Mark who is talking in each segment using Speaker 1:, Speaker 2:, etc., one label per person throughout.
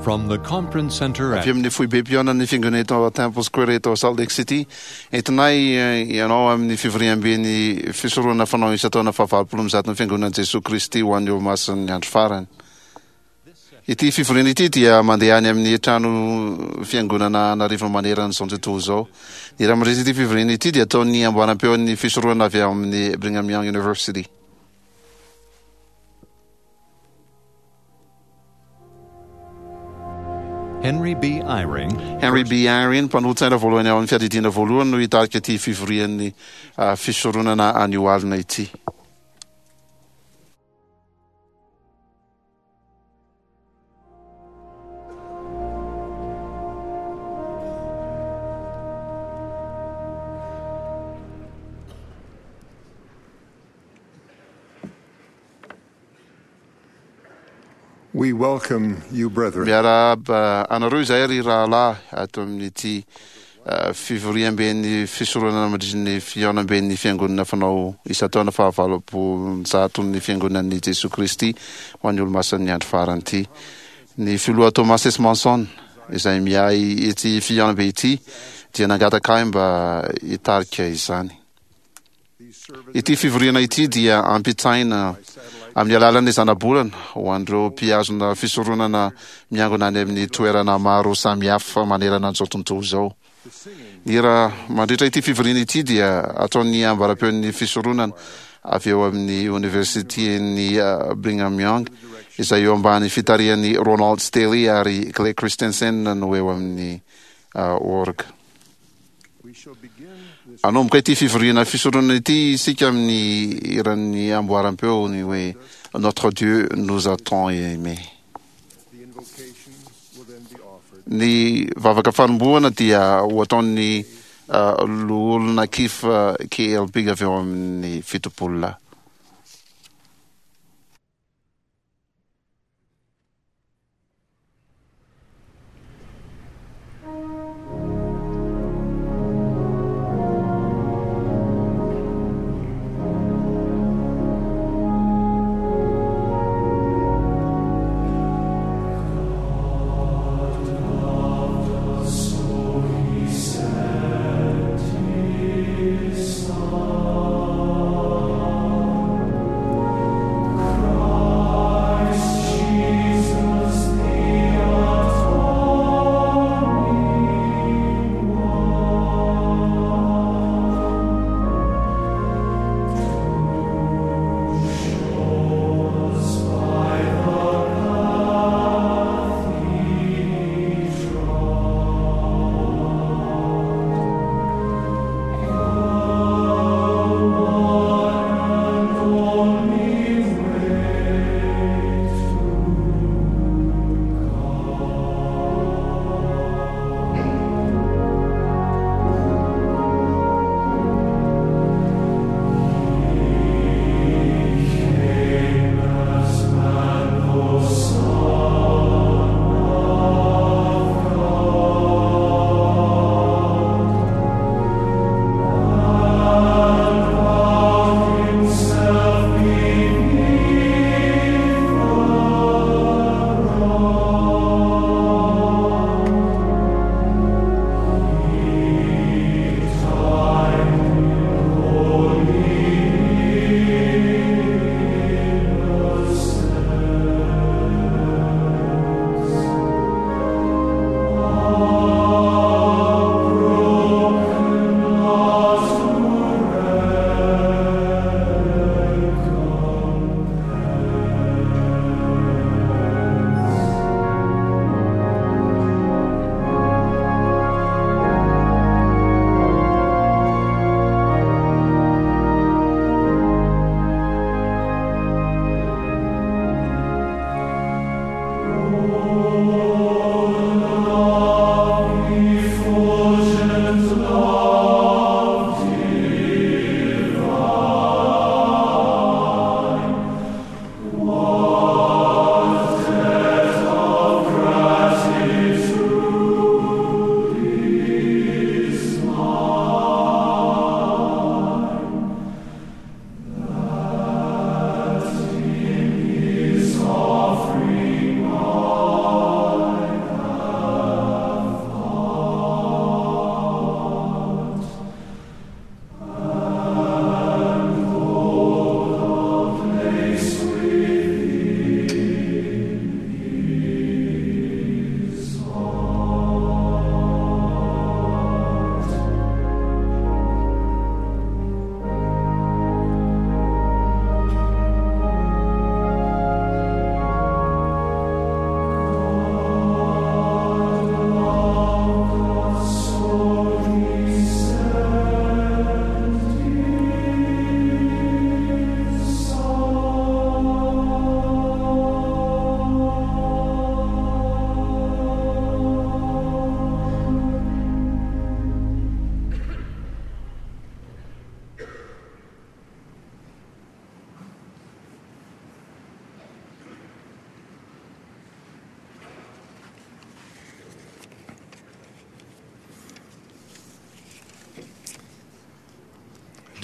Speaker 1: From the conference center at
Speaker 2: Avy amin'ny foibem-pihaonan'ny Fiangonana eto Temple Square eto Salt Lake City, entinay ianao amin'ny fivoriamben'ny fisoronana fanao isan-taona fahavalopolo amby zaton'ny Fiangonan'i Jesoa Kristy ho an'ny Olomasin'ny Andro Farany. Ity fivoriana ity dia mandeha any amin'ny trano fiangonana an'arivony manerana izao tontolo izao. Ny hira mandritra ity fivoriana ity dia ataon'ny amboaram-peon'ny fisoronana avy ao amin'ny Brigham Young University.
Speaker 1: Henry B. Eyring,
Speaker 2: Henry B. Eyring, mpanolotsaina voalohany ao amin'ny Fiadidiana Voalohany no hitarika ity fivorian'ny fisoronana anio alina ity.
Speaker 3: We welcome you, brethren.
Speaker 2: Miarahaba anareo izahay ry rahalahy ato amin'ity fivoriamben'ny fisoronana mandritry ny fihaonamben'ny Fiangonana fanao isan-taona fahavalopolonjaton'ny Fiangonan'i Jesoa Kristy ho an'ny Olomasin'ny Andro Farany ity. Ny Filoha Thomas S. Monson, izay miahy ity fihaonambe ity, dia nangataka ahy mba hitarika izany. Ity fivoriana ity dia ampitaina amin'ny alalan'ny zanabolana ho an'ireo mpihazona fisoronana miangona any amin'ny toerana maro samihafa manerana an'izao tontolo izao. Ny hira mandritra ity fivoriana ity dia ataon'ny ambara-peon'ny fisoronana avy eo amin'ny Oniversiten'i Brigham Young, izay eo ambany fitarihan'i Ronald Staley ary Clay Christensen no eo amin'ny orga. Hanomboka ity fivoriana fisoronana ity isika amin'ny hiran'ny amboaram-peo ny hoe Notre Dieu nous a tant aimé. Ny vavaka fanombohana dia ho ataon'ny loholona Keith KLB avy ao amin'ny Fitopololahy.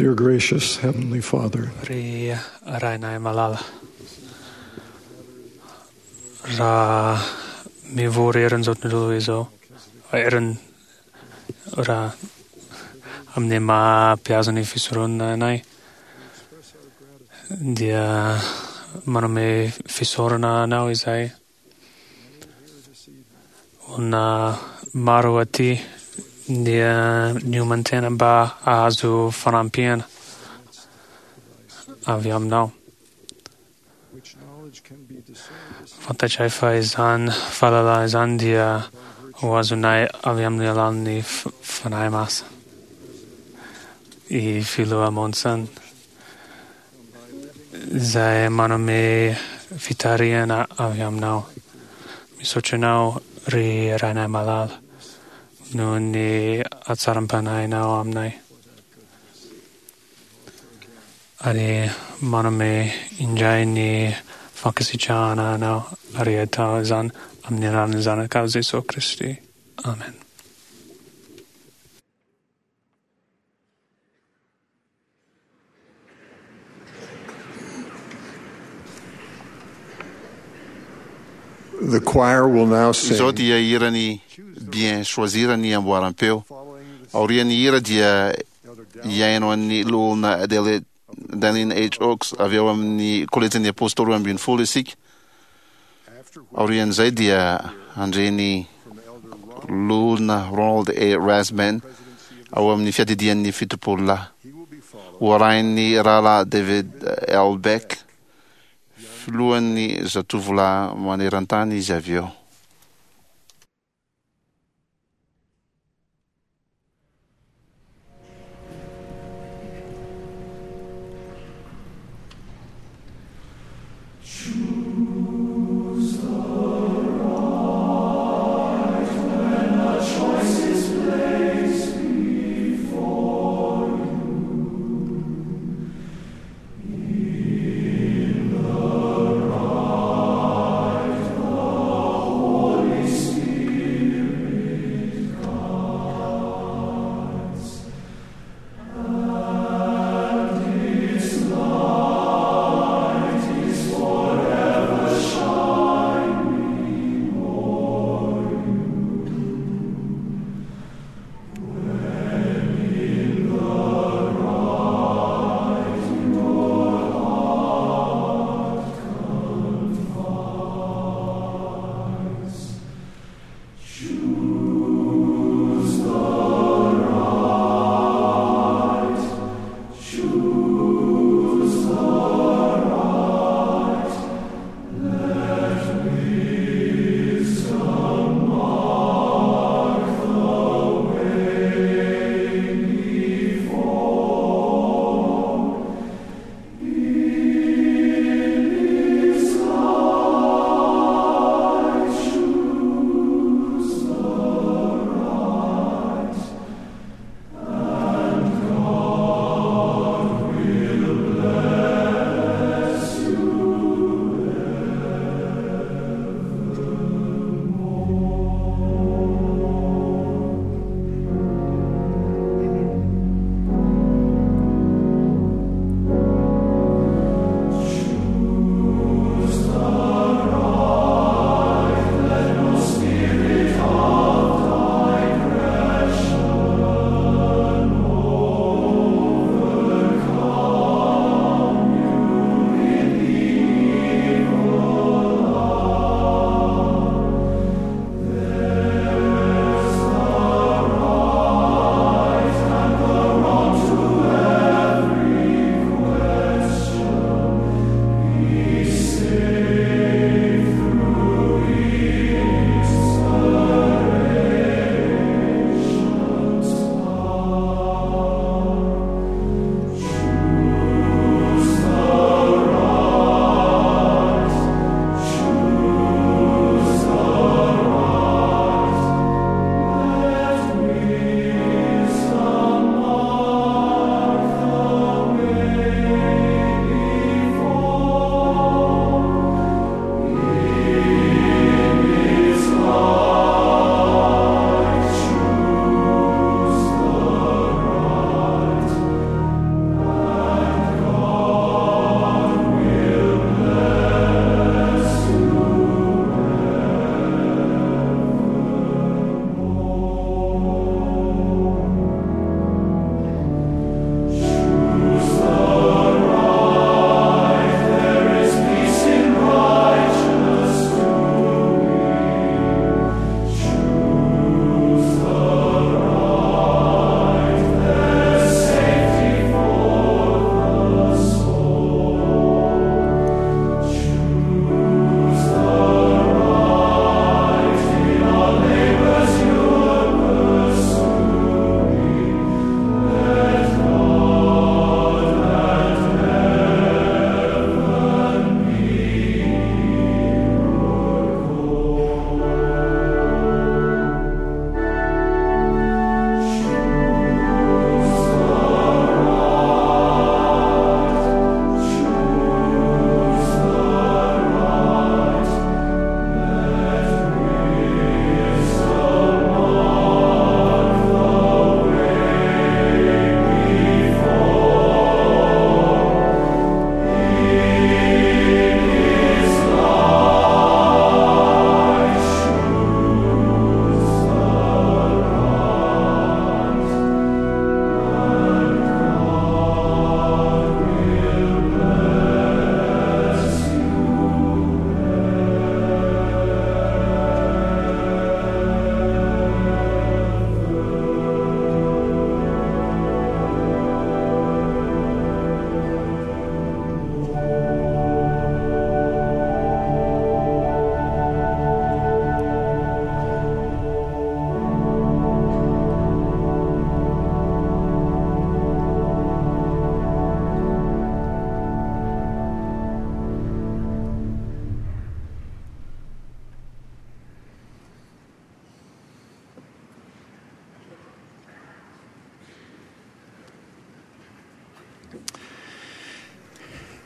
Speaker 3: Dear gracious Heavenly Father,
Speaker 4: Ry Rainay malala, raha mivory eran'izao tontolo izao, eran raha amin'ny maha mpihaza ny fisoronana anay, dia manome fisaorana anao izahay. Olona maro aty dia nioman-tena mba hahazo fanampiana avy aminao. Fantatray fa izany fahalalana izany dia ho azonay avy amin'ny alalan'ny Fanahy Masina. I Filoha Monson izay manome fitarihana avy aminao. Misaotra anao ry Rainay malala noho ny hatsaram-panahinao aminay. Ary manome indray ny fankasitrahana anao ary atao izany amin'ny anaran'ny Zanakao Jesoa Kristy. Amen.
Speaker 3: The choir will now sing.
Speaker 2: Izao dia hiran'ny Bien Choisir ny amboaram-peo. Aorian'ny hira dia hihaino an'ny Loholona Adele Dallin H. Oaks avy ao amin'ny Kolejin'ny Apôstôly 12 isika. Aorian'izay dia handre ny Loholona Ronald A. Rasband ao amin'ny Fiadidian'ny Fitopololahy. Ho arahin'ny Rahalahy David L. Beck, filohan'ny Zatovolahy maneran-tany izy avy eo.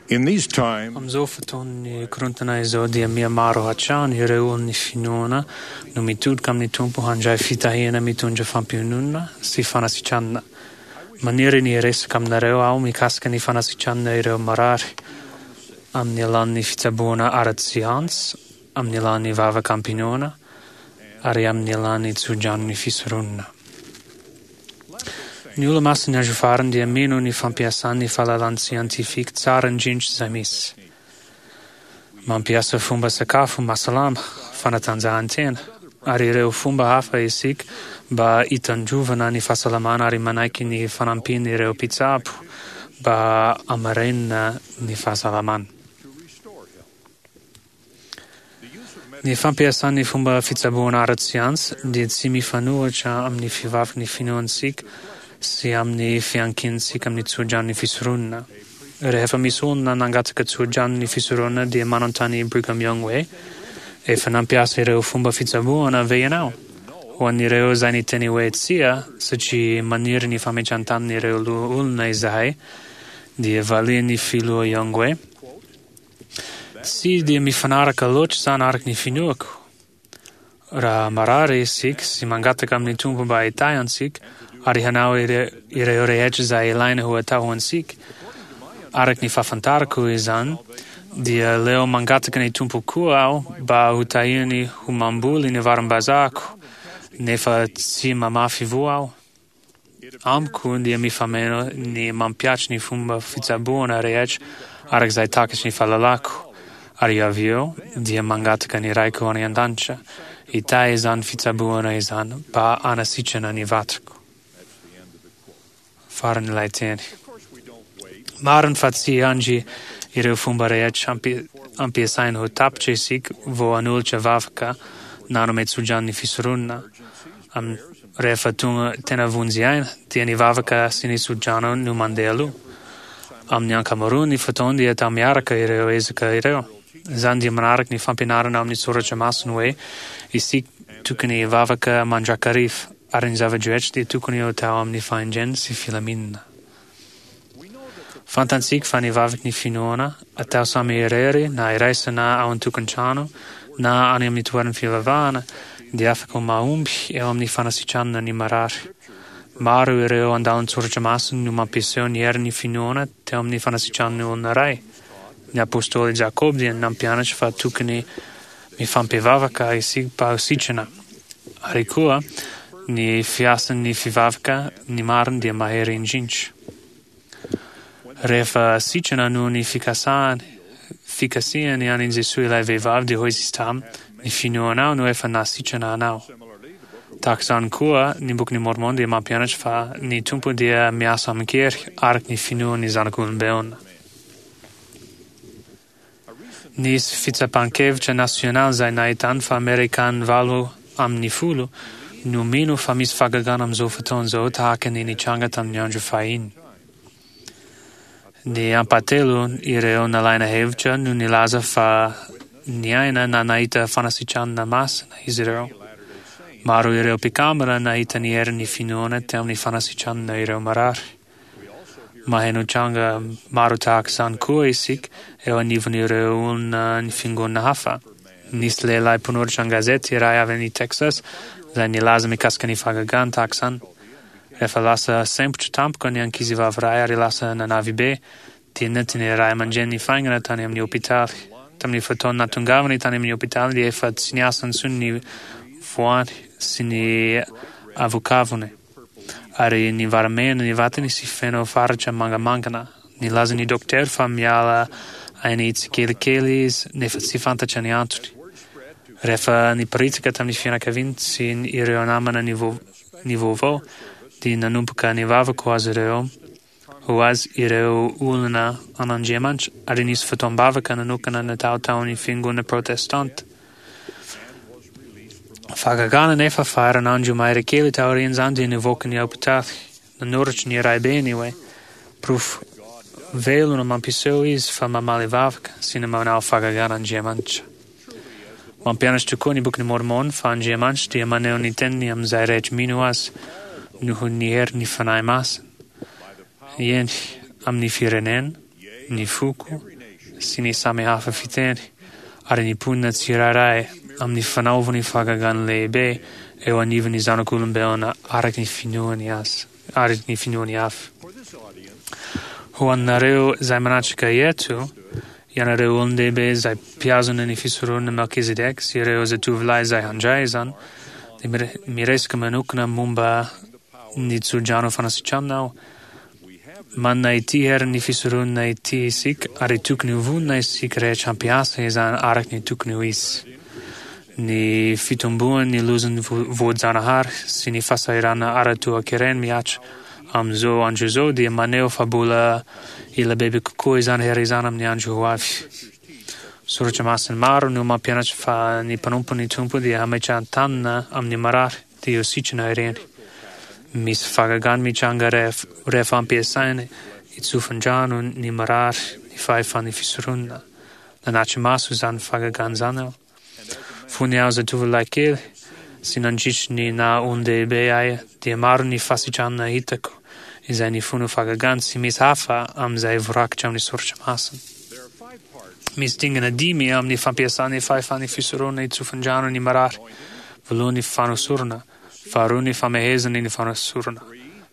Speaker 3: In these times,
Speaker 4: Amin'izao fotoan'ny korontana izao dia mihamaro hatrany ireo olon'ny finoana no mitodika amin'ny Tompo handray fitahiana mitondra fampiononana sy fanasitranana. Maniry ny hiresaka aminareo aho mikasika ny fanasitranana ireo marary amin'ny alalan'ny fitsaboana ara-tsiansa, amin'ny alalan'ny vavaka am-pinoana ary amin'ny alalan'ny tsodranon'ny fisoronana. Ny Olomasin'ny Andro Farany dia mino ny fampiasany ny fahalalana siantifika tsara indrindra izay misy. Mampiasa fomba sakafo mahasalama, fanatanjahantena, ary ireo fomba hafa isika mba hitandrovana ny fahasalamana ary manaiky ny fanampian'ireo mpitsabo mba hamarinana ny fahasalamana. Ny fampiasana ny fomba fitsaboana ara-tsiansa dia tsy mifanohitra amin'ny fivaviky ny finoantsika sy amin'ny fiankinantsika amin'ny tsodranon'ny fisoronana. Rehefa misy olona nangataka tsodranon'ny fisoronana dia manontany i Brigham Young hoe, Efa nampiasa ireo fomba fitsaboana ve ianao? Ho an'ireo izay niteny hoe tsia, satria maniry ny fametran-tanin'ireo loholona izahay, dia valian'ny Filoha Young hoe, Tsy dia mifanaraka loatra izany araka ny finoako. Raha marary isika sy mangataka amin'ny Tompo mba hitahy antsika ary hanao ireo rehetra izay ilaina ho atao ho antsika, araka ny fahafantarako izany, dia aleo mangataka ny Tompo koa aho mba hotahiany ho mamboly ny varim-bazahako, nefa tsy mamafy voa aho. Amiko dia mifameno ny mampihatry ny fomba fitsaboana rehetra araka izay takatry ny fahalalako, ary avy eo dia mangataka ny Raiko any An-danitra hitahy izany fitsaboana izany mba hanasitrana ny vatako. Faran'ilay teny. Marina fa tsy hiandry ireo fomba rehetra ampiasaina ho tapitra isika vao hanolotra vavaka na hanome tsodrano ny fisoronana. Amin'ny rehefa tonga tena vonjy aina dia ny vavaka sy ny tsodrano no mandeha aloha. Amin'ny ankamaroan'ny fotoana dia atao miaraka ireo ezaka ireo. Izany dia manaraka ny fampianarana ao amin'ny soratra masina hoe isika tokony hivavaka mandrakariva ary ny zava-drehetra dia tokony ho atao amin'ny fahendrena sy filaminana. Fantantsika fa ny vavaky ny finoana, atao samy irery na iraisana ao an-tokantrano na any amin'ny toeran'ny fivavahana, dia afaka ho mahomby eo amin'ny fanasitranana ny marary. Maro ireo andalan-tsoratra masina no mampiseho ny herin'ny finoana teo amin'ny fanasitranana olona iray. Ny apostoly Jakoba dia nampianatra fa tokony mifampivavaka isika mba ho sitrana. Ary koa, ny fiasan'ny fivavaka ny marina dia mahery indrindra. Rehefa sitrana noho ny fikasany, fikasihany an'i Jesoa ilay vehivavy dia hoy Izy taminy, Ny finoanao no efa nahasitrana anao. Tahaka izany koa, ny Bokin'i Môrmôna dia mampianatra fa ny Tompo dia miasa amin-kery araka ny finoan'ny zanak'olombelona. Nisy fitsapan-kevitra nasionaly izay nahitany fa Amerikana 8 no mino fa misy fahagagana amin'izao fotoana izao tahaka ny nitranga tamin'ny andro fahiny. Ny ampahatelon ireo nalaina hevitra no nilaza fa niaina na nahita fanasitranana masina izy ireo. Maro ireo mpikambana nahita ny herin'ny finoana teo amin'ny fanasitranana ireo marary. Maheno tranga maro tahaka izany koa isika eo anivon'ireo olona ny fiangonana hafa. Nisy lehilahy mpanoratra an-gazety iray avy any Texas izay nilaza mikasika ny fahagagana tahaka izany. Rehefa lasa sempotra tampoka ny ankizivavy iray ary lasa nanavy be, dia nentin'ny ray aman-dreniny faingana tany amin'ny hopitaly. Tamin'ny fotoana nahatongavany tany amin'ny hopitaly dia efa tsy niasa intsony ny voany sy ny avokavony. ary nivaramena ny vatany sy feno faritra mangamangana. Nilaza ny dokotera fa miala aina tsikelikely izy nefa tsy fantatra ny antony. Rehefa niparitaka tamin'ny fianakaviany sy ireo namana ny ny vaovao dia nanomboka nivavaka ho azy ireo ho azy ireo olona an'Andriamanitra ary nisy fotoam-bavaka nanokana natao tao amin'ny fiangonana protestanta. Fahagagana anefa fa herinandro mahery kely taorian'izany dia nivoaka ny hopitaly. Nanoratra ny raibeny hoe, Porofo velona mampiseho izy fa mamaly vavaka sy ny manao fahagagana Andriamanitra. Mampianatra tokoa ny Bokin'i Môrmôna fa Andriamanitra dia maneho ny teniny amin'izay rehetra mino Azy noho ny herin'ny Fanahy Masina, eny, amin'ny firenena, ny foko, sy ny samy hafa fiteny ary ny mponina tsirairay amin'ny fanaovany fahagagana lehibe eo anivon'ny zanak'olombelona araka ny finoany azy, araka ny finoany avy. Ho anareo izay manatrika eto, ianareo olon-dehibe izay mpihazona ny fisoronana Melkizedeka sy ireo zatovolahy izay handray izany, dia miresaka manokana momba ny tsodrano fanasitranana aho. Manana ity herin'ny fisoronana ity isika ary tokony ho vonona isika rehetra hampiasa izany araka ny tokony ho izy. Ny fitomboan'ny lozan'ny voajanahary sy ny fahasahiranana ara-toekarena mihatra amin'izao andro izao dia maneho fa mbola hila bebe kokoa izany hery izany amin'ny andro ho avy. Soratra masina maro no mampianatra fa ny mpanompon'ny Tompo dia hametrahan-tanana amin'ny marary dia ho sitrana ireny. Misy fahagagana mitranga rehefa ampiasaina hitsofin-drano ny marary ny fahefan'ny fisoronana. Nanatri-maso izany fahagagana izany aho. Fony aho zatovolahy kely sy nandritry ny naha olon-dehibe ahy dia maro ny fahasitranana hitako izay nifono fahagagana tsy misy hafa amin'izay voarakitra amin'ny soratra masina. Misy dingana dimy amin'ny fampiasana ny fahefan'ny fisoronana hitsofin-drano ny marary, voalohany ny fanosorana, faharoa ny famehezana ny fanosorana,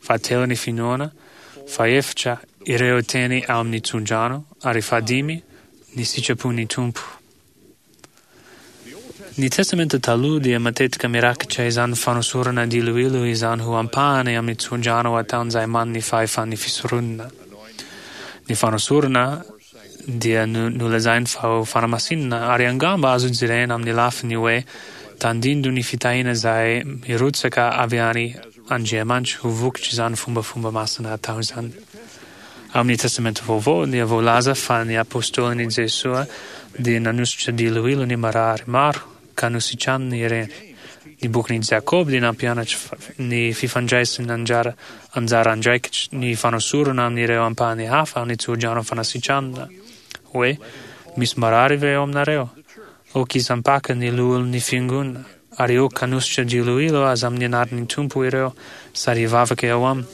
Speaker 4: fahatelo ny finoana, fahefatra ireo teny ao amin'ny tsodrano ary fahadimy ny sitrapon'ny Tompo. Ny Testamenta Taloha dia matetika mirakitra izany fanosorana diloilo izany ho ampahany amin'ny tsodrano ataon'izay manana ny fahefan'ny fisoronana. Ny fanosorana dia nolazainy fa ho fanamasinana ary angamba azo jerena amin'ny lafiny hoe tandindon'ny fitahiana izay mirotsaka avy any Andriamanitra ho vokatr'izany fombafomba masina atao izany. Amin'ny Testamenta Vaovao dia voalaza fa ny Apôstôlin'i Jesoa dia nanosotra diloilo ny marary maro ka nositraniny ireny. Ny bokin'i Jakoba dia nampianatra ny fifandraisana anjara anjara andraikitry ny fanosorana amin'ireo ampahany hafa amin'ny tsodrano fanasitranana, hoe, Misy marary ve eo aminareo? Aoka hisampaka ny loholon'ny fiangonana, ary aoka hanosotra diloilo aza amin'ny anaran'ny Tompo ireo sady hivavaka eo aminy.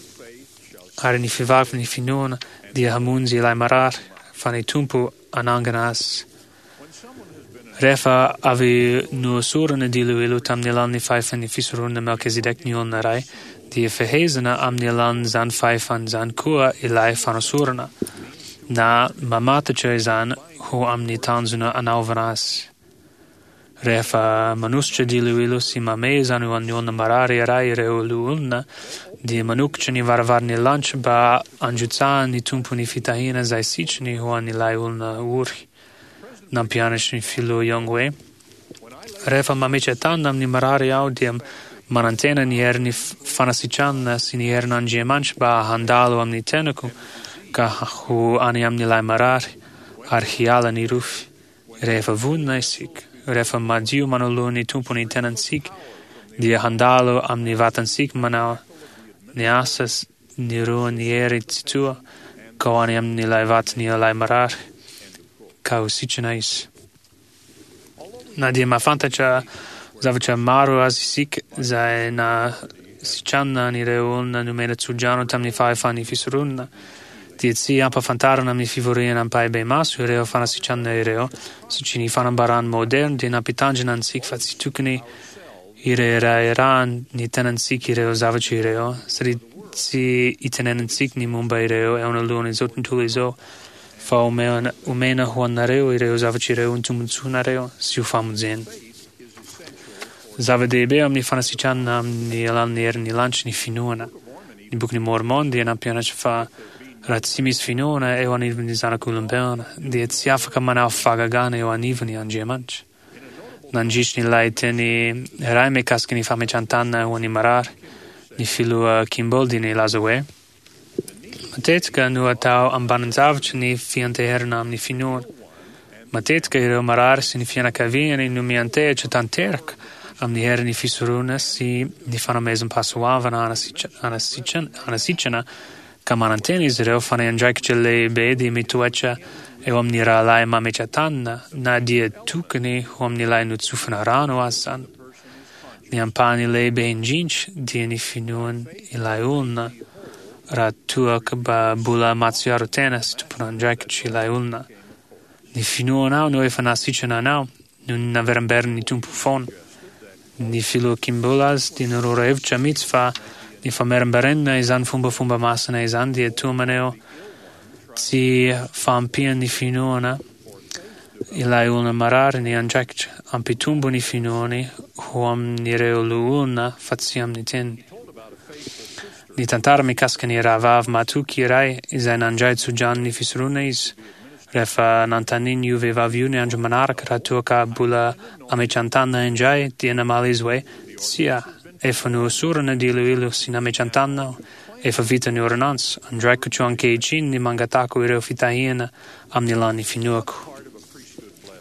Speaker 4: Ary ny fivavin'ny finoana dia hamonjy ilay marary, fa ny Tompo hanangana azy. Rehefa avy nohosorana diloilo tamin'ny alalan'ny fahefan'ny fisoronana Melkizedeka ny olona iray, dia fehezina amin'ny alalan'izany fahefana izany koa ilay fanosorana, na mamatotra izany ho amin'ny tanjona anaovana azy. Rehefa manosotra diloilo sy mamehy izany ho an'ny olona marary iray ireo loholona, dia manokatra ny varavaran'ny lanitra mba handrotsahan'ny Tompo ny fitahiana izay sitrany ho an'ilay olona ory. Nampianatry ny Filoha Young hoe, Rehefa mametra-tanana amin'ny marary aho dia manantena ny herin'ny fanasitranana sy ny herin'Andriamanitra mba handalo amin'ny tenako ka ho any amin'ilay marary ary hiala ny rofy. Rehefa vonona isika, rehefa madio manoloana ny Tompo ny tenantsika, dia handalo amin'ny vatantsika manao ny asa ny roan'ny hery tsitoha ka ho any amin'ilay vatan'ilay marary ka ho sitrana izy. Na dia mahafantatra zavatra maro aza isika izay nahasitranina an'ireo olona nomena tsodrano tamin'ny fahefan'ny fisoronana, dia tsy ampahafantarina amin'ny fivoriana ampahibemaso ireo fanasitranana ireo, satria ny fanambarana maoderina dia nampitandrina antsika fa tsy tokony hireharehana ny tenantsika ireo zavatra ireo, satria tsy itenenantsika ny momba ireo eo anoloan'izao tontolo izao, fa omena ho anareo ireo zavatra ireo ho tombontsoanareo sy ho famonjena. Zava-dehibe amin'ny fanasitranana amin'ny alalan'ny herin'ny lanitra ny finoana. Ny Bokin'i Môrmôna dia nampianatra fa raha tsy misy finoana eo anivon'ny zanak'olombelona dia tsy afaka manao fahagagana eo anivony Andriamanitra. Nandritry ny lahateny iray mikasika ny fametran-tanana ho an'ny marary, ny Filoha Kimball dia nilaza hoe, Matetika no atao ambanin-javatra ny fianteherana amin'ny finoana. Matetika ireo marary sy ny fianakaviany no miantehitra tanteraka amin'ny herin'ny fisoronana sy ny fanomezam-pahasoavana hanasitrana ka manantena izy ireo fa ny andraikitra lehibe dia mitoetra eo amin'ny rahalahy mametra-tanana na dia tokony ho amin'ilay notsofina rano aza izany. Ny ampahany lehibe indrindra dia ny finoan' ilay olona raha toa ka mbola mahatsiaro tena sy tompon'andraikitra ilay olona. Ny finoanao no efa nahasitrana anao, no naverimberiny Tompo foana. Ny filoha Kimball aza dia nanoro hevitra mihitsy fa ny famerimberenana izany fombafomba masina izany dia toa maneho tsy fahampian'ny finoana ilay olona marary ny andraikitra hampitombo ny finoany ho amin'ireo loholona fa tsy amin'ny teniny. Nitantara mikasika ny rahavavy matoky iray izay nandray tso-drano ny fisoronana izy rehefa nanontaniany io vehivavy io ny andro manaraka raha toa ka mbola ametran-tanana indray dia namaly izy hoe, Tsia, efa nohosorana diloilo sy nametran-tanana aho, efa vita ny ôrdônansy, andraikitro ankehitriny ny mangatako ireo fitahiana amin'ny alalan'ny finoako.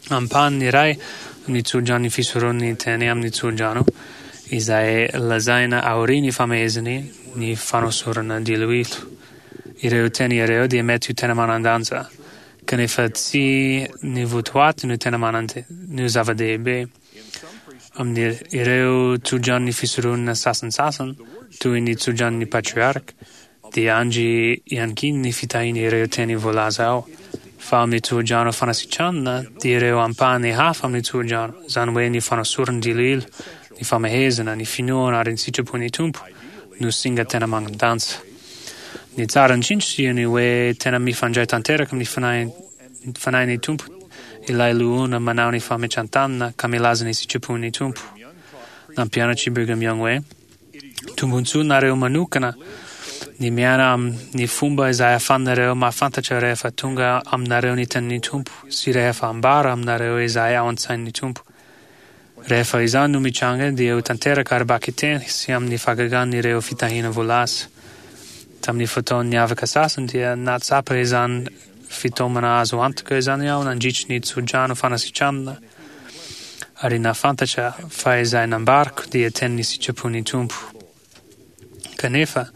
Speaker 4: Ampahany iray amin'ny tso-dranon'ny fisoron'ny teny amin'ny tso-drano izay lazaina aorian'ny famehezany ny fanosorana diloilo. Ireo teny ireo dia mety ho tena manan-danja, kanefa tsy ny votoaty no tena manan no zava-dehibe. Amin'ireo tsodranon'ny fisoronana sasantsasany, toy ny tsodranon'ny patriarka, dia andry iankin'ny fitahian'ireo teny voalaza ao, fa amin'ny tsodrano fanasitranana dia ireo ampahany hafa amin'ny tsodrano, izany hoe ny fanosoran-diloilo, ny famehezana, ny finoana ary ny sitrapon'ny Tompo, no singa tena manan-danja. Ny tsara indrindra dia ny hoe tena mifandray tanteraka amin'ny Fanahin'ny Tompo ilay loholona manao ny fametran-tanana ka milaza ny sitrapon'ny Tompo. Nampianatra i Brigham Young hoe, Tombontsoa nareo manokana ny miaina amin'ny fomba izay ahafahanareo mahafantatra rehefa tonga aminareo ny tenin'ny Tompo sy rehefa ambara aminareo izay ao an-tsain'ny Tompo. Rehefa izany no mitranga dia ho tanteraka ara-bakiteny sy amin'ny fahagagana ireo fitahiana voalaza. Tamin'ny fotoana niavaka sasany dia nahatsapa izany fitaomana azo antoka izany aho nandritry ny tso-drano fanasitranana ary nahafantatra fa izay nambarako dia tenin'ny sitrapon'ny Tompo. Kanefa,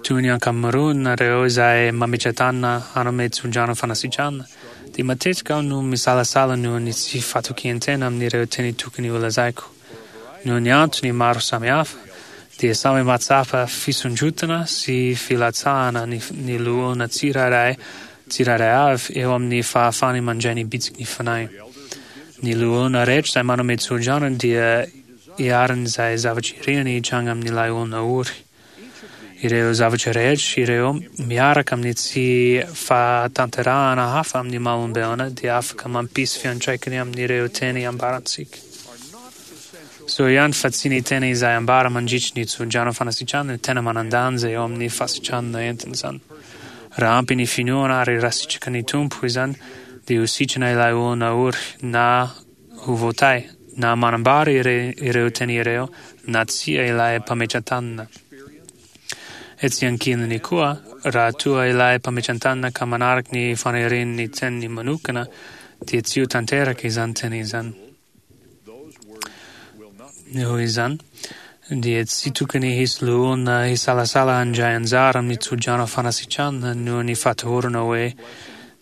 Speaker 4: toy ny ankamaroanareo izay mametra-tanana hanome tso-drano fanasitranana, dia matetika aho no misalasala noho ny tsy fatokian-tena amin'ireo teny tokony holazaiko. Noho ny antony maro samihafa, dia samy mahatsapa fisondrotana sy filatsahana ny ny loholona tsirairay tsirairay avy eo amin'ny fahafahany mandray ny bitsiky ny Fanahy. Ny loholona rehetra izay manome tso-drano dia iharan'izay zavatra iriany hitranga amin'ilay olona ory. Ireo zavatra rehetra ireo miaraka amin'ny tsy fahatanterahana hafa amin'ny maha olombelona dia afaka mampisy fiantraikany amin'ireo teny ambarantsika. Soa ihany fa tsy ny teny izay ambara mandritry ny tso-drano fanasitranana no tena manan-danja eo amin'ny fahasitranana entin'izany. Raha ampy ny finoana ary raha sitraky ny Tompo izany dia ho sitrana ilay olona ory na ho voatahy na manambara ireo teny ireo na tsia ilay mpametra-tanana. Etsy ankilany koa, raha toa ilay mpametra-tanana ka manaraka ny fanirian'ny teniny manokana, dia tsy ho tanteraka izany teny izany. Noho izany, dia tsy tokony hisy loholona hisalasala handray anjara amin'ny tsodrano fanasitranana noho ny fahatahorana hoe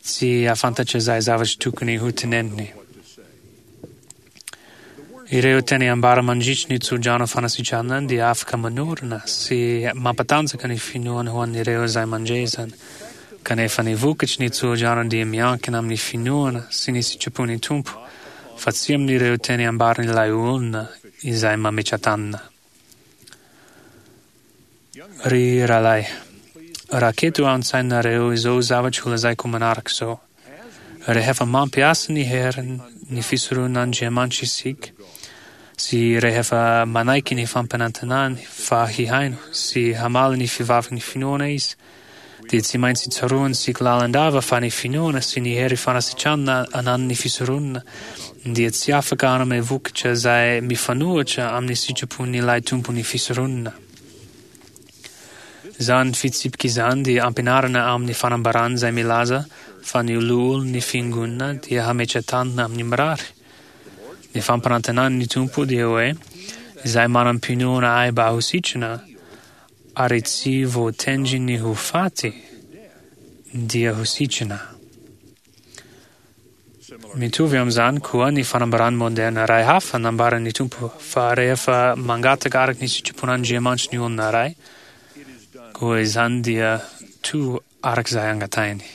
Speaker 4: tsy hahafantatra izay zavatra tokony hoteneniny. Ireo teny ambara mandritry ny tsodrano fanasitranana dia afaka manorina sy mampatanjaka ny finoana ho an'ireo izay mandre izany. Kanefa ny vokatry ny tsodrano dia miankina amin'ny finoana sy ny sitrapon'ny Tompo, fa tsy amin'ireo teny ambaran'ilay olona izay mametra-tanana. Ry rahalahy, raketo ao an-tsainareo izao zavatra holazaiko manaraka izao. Rehefa mampiasa ny heriny ny fisoron'Andriamanitra isika, sy rehefa manaiky ny fampanantenany fa hihaino sy hamaly ny fivavin'ny finoana Izy, dia tsy maintsy tsaroantsika lalandava fa ny finoana sy ny hery fanasitranana ananan'ny fisoronana dia tsy afaka hanome vokatra izay mifanohitra amin'ny sitrapon'ilay Tompon'ny fisoronana. Izany fitsipika izany dia ampianarina ao amin'ny fanambarana izay milaza fa ny loholon'ny Fiangonana dia hametra-tanana amin'ny mirary. Ny fampanantenan'ny Tompo dia hoe, Izay manam-pinoana ahy mba ho sitrana, ary tsy voatendry ny ho faty, dia ho sitrana. Mitovy amin'izany koa ny fanambarany moderna iray hafa nambaran'ny Tompo fa rehefa mangataka araka ny sitrapon'Andriamanitra ny olona iray, koa izany dia to araka izay angatahiny.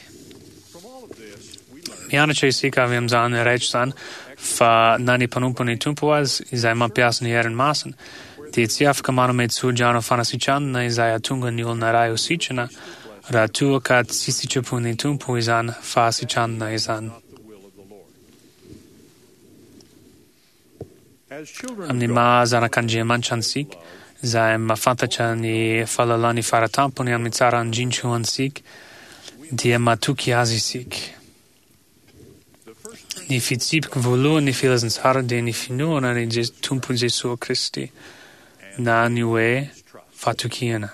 Speaker 4: Mianatra isika avy amin'izany rehetra izany fa na ny mpanompon'ny Tompo aza izay mampiasa ny heriny masina dia tsy afaka manome tsodrano fanasitranana izay hahatonga ny olona iray ho sitrana raha toa ka tsy sitrapon'ny Tompo izany fahasitranana izany. Amin'ny maha zanak'Andriamanitra antsika, izay mahafantatra ny fahalalany faratampony amin'ny tsara indrindra ho antsika, dia matoky Azy isika. Ny fitsipika voalohan'ny filazantsara dia ny finoana ny Tompo Jesoa Kristy, na ny hoe fatokiana.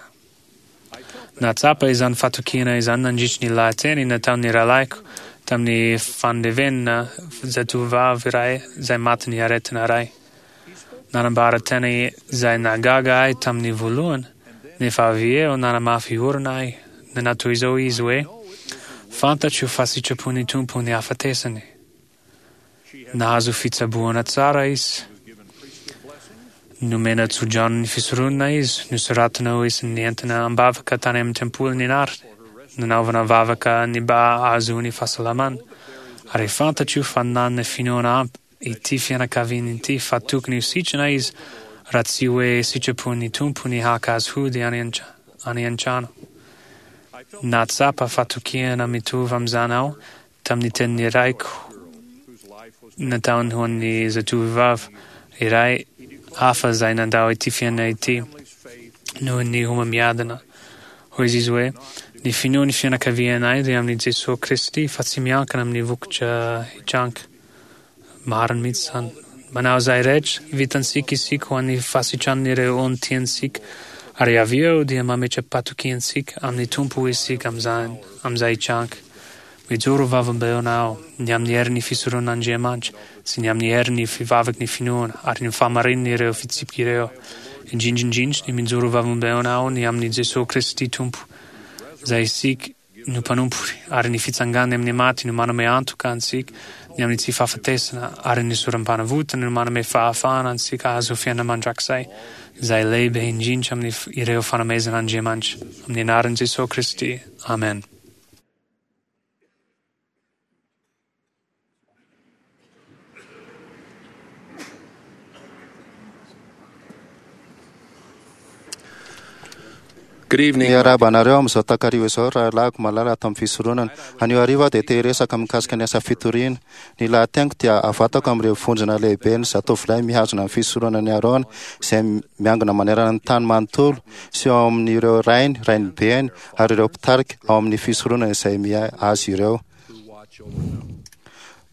Speaker 4: Nahatsapa izany fatokiana izany nandritry ny lahateny nataon'ny rahalahiko tamin'ny fandevenana zatovovavy iray izay matin'ny aretina iray. Nanambara teny izay nahagaga ahy tamin'ny voalohany, nefa avy eo nanamafy orina ahy. Nanao toy izao izy hoe, Fantatro fa sitrapon'ny Tompo ny hafatesany. Nahazo fitsaboana tsara izy. Nomena tso-drano ny fisoronana izy, nosoratana ho isan'ny nentina am-bavaka tany amin'ny tempoly ny anarany, nanaovana vavaka ny mba hahazoany fahasalamana. Ary fantatro fa nanana finoana ampy ity fianakaviana ity fa tokony ho sitrana izy raha tsy hoe sitrapon'ny Tompo ny haka azy hody any an-trano. Nahatsapa fatokiana mitovy amin'izany aho tamin'ny tenin'ny raiko nataony ho an'ny zatovovavy iray hafa izay nandao ity fiainana ity noho ny homamiadana. Hoy izy hoe, Ny finoan'ny fianakavianay dia amin'i Jesoa Kristy fa tsy miankina amin'ny vokatra hitranga. Marina mihitsy izany. Manao izay rehetra vitantsika isika ho an'ny fahasitranan'ireo olona tiantsika, ary avy eo dia mametra-patokiantsika amin'ny Tompo isika amin'izany, amin'izay hitranga. Mijoro vavolombelona aho ny amin'ny herin'ny fisoronan'Andriamanitra sy ny amin'ny herin'ny fivavaky ny finoana ary ny fahamarinan'ireo fitsipika ireo. Indrindra indrindra ny mijoro vavolombelona aho ny amin'i Jesoa Kristy Tompo, izay isika no mpanompony, ary ny fitsanganany amin'ny maty no manome antoka antsika ny amin'ny tsy fahafatesana, ary ny sorom-panavotana no manome fahafahana antsika hahazo fiainana mandrakizay, izay lehibe indrindra amin'ny ireo fanomezan'Andriamanitra. Amin'ny anaran'i Jesoa Kristy, Amen.
Speaker 1: Good evening.
Speaker 2: Miarahaba anareo amin'izao takariva izao, rahalahiko malala ato amin'ny fisoronana. Anio hariva aho dia te hiresaka mikasika ny asa fitoriana. Ny lahateniko dia avatako amin'ireo vondrona lehibe ny zatovolahy mihazona ny fisoronan'i Arona izay miangona manerana ny tany manontolo sy ao amin'ireo rainy, rainibeny ary ireo mpitarika ao amin'ny fisoronana izay miahy azy ireo.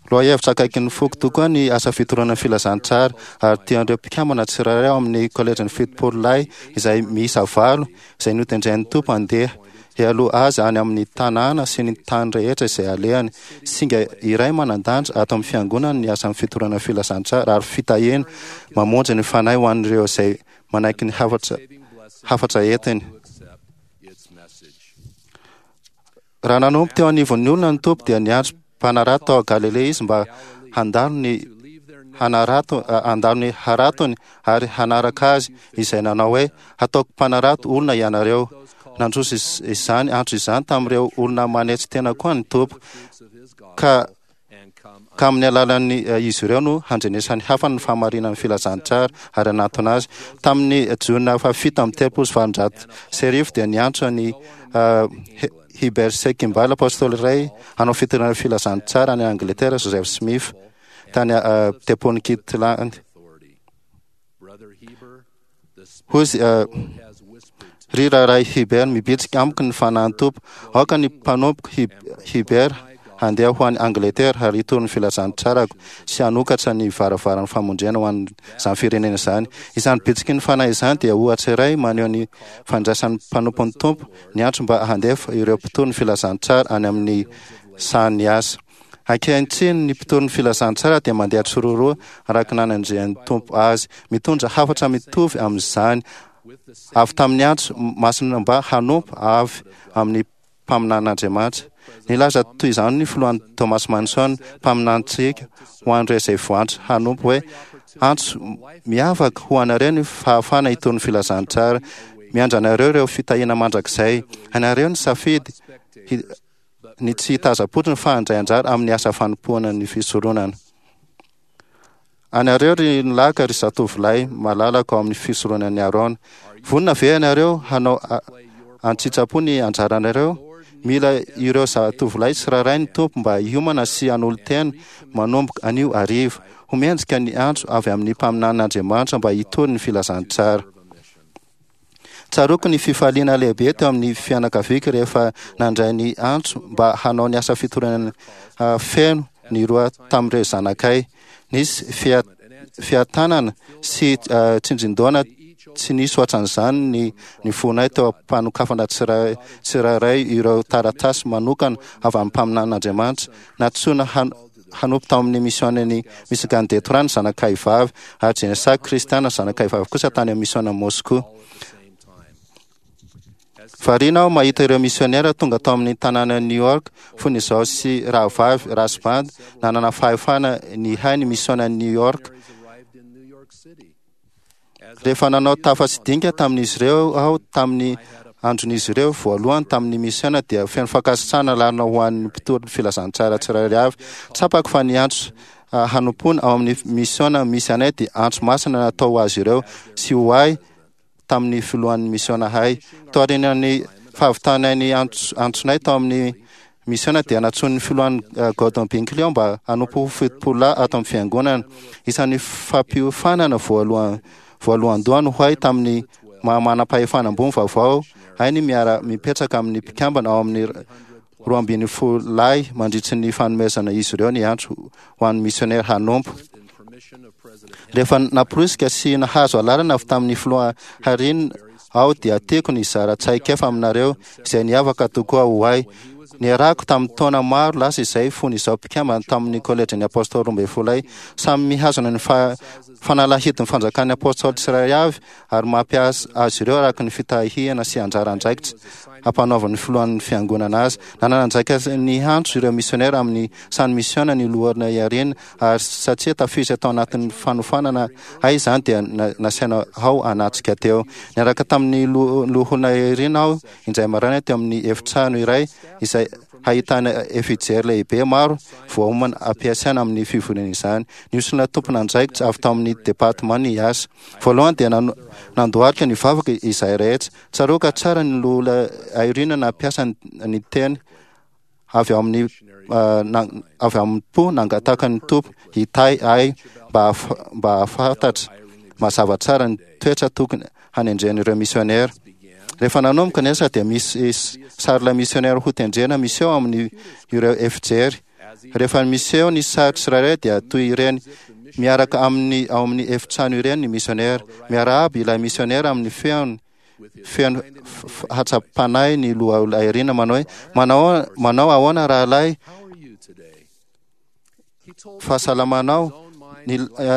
Speaker 2: Lohahevitra akaikin'ny foko tokoa ny asa fitoriana ny filazantsara ary tian'ireo mpikambana tsirairay ao amin'ny kolejin'ny 70 lahy izay miisa valo izay notendren'ny Tompo handeha hialoha azy any amin'ny tanàna sy ny tany rehetra izay alehany. Singa iray manan-danja ato amin'ny fiangonana ny asan'ny fitoriana ny filazantsara ary fitahiana mamonjy ny fanahy ho an'ireo izay manaiky ny hafatra hafatra entiny. Raha nanompo teo anivon'ny olona ny Tompo dia niantso mpanarato tao Galilea izy mba handalo ny hanarato handalo ny haratony ary hanaraka azy izay nanao hoe hataoko mpanarato olona ianareo. Nandroso izany antso izany tamin'ireo olona manetry tena koa ny Tompo ka ka amin'ny alalan'ny izy ireo no handrenesan'ny hafa ny fahamarinan'ny filazantsara ary hanatona azy. Tamin'ny Jona 1837 dia niantso an'i Heber C. Kimball, apostoly iray hanao fitoriana filazantsara any Angletera, Joseph Smith, tany Tempolin'i Kirtland. Hoy izy, Ry Rahalahy Heber, mibitsika amiko ny Fanahin'ny Tompo. Aoka ny mpanompoko Heber handeha ho any Angletera ary hitory ny filazantsarako sy hanokatra ny varavaran'ny famonjena ho an'izany firenena izany. Izany bitsiky ny Fanahy izany dia ohatra iray maneho ny fandraisan'ny mpanompon'ny Tompo ny antso mba handefa ireo mpitory ny filazantsara any amin'ny sahan'ny asa. Ankehitriny ny mpitory ny filazantsara dia mandeha tsiroaroa araka ny nanendrehan'ny Tompo azy, mitondra hafatra mitovy amin'izany avy tamin'ny antso masina mba hanompo avy amin'ny mpaminanin'Andriamanitra. Nilaza toy izany ny filoha Thomas Manson, mpaminanintsika, ho an'ireo izay voantso hanompo hoe, Antso miavaka ho anareo ny fahafahana hitory ny filazantsara. Miandry anareo ireo fitahiana mandrakizay. Anareo ny safidy. ny tsy hitazam-potsiny fa handray anjara amin'ny asa fanompoana ny fisoronana. Anareo ry nilaka ry zatovolahy malalako ao amin'ny fisoronan'i Arona, vonona ve ianareo hanao an-tsitrapo ny anjaranareo? Mila ireo zatovolahy tsirairay ny Tompo mba hiomana sy hanolo-tena manomboka anio hariva. Ho mendrika ny antso avy amin'ny mpaminanin'Andriamanitra mba hitory ny filazantsara. Tsaroako ny fifaliana lehibe teo amin'ny fianakaviako rehefa nandray ny antso mba hanao ny asa fitoriana feno ny roa tamin'ireo zanakay. Nisy fiatanana sy tsindrin-daona tsy nisy hoatran'izany ny ny fonay teo am-panokafana tsirairay ireo taratasy manokana avy amin'ny mpaminanin'Andriamanitra. Nantsoina hanompo tao amin'ny misiônan'i Michigan Detroit ny zanakay vavy, ary Jenessa Kristiana zanakay vavy kosa tany amin'ny misiônan'i Moscou. Variana aho mahita ireo misiônera tonga tao amin'ny tanànan'i New York fony izaho sy Rahavavy Rasband nanana fahefana nihay ny misiônan'i New York. Rehefa nanao tafa sy dinika tamin'izy ireo aho tamin'ny andron'izy ireo voalohany tamin'ny misiona dia feno fankasitrahana lalina ho an'ny mpitory ny filazantsara tsirairay avy. Tsapako fa ny antso hanompoana ao amin'ny misiona misy anay dia antso masina natao ho azy ireo sy ho ahy tamin'ny filohan'ny misiona ahay. Taorian'ny fahavitanay ny antsonay tao amin'ny Misiona dia nantsoin'ny filohan'ny Gordon Binkley aho mba hanompo ho fitopololahy ato amin'ny fiangonana. Isan'ny fampiofanana voalohany voalohandohany ho ahy tamin'ny maha manam-pahefana ambony vaovao ahy ny miara-mipetraka amin'ny mpikambana ao amin'ny 12 lahy mandritry ny fanomezana izy ireo ny antso ho an'ny misionera hanompo. Rehefa namporisika sy nahazo alalana avy tamin'ny filoha Harin aho dia tiako ny hizara traikefa aminareo izay niavaka tokoa ho ahy. Niarahako tamin'ny taona maro lasa izay fony izaho mpikambana tamin'ny Kolejin'ny Apôstôly Roambinifolo Samy mihazona ny fanalahidin'ny fanjakan'ny Apôstôly tsirairay avy ary mampiasa azy ireo araka ny fitahiana sy anjara andraikitra ampanaovan'ny filohan'ny fiangonana azy. Nanana andraikitra niantso ireo misionera amin'ny sany misiona ny loholona Eyring ary satria tafiditra tao anatin'ny fanofanana ahy izany dia nasaina aho hanatrika teo. Niaraka tamin'ny loholona Eyring aho indray maraina teo amin'ny efitrano iray izay hahitana efijery lehibe maro voaomana ampiasaina amin'ny fivoriana izany. Niosona tompon'andraikitra avy tao amin'ny departement ny asa. Voalohany dia nandohalika nivavaka izahay rehetra. Tsaroako tsara ny loholona Irene nampiasa ny teny avy ao amin'ny avy amin'ny po nangataka ny Tompo hitahy ahy mba mba hahafantatra mazava tsara ny toetra tokony hanendren'ireo misionera. Rehefa nanomboka ny asa dia misy sarilay misionera hotendrena miseho amin'ny ireo efijery. Rehefa miseho ny sary tsirairay dia toy ireny miaraka amin'ny ao amin'ny efitrano ireny ny misionera. Miarahaba ilay misionera amin'ny feony feno hatsam-panahy ny loha Irina manao hoe, manao, manao ahoana rahalahy fahasalamanao?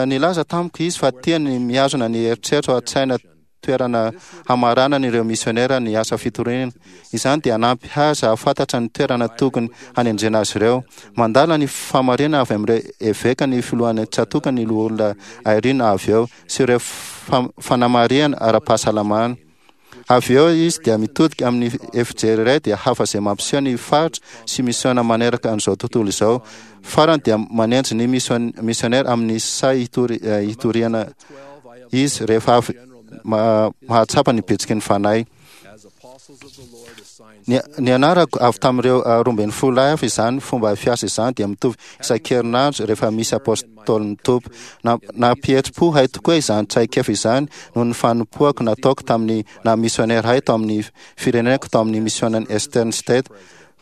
Speaker 2: Nilaza tamiko izy fa tiany mihazona ny eritreritra ao an-tsaina toerana hamaranana ireo misionera ny asa fitoriana. Izany dia hanampy azy hahafantatra ny toerana tokony hanendrena azy ireo. Mandala ny fahamarinana avy amin'ireo eveka ny filohan'ny tsatòka ny Loholona Eyring avy eo sy ireo fanamarihana ara-pahasalamana. Avy eo izy dia mitodika amin'ny efijery iray dia hafa izay mampiseho ny faritra sy misiona maneraka an'izao tontolo izao. Farany dia manendry ny misionera amin'ny sahy hitoriana izy rehefa avy mahatsapa ny bitsiky ny Fanahy. Nianarako avy tamin'ireo 12 lahy hafa izany fomba fiasa izany dia mitovy isan-kerinandro rehefa misy apôstôlin'ny Tompo. Nampihetsi-po ahy tokoa izany traikefa izany noho ny fanompoako nataoko tamin'ny naha misionera ahy tao amin'ny fireneko tao amin'ny misionan'i Eastern State.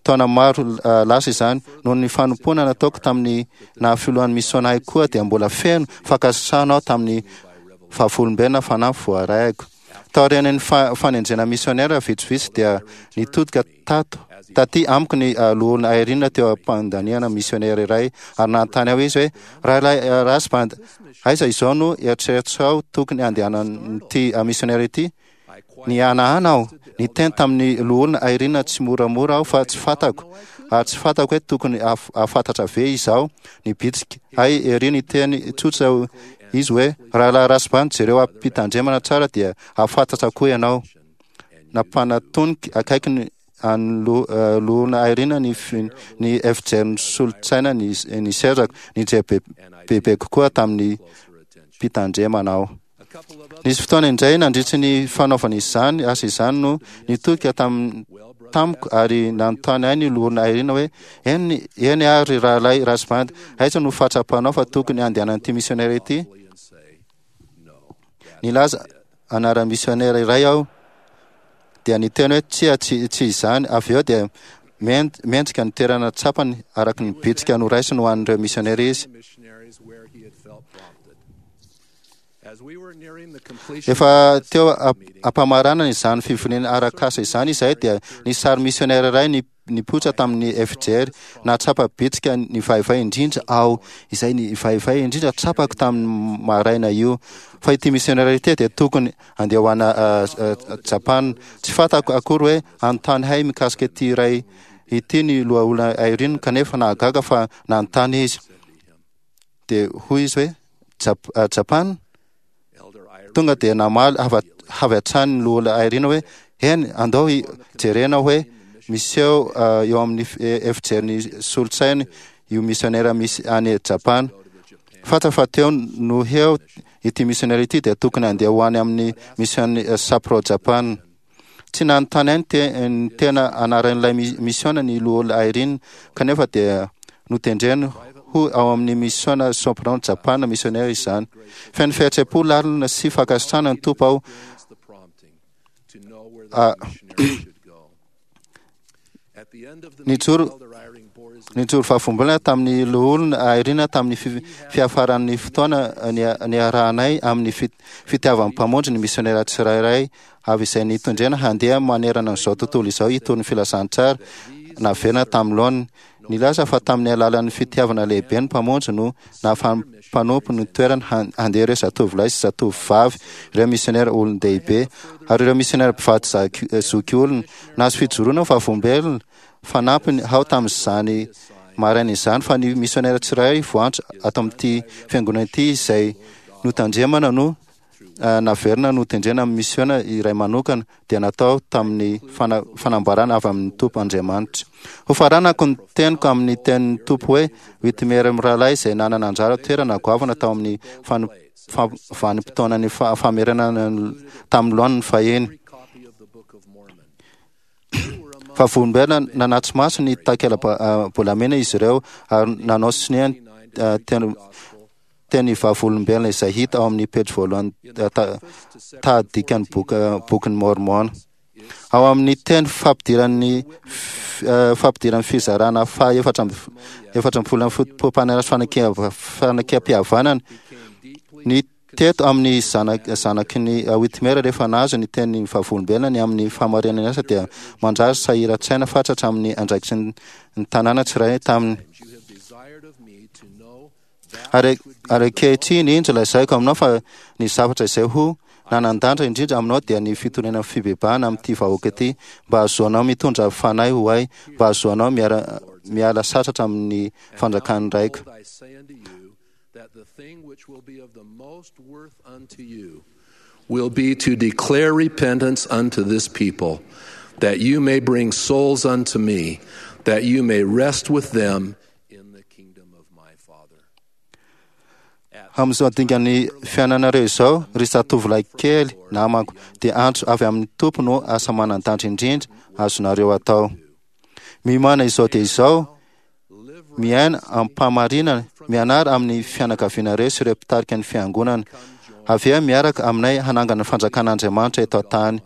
Speaker 2: Taona maro lasa izany. Noho ny fanompoana nataoko tamin'ny naha filohan'ny misiona ahy koa dia mbola feno fankasitrahana aho tamin'ny vavolombelona fanampy voarahiko. Taorian'ny fanendrena misionera vitsivitsy dia nitodika tato taty amiko ny loholona Irene teo am-pandaniana misionera iray ary nanontany aho izy hoe, Rahalahy Rasband, aiza izao no eritreritrao tokony handehanan'ity misionera ity? Nihanahana aho. Niteny tamin'ny loholona Irene tsy moramora aho fa tsy fantako ary tsy fantako hoe tokony hahafantatra ve izaho. Nibitsika ahy ery niteny tsotra izy hoe, Rahalahy Rasband, jereo am-pitandremana tsara dia hahafantatra koa ianao. Nampanatoniko akaiky ny. an'ny Loholona Eyring ny ny efijerin'ny solontsaina ny ny sezako. Nijery bebe kokoa tamin'ny mpitandremana aho. Nisy fotoana indray nandritry ny fanaovana izany asa izany no nitodika tamiko ary nanontany ahy ny Loholona Eyring hoe, Eny, eny ary Rahalahy Rasband, aiza no fahatsapanao fa tokony handehanan'ity misionera ity? Nilaza anaran'ny misionera iray aho dia niteny hoe tsia, tsy, tsy izany. Avy eo dia mendrika ny toerana tsapany araka ny bitsika noraisiny ho an'ireo misionera izy. Efa teo am-pamaranana izany fivoriana arak'asa izany izahay dia nisy sary misionera iray nipoitra tamin'ny efijery. Nahatsapa bitsika nivaivay indrindra aho, izay nivaivay indrindra tsapako tamin'ny maraina io, fa ity misionera ity dia tokony handeha ho any Japana. Tsy fantako akory hoe hanontany hay mikasika ity iray ity ny lohaolona Irene, kanefa nahagaga fa nanontany izy. Dia hoy izy hoe, Japana? Tonga dia namaly avy hatrany ny loholona Irene hoe, Eny, andao jerena hoe miseho eo amin'ny efijerin'ny solosainy io misionera misy any Japana. Fantatra fa teo no heo ity misionera ity dia tokony handeha ho any amin'ny mision'ny Sapporo Japana. Tsy nanontany ahy ny tena anaran'ilay misiona ny Loholona Eyring, kanefa dia notendreny ho ao amin'ny Misiona Sopron Japana Misionera izany. Feno fihetseham-po lalina sy fankasitrahana ny Tompo aho Nijoro nijoro vavolombelona tamin'ny Loholona Eyring tamin'ny fiafaran'ny fotoana niarahanay amin'ny fitiavan'ny Mpamonjy ny misionera tsirairay avy izay nitondrena handeha manerana an'izao tontolo izao hitory ny filazantsara naverina tamin'ny laoniny. Nilaza fa tamin'ny alalan'ny fitiavana lehibe ny Mpamonjy no nahafahan'ny mpanompo ny toerany handeha ireo zatovolahy sy zatovovavy, ireo misionera olon-dehibe, ary ireo misionera mpivady zokiolona. Nahazo fijoroana ho vavolombelona fanampiny aho tamin'izany maraina izany fa ny misionera tsirairay voantso ato amin'ity fiangonana ity izay notandremana no naverina notendrena amin'ny misiona iray manokana dia natao tamin'ny fanambarana avy amin'ny Tompo Andriamanitra. Hofaranako ny teniko amin'ny tenin'ny Tompo hoe, Whitmer mirahalahy izay nanana anjara toerana goavana tao amin'ny vanim-potoanan'ny famerenana tamin'ny laoniny fahiny. Vavolombelona nanatri-maso ny takela-bolamena izy ireo ary nanao sonia ny teny vavolombelona izay hita ao amin'ny pejy voalohany tahadikan'ny Bokin'i Môrmôna. Ao amin'ny teny fampidiran'ny fampidiran'ny fizarana faha 14 amin'ny fotoam-panarahana fanekempihavanana, ny teto amin'ny zanaky ny Whitmer rehefa nahazo ny teny vavolombelona ny amin'ny fahamarinan'ny asa dia manjary sahiran-tsaina fatratra amin'ny andraikitry ny tanàna tsirairay taminy. Ary, ary ankehitriny, indro lazaiko aminao fa ny zavatra izay ho nanan-danja indrindra aminao dia ny fitonena fibebahana amin'ity vahoaka ity, mba hahazoanao mitondra fanahy ho ahy, mba hahazoanao miara, miala sasatra amin'ny fanjakan'ny Raiko.
Speaker 5: Will be to declare repentance unto this people, that you may bring souls unto me, that you may rest with them in the kingdom of my Father.
Speaker 2: Amin'izao dingan'ny fiainanareo izao, ry zatovolahy kely namako, dia antso avy amin'ny Tompo no asa manan-danja indrindra azonareo atao. Miomàna izao dia izao, miaina amim-pahamarinana, mianara amin'ny fianakavianareo sy ireo mpitarika ny Fiangonana. Avia miaraka aminay hanangana ny fanjakan'Andriamanitra eto an-tany.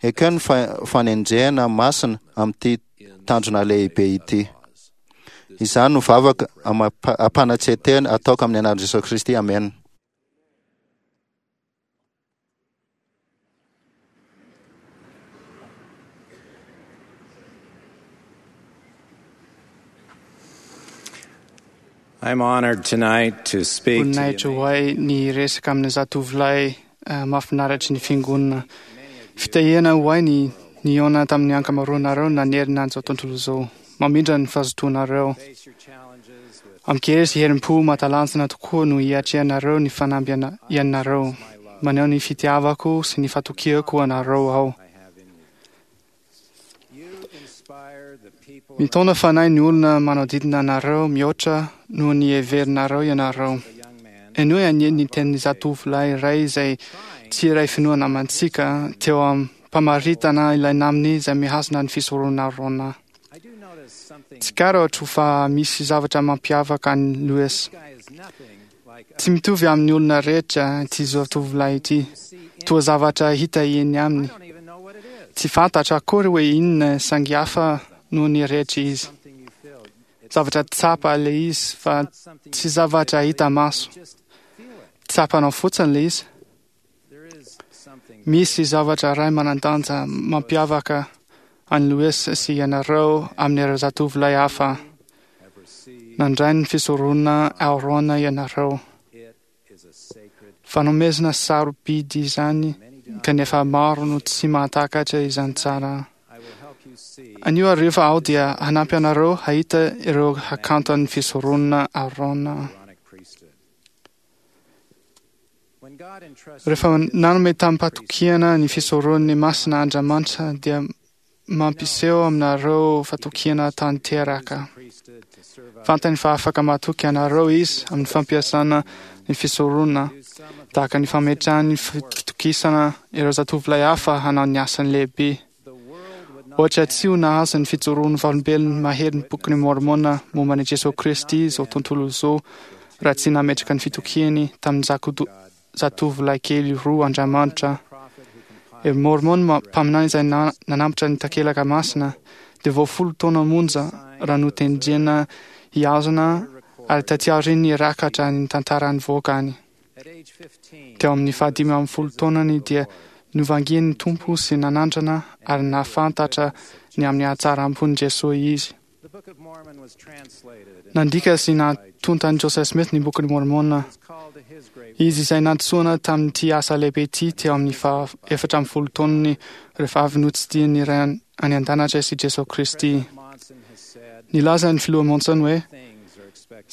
Speaker 2: Ekeo ny fanenjehana masina amin'ity tanjona lehibe ity. Izany no vavaka amam-panatrehan-tena ataoko amin'ny anaran'i Jesosy Kristy, amena.
Speaker 6: I'm honored tonight to speak to the
Speaker 7: Voninahitra ho ahy ny resaka amin'ny zatovolahy mahafinaritry ny fiangonana. Fitahiana ho ahy ny nihaona tamin'ny ankamaroanareo nanerana an'izao tontolo izao. Mamindra ny fahazotoanareo. Amin-kery sy herim-po mahatalanjona tokoa no hiatrehanareo ny fanamby ianareo. Maneho ny fitiavako sy ny fatokiako anareo aho. Mitaona fanahy ny olona manodidina anareo mihoatra noho ny heverinareo ianareo. Henoy anie ny tenin'ny zatovolahy iray izay tsy iray finoana amantsika teo am-pamaritana ilay namany izay mihazona ny fisoronana Aarona. Tsikaritro fa misy zavatra mampiavaka an'i Louis. Tsy mitovy amin'ny olona rehetra ity zatovolahy ity. Toa zavatra hita eny aminy. Tsy fantatra akory hoe inona saingy hafa noho ny rehetra izy. Zavatra tsapa ilay izy fa tsy zavatra hita maso. Tsapanao fotsiny ilay izy. Misy zavatra iray manan-danja mampiavaka an'i Louis sy ianareo amin'ireo zatovolahy hafa. Nandray ny fisoronana Aarona ianareo. Fanomezana sarobidy izany, kanefa maro no tsy mahatakatra izany tsara. Anio hariva aho dia hanampy anareo hahita ireo hakanton'ny fisoronana Aarona. Rehefa nanome tamim-patokiana ny fisoron'ny masina Andriamanitra dia mampiseho aminareo fatokiana tanteraka. Fantany fa afaka matoky anareo Izy amin'ny fampiasana ny fisoronana, tahaka ny fametrahany fitokisana ireo zatovolahy hafa hanao ny asany lehibe. Ohatra tsy ho nahazo ny fijoroan'ny vavolombelona maherin'ny Bokin'i Môrmôna momba an'i Jesoa Kristy izao tontolo izao raha tsy nametraka ny fitokiany tamin'ny zatovolahy kely roa Andriamanitra. I Môrmôna mpaminany izay nanambotra ny takelaka masina dia vao folo taona monja raha notendrena hihazona ary taty aoriany nirakatra ny tantara nivoakany. Teo amin'ny faha-15 taonany dia novangian'ny Tompo sy nanandrana ary nahafantatra ny amin'ny hatsaram-pon'i Jesoa izy. Nandika sy natontan'i Joseph Smith ny Bokin'i Môrmôna. Izy izay nantsoina tamin'ity asa lehibe ity teo amin'ny faha-14 taonany rehefa avy notsidihin'ny Ray any An-danitra sy Jesoa Kristy. Nilaza ny Filoha Monson hoe,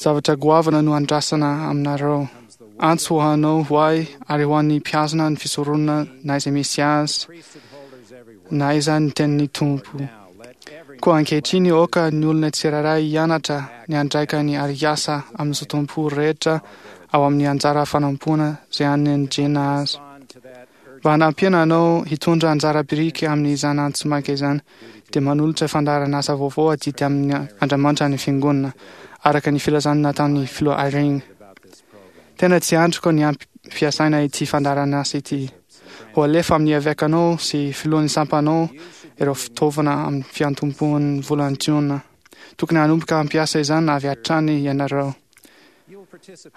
Speaker 7: Zavatra goavana no andrasana aminareo. Antso ho anao, ho ahy, ary ho an'ny mpihazona ny fisoronana na aiza misy azy, na aiza ny tenin'ny Tompo. Koa ankehitriny aoka ny olona tsirairay hianatra ny andraikany ary hiasa amin'ny zotom-po rehetra ao amin'ny anjara fanompoana izay anendrena azy. Mba hanampiana anao hitondra anjara biriky amin'izany antso maika izany, dia manolotra fandaharan'asa vaovao adidy amin' Andriamanitra ny Fiangonana, araka ny filazana nataon'ny Filoha Eyring. Tena tsy andriko ny hampiasaina ity fandaharan'asa ity. Ho alefa amin'ny evekanao sy filohan'ny sampanao ireo fitaovana amin'ny fiantombohan'ny volana Jiona. Tokony hanomboka hampiasa izany avy hatrany ianareo.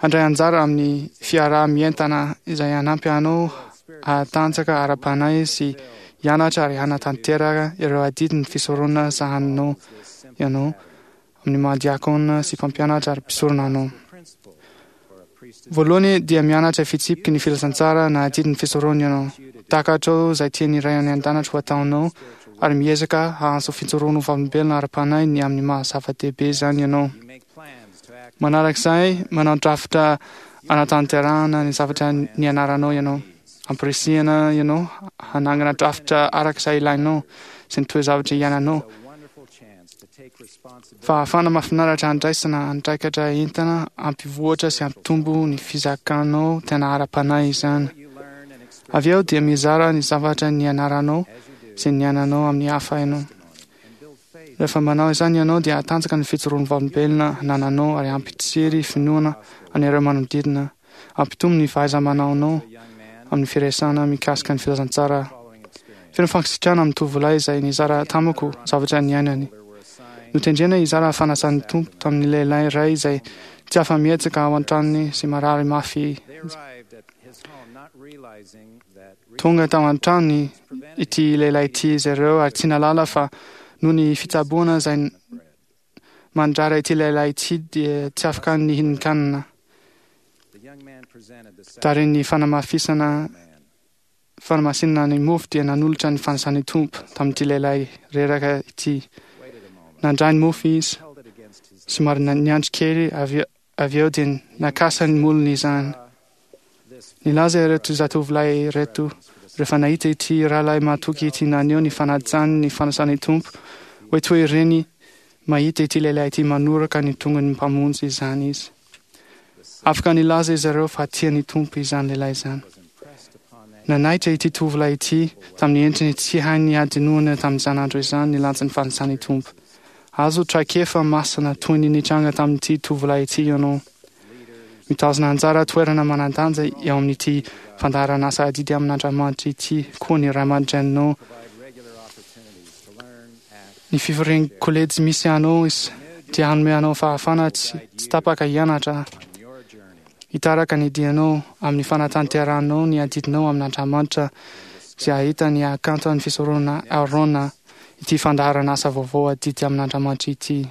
Speaker 7: Handray anjara amin'ny fiaraha-mientana izay hanampy anao hahatanjaka ara-panahy sy hianatra ary hanatanteraka ireo adidin'ny fisoronana sahaninao ianao amin'ny maha diakona sy mpampianatra ary mpisorona anao. Voalohany dia mianatra fitsipiky ny filazantsara na adidin'ny fisoronana ianao. Takatrao izay tian'ny Ray any An-danitra ho ataonao ary miezaka hahazo fijoroana ho vavolombelona ara-panahy ny amin'ny maha zava-dehibe izany ianao. Manarak'izay, manao drafitra anatanterahana ny zavatra nianaranao ianao. Ampirisihana ianao hanangana drafitra araka izay ilainao sy ny toe-javatra iainanao. Fahafahana mahafinaritra handraisana andraikatra entana hampivoatra sy hampitombo ny fizakanao tena ara-panahy izany. Avy eo dia mizara ny zavatra nianaranao sy niainanao amin'ny hafa ianao. Rehefa manao izany ianao dia hatanjaka ny fijoroan'ny vavolombelona anananao ary hampitsiry finoana an'ireo manodidina. Hampitombo ny fahaiza-manaonao amin'ny firesahana mikasika ny filazantsara. Feno fankasitrahana amin'ny tovolahy izay nizara tamiko zavatra niainany. Notendrena hizara fanasan'ny Tompo tamin'ny lehilahy iray izay tsy afa-mihetsika ao an-tranony sy marary mafy. Tonga tao an-tranony ity lehilahy ity izy ireo ary tsy nahalala fa noho ny fitsaboana izay mandrara ity lehilahy ity dia tsy afaka nihinan-kanina. Taorian'ny fanamafisana fanamasinana ny mofo dia nanolotra ny fanasan'ny Tompo tamin'ity lehilahy reraka ity. Nandray ny mofo izy, somary niandry kely avy Avy eo dia nakasa ny molony izany. Nilaza ireto zatovolahy ireto, rehefa nahita ity rahalahy mahatoky ity naneho ny fanajany ny fanasan'ny Tompo, Hoe toy ireny mahita ity lehilahy ity manoraka ny tongony Mpamonjy izany izy. Afaka nilaza izy ireo fa tia ny Tompo izany lehilahy izany. Nanaitra ity tovolahy ity tamin'ny endriny tsy hainy hadinoana tamin'izany andro izany ny lanjan'ny fanasan'ny Tompo. Azo traikefa masina toy ny nitranga tamin'ity tovolahy ity ianao. Mitazona anjara toerana manan-danja eo amin'ity fandaharanasa adidy amin'Andriamanitra ity koa ny ray aman-dreninao. Ny fivorian'ny kolejy misy anao dia hanome anao fahafahana tsy tapaka hianatra, hitaraka ny dianao amin'ny fanatanterahanao ny adidinao amin'Andriamanitra sy hahita ny hakanton'ny fisoronana Aarona ity fandaharanasa vaovao adidy amin'Andriamanitra ity.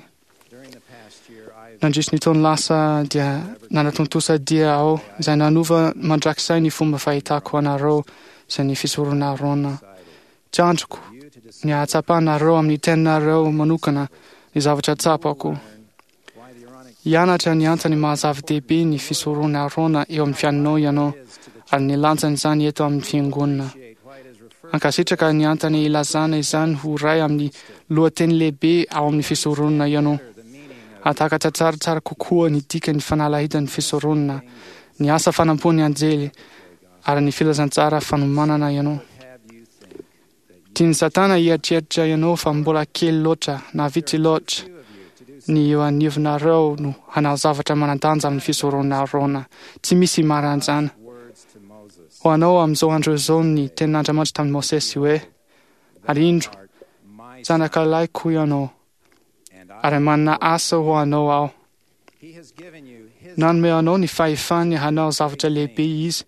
Speaker 7: Nandritry ny taona lasa dia nanatontosa dia aho izay nanova mandrakizay ny fomba fahitako anareo sy ny fisoronana Aarona. Tsy andriko ny hahatsapanareo amin'ny teninareo manokana ny zavatra tsapako. Hianatra ny antony maha-zava-dehibe ny fisoronana Aarona eo amin'ny fiainanao ianao ary ny lanjan'izany eto amin'ny fiangonana. Ankasitraka ny antony ilazana izany ho iray amin'ny lohateny lehibe ao amin'ny fisoronana ianao. Hahatakatra tsaratsara kokoa ny dikan'ny fanalahidan'ny fisoronana, ny asa fanampoan'ny anjely, ary ny filazantsara fanomanana ianao. Tian'i Satana hieritreritra ianao fa mbola kely loatra na vitsy loatra ny eo anivonareo no hanao zavatra manan-danja amin'ny fisoronana Arona. Tsy misy maranjana. Ho anao amin'izao andro izao ny tenin'Andriamanitra tamin'i Mosesy hoe, Ary indro, zanakalahiko ianao, ary manana asa ho anao aho. Nanome anao ny fahefany hanao zavatra lehibe Izy.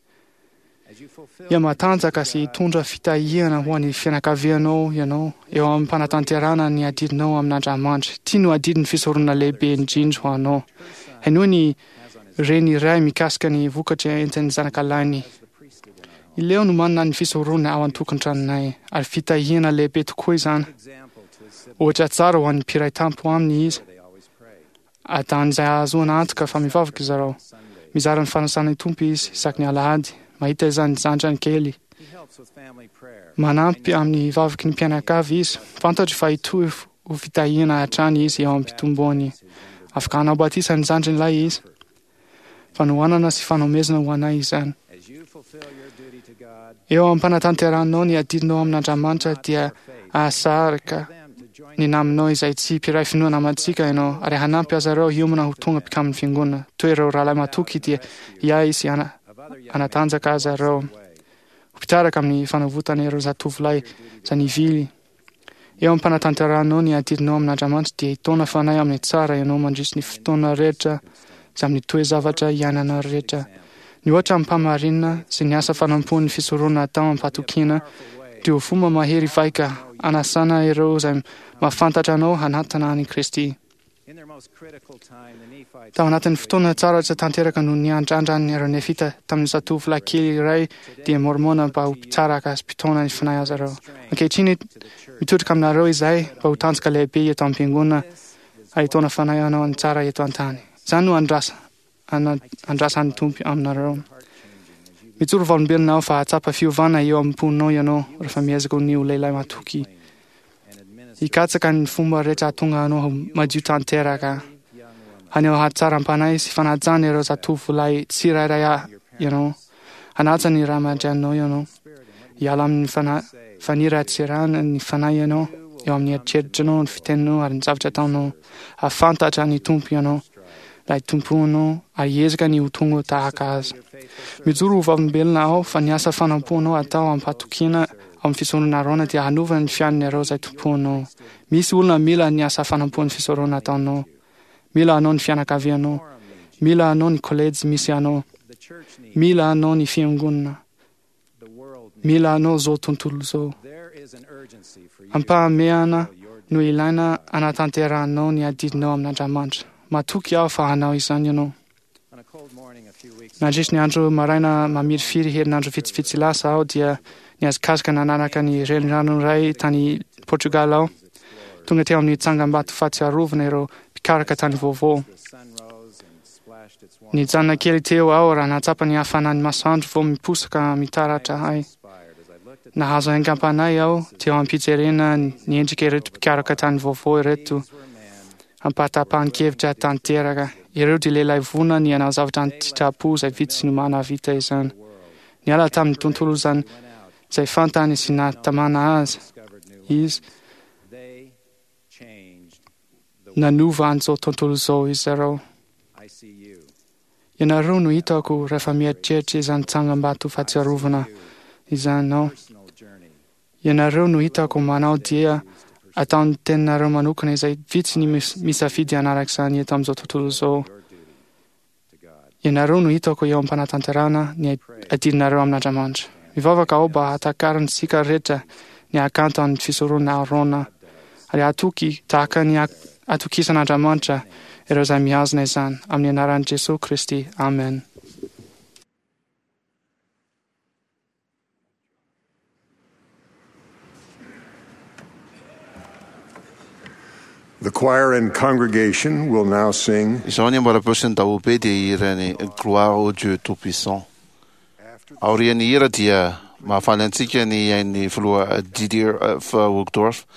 Speaker 7: Hihamatanjaka sy hitondra fitahiana ho an'ny fianakavianao ianao eo am-panatanterahana ny adidinao amin'Andriamanitra. Ity no adidin'ny fisoronana lehibe indrindra ho anao. Henoy ny reny iray mikasika ny vokatra entin'ny zanakalahiny. I Leo no manana ny fisoronana ao an-tokantranonay, ary fitahiana lehibe tokoa izany. Ohatra tsara ho an'ny mpiray tampo aminy izy. Adan'izay ahazoana antoka fa mivavaka izareo. Mizara ny fanasan'ny Tompo izy isaky ny alahady. Mahita izany zandrany kely. Manampy amin'ny vavaky ny mpianakavy izy. Fantatro fa hitohy ho fitahiana hatrany izy eo am-pitomboany. Afaka hanao batisa ny zandriny lahy izy. Fanohanana sy fanomezana ho anay izany. Eo am-panatanterahanao ny adidinao amin'Andriamanitra dia hahasarika ny namanao izay tsy mpiray finoana amantsika ianao ary hanampy azy ireo hiomana ho tonga mpikamin'ny fiangonana. Toy ireo rahalahy matoky dia hiahy sy hanatanjaka azy ireo ho mpitaraka amin'ny fanavotana ireo zatovolahy izay nivily. Eo am-panatanterahanao ny adidinao amin'Andriamanitra dia hitaona fanahy amin'ny tsara ianao mandritry ny fotoana rehetra sy amin'ny toe-javatra iainana rehetra. Ny ohatra amim-pahamarinana sy ny asa fanompoan'ny fisoronana atao amim-pahatokiana dia ho fomba mahery vaika hanasana ireo izay mahafantatra anao hanatona an'i Kristy. Tao anatin'ny fotoana tsara tsy tanteraka no niandrandran'ireo Nefita tamin'ny zatovolahy kely iray dia Môrmôna mba ho mpitsaraka sy mpitaona ny fanahy azy ireo. Ankehitriny, mitodika aminareo izahay mba ho tanjaka lehibe eto am-piangonana ahitaona fanahy hanao ny tsara eto an-tany. Izany no andrasa, andrasan'ny Tompo aminareo. Mijoro vavolombelona aho fa hahatsapa fiovana eo am-ponao ianao rehefa miezaka ny ho lehilahy matoky. Hikatsaka ny fomba rehetra hahatonga anao ho madio tanteraka. Haneho hatsaram-panahy sy fanajana ireo zatovolahy tsirairay ianao. Hanaja ny ray aman-dreninao ianao. Hiala amin'ny faniratsirana ny fanahy ianao, eo amin'ny eritreritrinao, ny fiteninao ary ny zavatra ataonao. Hahafantatra ny Tompo ianao, ilay Tomponao, ary hiezaka ny ho tonga tahaka Azy. Mijoro ho vavolombelona aho fa ny asa fanompoanao atao am-pahatokiana ao amin'ny fisoronana Arona dia hanova ny fiainan'ireo izay tompoinao. Misy olona mila ny asa fanompoan'ny fisoronana ataonao. Mila anao ny fianakavianao. Mila anao ny kolejy misy anao. Mila anao ny fiangonana. Mila anao izao tontolo izao. Ampahamehana no ilaina hanatanterahanao ny adidinao amin'Andriamanitra. Matoky aho fa hanao izany ianao. Nandritry ny andro maraina mamirifiry herinandro vitsivitsy lasa aho dia nihazakazaka nanaraka ny renirano iray tany Portugal aho. Tonga teo amin'ny tsangambato fahatsiarovana ireo mpikaraka tany vaovao. Nijanona kely teo aho raha nahatsapa ny hafanan'ny masoandro vao miposaka mitaratra ahy. Nahazo aingam-panahy aho teo am-pijerena ny endrika ireto mpikaroka tany vaovao ireto ampahatapahan-kevitra tanteraka. Ireo dia lehilahy vonona ny hanao zavatra an-tsitrapo izay vitsy no mahavita izany. Niala tamin'ny tontolo izany izay fantany sy nahatamana azy izy. Nanova an'izao tontolo izao izy ireo. Ianareo no hitako rehefa mieritreritra izany tsangambato fahatsiarovana izany aho. Ianareo no hitako manao dia ataon'ny teninareo manokana izay vitsy ny misafidy hanaraka izany eto amin'izao tontolo izao. Ianareo no hitako eo am-panatanterahana ny adidinareo amin'Andriamanitra. Mivavaka aho mba hahatakarantsika rehetra ny hakanton'ny fisoronana Aharôna ary hatoky tahaka ny atokisan'Andriamanitra ireo izay mihazona izany. Amin'ny anaran'i Jesoa Kristy. Amen.
Speaker 3: The choir and congregation will now sing
Speaker 2: Izao ny ambaram-peo sy ny daholobe dia hiran'ny Gloire au Dieu Tout-Puissant. Aorian'ny hira dia mahafaly antsika ny ain'ny filoha Didier F. Uchtdorf,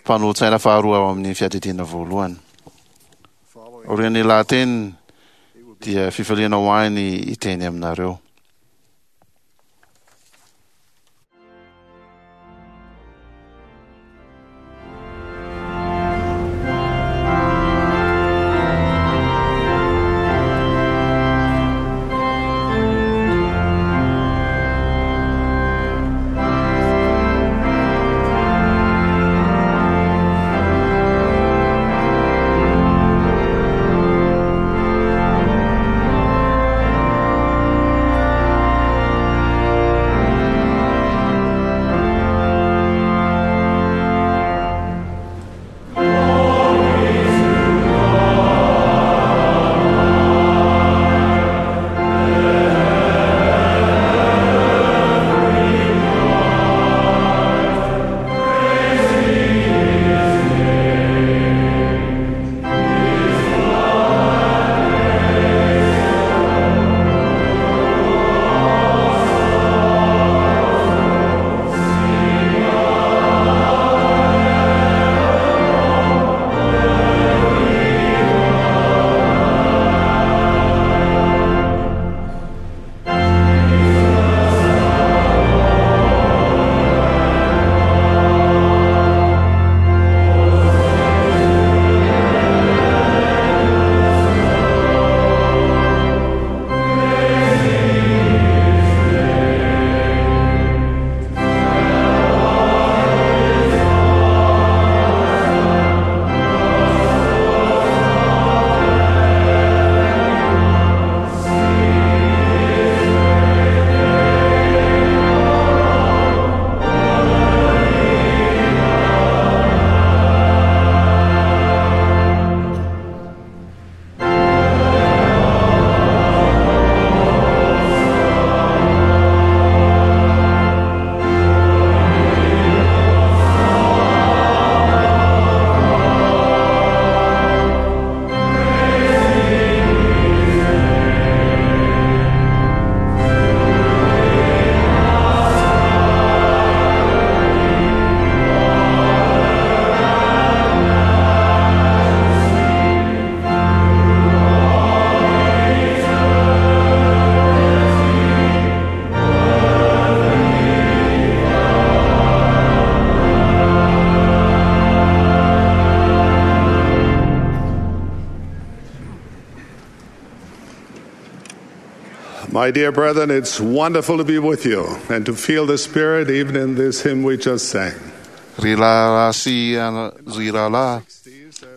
Speaker 2: mpanolotsaina faharoa ao amin'ny fiadidiana voalohany. Aorian'ny lahateniny dia fifaliana ho ahy ny hiteny aminareo.
Speaker 8: My dear brethren, it's wonderful to be with you and to feel the Spirit even in this hymn we just sang.
Speaker 2: Ry rahalahy sy ry rahalahy,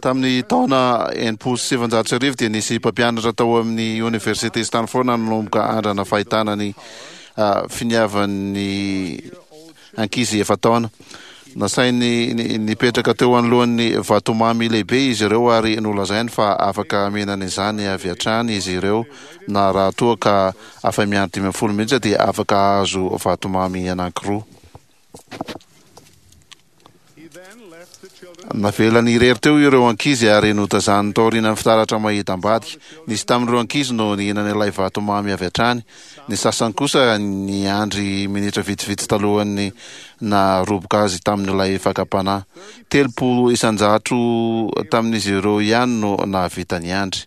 Speaker 2: tamin'ny taona 1960 dia nisy mpampianatra tao amin'ny Oniversite Stanford nanomboka andrana fahitana ny finiavan'ny ankizy efa-taona. Nasainy nipetraka teo anoloan'ny vatomamy lehibe izy ireo ary nolazainy fa afaka mihinana izany avy hatrany izy ireo na raha toa ka afa-miandry 15 minitra dia afaka hahazo vatomamy anankiroa. Navelany irery teo ireo ankizy ary notazaniny taorianan'ny fitaratra mahita ambadika. Nisy tamin'ireo ankizy no nihinana ilay vatomamy avy hatrany. Ny sasany kosa niandry minitra vitsivitsy talohan'ny naharoboka azy tamin'ilay fakam-panahy. 30% tamin'izy ireo ihany no nahavita niandry.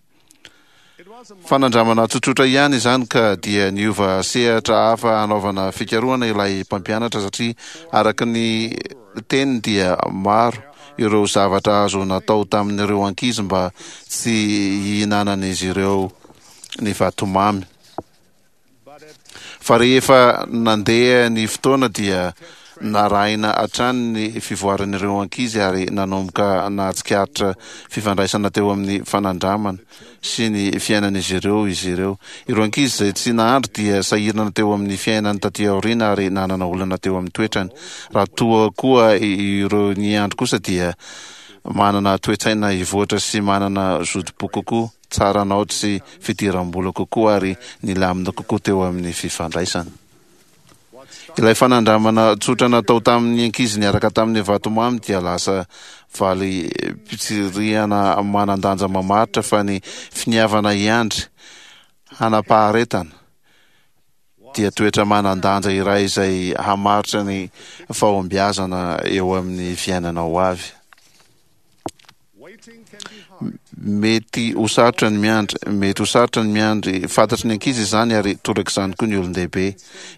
Speaker 2: Fanandramana tsotsotra ihany izany ka dia niova sehatra hafa hanaovana fikarohana ilay mpampianatra satria araka ny teniny dia maro ireo zavatra azo natao tamin'ireo ankizy mba tsy hihinanan'izy ireo ny vatomamy. Fa rehefa nandeha ny fotoana dia narahina hatrany ny fivoaran'ireo ankizy ary nanomboka nahatsikaritra fifandraisana teo amin'ny fanandramana sy ny fiainan'izy ireo izy ireo. Ireo ankizy izay tsy nahandry dia sahirana teo amin'ny fiainany taty aoriana ary nanana olana teo amin'ny toetrany. Raha toa koa ireo niandry kosa dia manana toe-tsaina hivoatra sy manana zotom-po kokoa. Tsara naoty sy fidiram-bola kokoa ary nilamina kokoa teo amin'ny fifandraisana. Ilay fanandramana tsotra natao tamin'ny ankizy niaraka tamin'ny vatomamy dia lasa valim-pitsirihana manan-danja mamaritra fa ny finiavana hiandry hanam-paharetana dia toetra manan-danja iray izay hamaritra ny fahombiazana eo amin'ny fiainana ho avy. Mety ho sarotra ny miandry, mety ho sarotra ny miandry. Fantatry ny ankizy izany ary torak'izany koa ny olon-dehibe.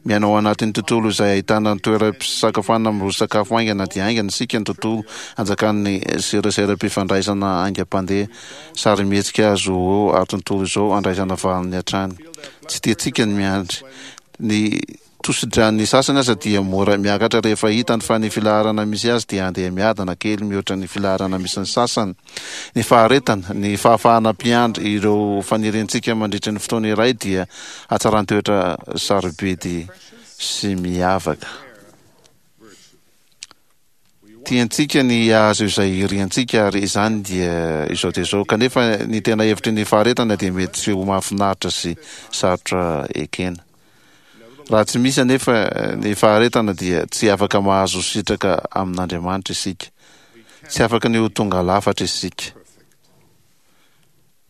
Speaker 2: Miaina ao anatin'ny tontolo izay ahitana ny toeram-pisakafoanana miroso sakafo haingana dia haingana isika, ny tontolo anjakan'ny seraseram-pifandraisana haingam-pandeha, sarimihetsika azo eo ary tontolo izao andraisana valiny hatrany. Tsy tiantsika ny miandry. Ny Tosidran'ny sasany aza dia mora miakatra rehefa hitany fa ny filaharana misy azy dia handeha miadana kely mihoatra ny filaharana misy ny sasany. Ny faharetana, ny fahafahana mpiandry ireo faniriantsika mandritra ny fotoana iray dia hatsaran-toetra sarobidy sy miavaka. Tiantsika ny hahazo izay iriantsika ary izany dia izao dia izao. Kanefa ny tena hevitry ny faharetana dia mety tsy ho mahafinaritra sy sarotra ekena. Raha tsy misy anefa ny faharetana dia tsy afaka mahazo sitraka amin'Andriamanitra isika. Tsy afaka ny ho tonga lafatra isika.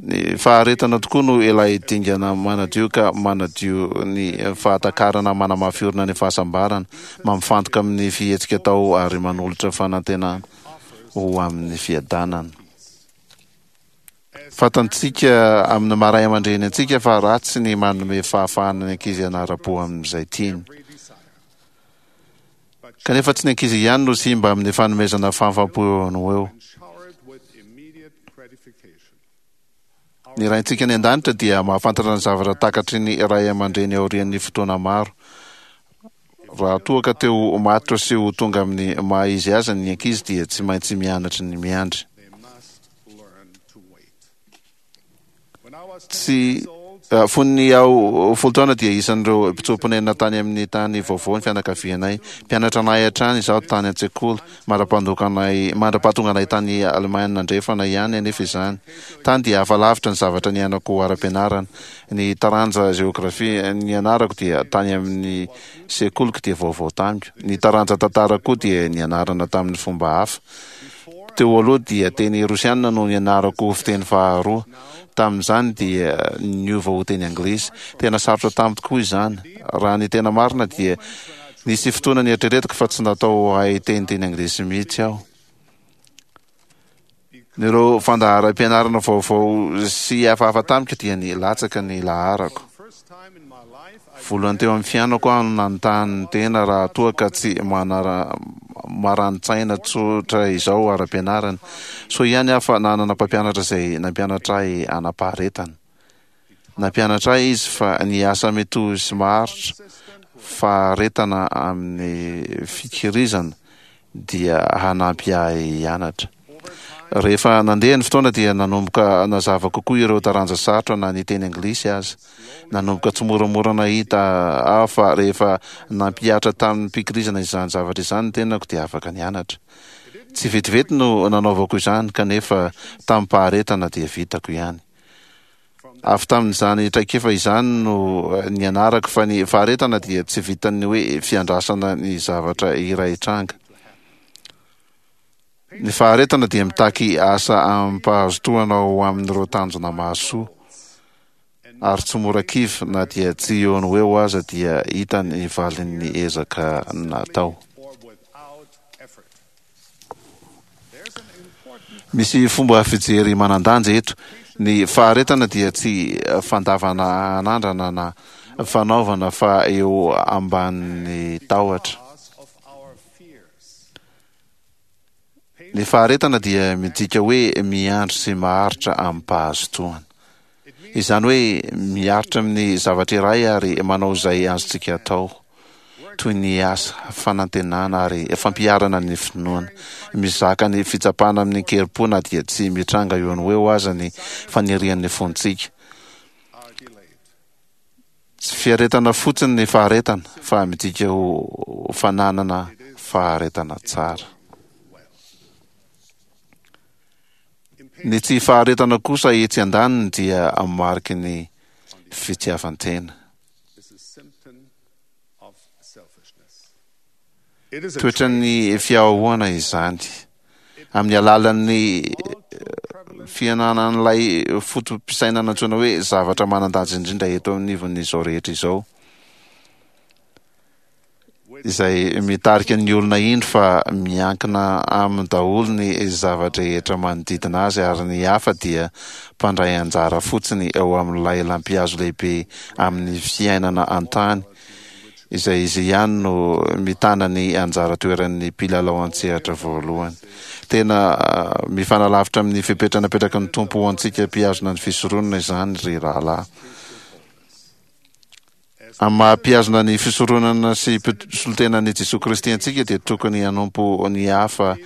Speaker 2: Ny faharetana tokoa no ilay dingana manadio ka manadio ny fahatakarana manamafy orina ny fahasambarana, mampifantoka amin'ny fihetsika atao ary manolotra fanantenana ho amin'ny fiadanana. Fantantsika amin'ny maha ray aman-dreny antsika fa ratsy ny manome fahafahana ny ankizy hanara-po amin'izay tiany. Kanefa tsy ny ankizy ihany no simba amin'ny fanomezana fahafaham-po eo no ho eo. Ny Raintsika any An-danitra dia mahafantatra ny zavatra takatry ny ray aman-dreny aorian'ny fotoana maro. Raha toa ka te ho matotra sy ho tonga amin'ny maha izy azy ny ankizy dia tsy maintsy mianatra ny miandry. Tsy Fony aho 10 taona dia isan'ireo mpitsoa-ponenana tany amin'ny tany vaovao ny fianakavianay. Mpianatra anay hatrany izaho tany an-tsekoly, mandra-pandokanay, mandra-pahatonganay tany Alemaina Andrefana ihany anefa izany. Tany dia hafa lavitra ny zavatra niainako ara-pianarana. Ny taranja jeografia nianarako dia tany amin'ny sekoliko dia vaovao tamiko. Ny taranja tantara koa dia nianarana tamin'ny fomba hafa. Teo aloha dia teny rosianina no nianarako ho fiteny faharoa. Tamin'izany dia niova ho teny anglisy. Tena sarotra tamiko tokoa izany. Raha ny tena marina dia nisy fotoana nieritreretiko fa tsy natao hahay teny teny anglisy mihitsy aho. Ireo fandaharam-pianarana vaovao sy hafahafa tamiko dia nilatsaka ny laharako. Voalohany teo amin'ny fiainako aho no nanontany tena raha toa ka tsy marani-tsaina tsotra izao ara-pianarana. Soa ihany aho fa nanana mpampianatra izay nampianatra ahy hanam-paharetana. Nampianatra ahy izy fa ny asa mitohy sy maharitra, faharetana amin'ny fikirizana, dia hanampy ahy hianatra. Rehefa nandeha ny fotoana dia nanomboka nazava kokoa ireo taranja sarotra na ny teny anglisy aza. Nanomboka tsimoramora nahita aho fa rehefa nampihatra tamim-pikirizana izany zavatra izany ny tenako dia afaka nianatra. Tsy vetivety no nanaovako izany kanefa tamim-paharetana dia vitako ihany. Avy tamin'izany traikefa izany no nianarako fa ny faharetana dia tsy vitan'ny hoe fiandrasana ny zavatra iray hitranga. Ny faharetana dia mitaky asa amim-pahazotoana ho amin'ireo tanjona mahasoa, ary tsy mora kivy na dia tsy eo no eo aza dia hita ny valin'ny ezaka natao. Misy fomba fijery manan-danja eto. Ny faharetana dia tsy fandavana anandrana na fanaovana fa eo ambanin'ny tahotra. Ny faharetana dia midika hoe miandry sy maharitra amim-pahazotoana. Izany hoe miaritra amin'ny zavatra iray ary manao izay azontsika atao, toy ny asa, fanantenana ary fampiharana ny finoana. Mizaka ny fitsapana amin-kerim-po na dia tsy mitranga eo no eo aza ny fanirian'ny fontsika. Tsy fiaretana fotsiny ny faharetana fa midika ho fananana faharetana tsara. Ny tsy faharetana kosa etsy andaniny dia mariky ny fitiavan-tena. Toetran'ny fiahoana izany. Amin'ny alalan'ny fiananan'ilay foto-pisainana antsoina hoe zavatra manan-danja indrindra eto anivon'izao rehetra izao, izay mitarika ny olona hino fa miankina aminy daholo ny zava-drehetra manodidina azy ary ny hafa dia mpandray anjara fotsiny eo amin'ilay lampihazo lehibe amin'ny fiainana an-tany izay izy ihany no mitana ny anjara toeran'ny mpilalao an-tsehatra voalohany. Tena mifanalavitra amin'ny fepetra napetraky ny Tompo ho antsika mpihazona ny fisoronana izany, ry rahalahy. Amin'ny maha mpihazona ny fisoronana sy mpisolotenan'i Jesoa Kristy antsika dia tokony hanompo ny hafa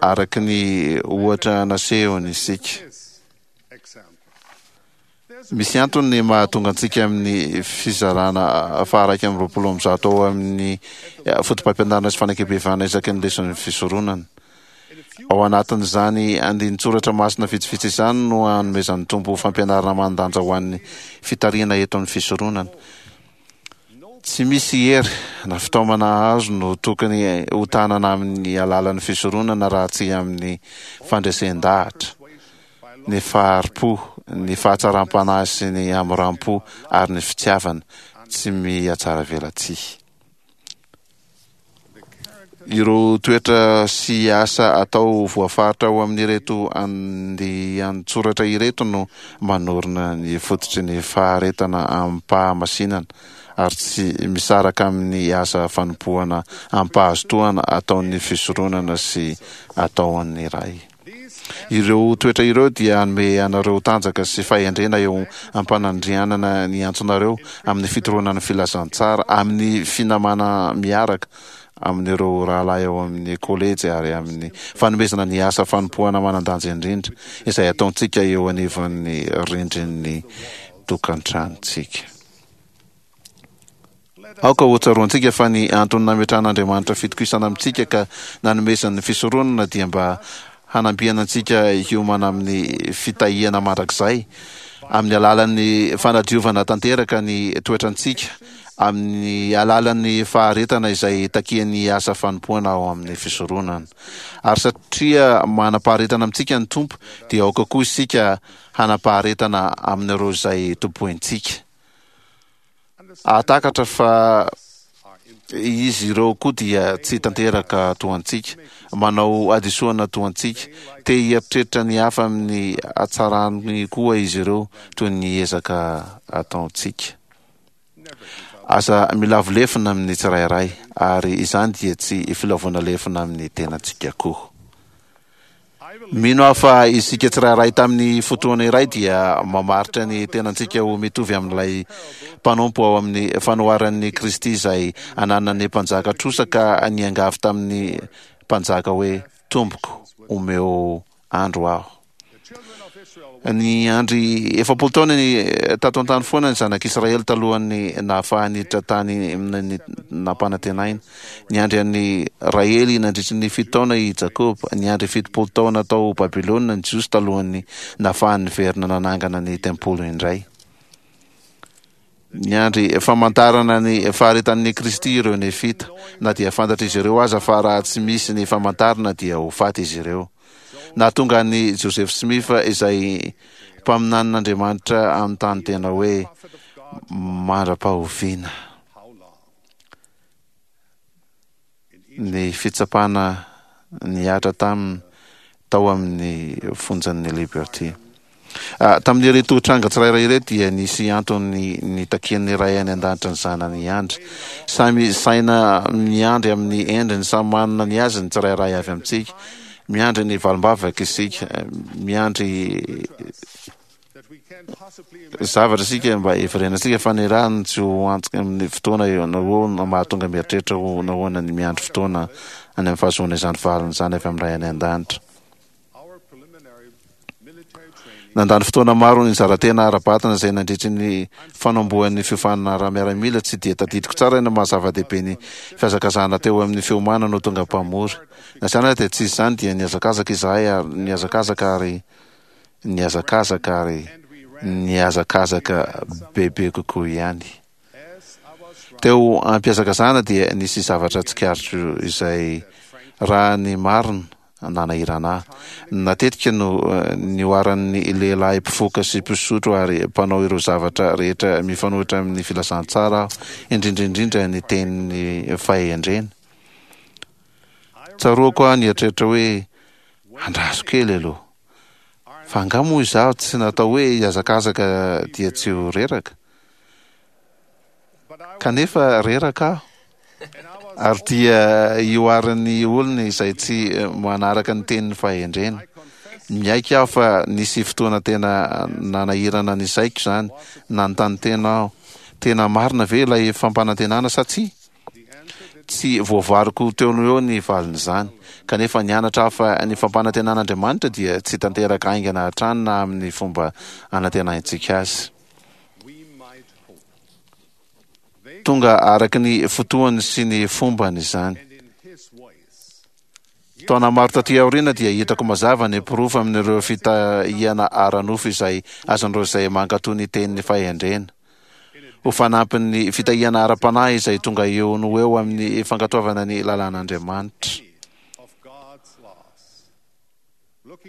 Speaker 2: araka ny ohatra nasehony isika. Misy antony ny mahatonga antsika amin'ny fizarana faha-121 ao amin'ny Fotopampianarana sy Fanekempihavanana isaky ny leson'ny fisoronana. Ao anatin'izany andinin-tsoratra masina vitsivitsy izany no anomezan'ny Tompo fampianarana manan-danja ho an'ny fitarihana eto amin'ny fisoronana. Tsy misy hery na fitaomana azo no tokony hotanana amin'ny alalan'ny fisoronana raha tsy amin'ny fandresen-dahatra, ny fahari-po, ny fahatsaram-panahy sy ny hamoram-po ary ny fitiavana tsy mihatsaravelatsihy. Ireo toetra sy asa atao voafaritra ao amin'ireto andian-tsoratra ireto no manorina ny fototry ny faharetana amim-pahamasinana ary tsy misaraka amin'ny asa fanompoana amim-pahazotoana ataon'ny fisoronana sy ataon'ny Ray. Ireo toetra ireo dia hanome anareo tanjaka sy fahendrena eo am-panandrianana ny antsonareo amin'ny fitoroana ny filazantsara, amin'ny finamana miaraka amin'ireo rahalahy ao amin'ny kolejy ary amin'ny fanomezana ny asa fanompoana manan-danja indrindra izay ataontsika eo anivon'ny rindrin'ny tokantranontsika. Aoka hotsaroantsika fa ny antony nametrahan'Andriamanitra fitokisana amintsika ka nanomezany ny fisoronana dia mba hanampiana antsika hiomana amin'ny fitahiana mandrakizay amin'ny alalan'ny fanadiovana tanteraka ny toetrantsika amin'ny alalan'ny faharetana izay takian'ny asa fanompoana ao amin'ny fisoronana. Ary satria manam-paharetana amintsika ny Tompo dia aoka koa isika hanam-paharetana amin'ireo izay tompointsika. Hahatakatra fa izy ireo koa dia tsy tanteraka toa antsika, manao hadisoana toa antsika, te hieritreritra ny hafa amin'ny hatsarany koa izy ireo toy ny ezaka ataontsika. Aza milavo lefona amin'ny tsirairay, ary izany dia tsy filavoana lefona amin'ny tenantsika koa. Mino aho fa isika tsirairay tamin'ny fotoana iray dia mamaritra ny tenantsika ho mitovy amin'ilay mpanompo ao amin'ny fanoharan'i Kristy izay ananan'ny mpanjaka trosa ka niangavy tamin'ny mpanjaka hoe, Tompoko, omeo andro aho. Niandry 40 taona ny tato an-tany foana ny zanak'Israely talohan'ny nahafahany niditra tany amin'ny nampanantenaina. Niandry an'i Rahely nandritry ny fito taona i Jakoba. Niandry 70 taona tao Babylona ny Jiosy talohan'ny nahafahany niverina nanangana ny tempoly indray. Niandry famantarana ny faharetan'i Kristy ireo Nefita, na dia fantatr'izy ireo aza fa raha tsy misy ny famantarana dia ho faty izy ireo. Nahatonga an'i Joseph Smith izay mpaminanin'Andriamanitra hanontany tena hoe, Mandra-pahoviana? Ny fitsapana nihatra taminy tao amin'ny fonjan'ny Liberty. Tamin'ireto tranga tsirairay ireto dia nisy antony nitakian'ny Ray any An-danitra ny Zanany hiandry. Samy saina miandry amin'ny endriny samy manana ny azy ny tsirairay avy amintsika. Miandry ny valim-bavaka isika. Miandry zavatra isika mba hiverenantsika fa ny rano tsy ho antoka amin'ny fotoana eo na eo no mahatonga mieritreritra ho nahoana ny miandry fotoana any amin'ny fahazoana izany valiny izany avy amin'ny Ray any An-danitra. Nandany fotoana maro nizara-tena ara-batana izay nandritry ny fanombohan'ny fiofanana ara-miaramila tsy dia tadidiko tsara ny maha zava-dehibe ny fihazakazahana teo amin'ny fiomanana ho tonga mpamory. Na izany aza dia tsy izany dia nihazakazaka izahay ary nihazakazaka ary nihazakazaka ary nihazakazaka bebe kokoa ihany. Teo am-pihazakazahana dia nisy zavatra tsikaritro izay raha ny marina nanahirana ahy. Natetika no nihoaran'ny lehilahy mpifoka sy mpisotro ary mpanao ireo zavatra rehetra mifanohitra amin'ny filazantsara aho, indrindra indrindra ny tenin'ny fahendrena. Tsaroako aho nieritreritra hoe, Andraso kely aloha. Fa angaha moa izaho tsy natao hoe hihazakazaka dia tsy ho reraka? Kanefa reraka aho. Ary dia ihoaran'ny olona izay tsy manaraka ny tenin'ny fahendrena. Miaiky aho fa nisy fotoana tena nanahirana ny saiko izany. Nanontany tena aho, tena marina ve ilay fampanantenana sa tsia? Tsy voavariko teo no eo ny valin'izany. Kanefa nianatra aho fa ny fampanantenan'Andriamanitra dia tsy tanteraka haingana hatrany na amin'ny fomba anantenaintsika azy. Tonga araka ny fotoany sy ny fombany izany. Taona maro taty aoriana dia hitako mazava ny porofo amin'ireo fitahiana ara-nofo izay azon'ireo izay mankatò ny tenin'ny fahendrena. Ho fanampin'ny fitahiana ara-panahy izay tonga eo no ho eo amin'ny fankatoavana ny lalàn'Andriamanitra.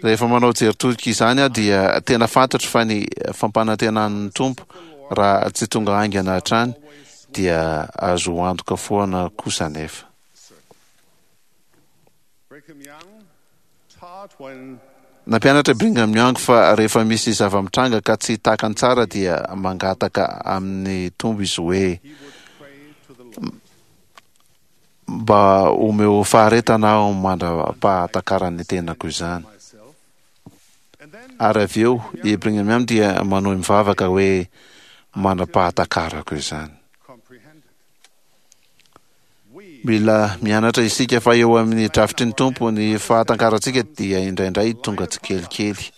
Speaker 2: Rehefa manao jery todika izany aho dia tena fantatro fa ny fampanantenan'ny Tompo raha tsy tonga haingana hatrany dia azo antoka foana kosa anefa. Nampianatra i Brigham Young fa rehefa misy zava-mitranga ka tsy takany tsara dia mangataka amin'ny Tompo izy hoe, Mba omeo faharetana aho mandra-pahatakaran'ny tenako izany. Ary avy eo i Brigham Young dia manohy mivavaka hoe, Mandra-pahatakarako izany. Mila mianatra isika fa eo amin'ny drafitry ny Tompo ny fahatankarantsika dia indraindray tonga tsikelikely.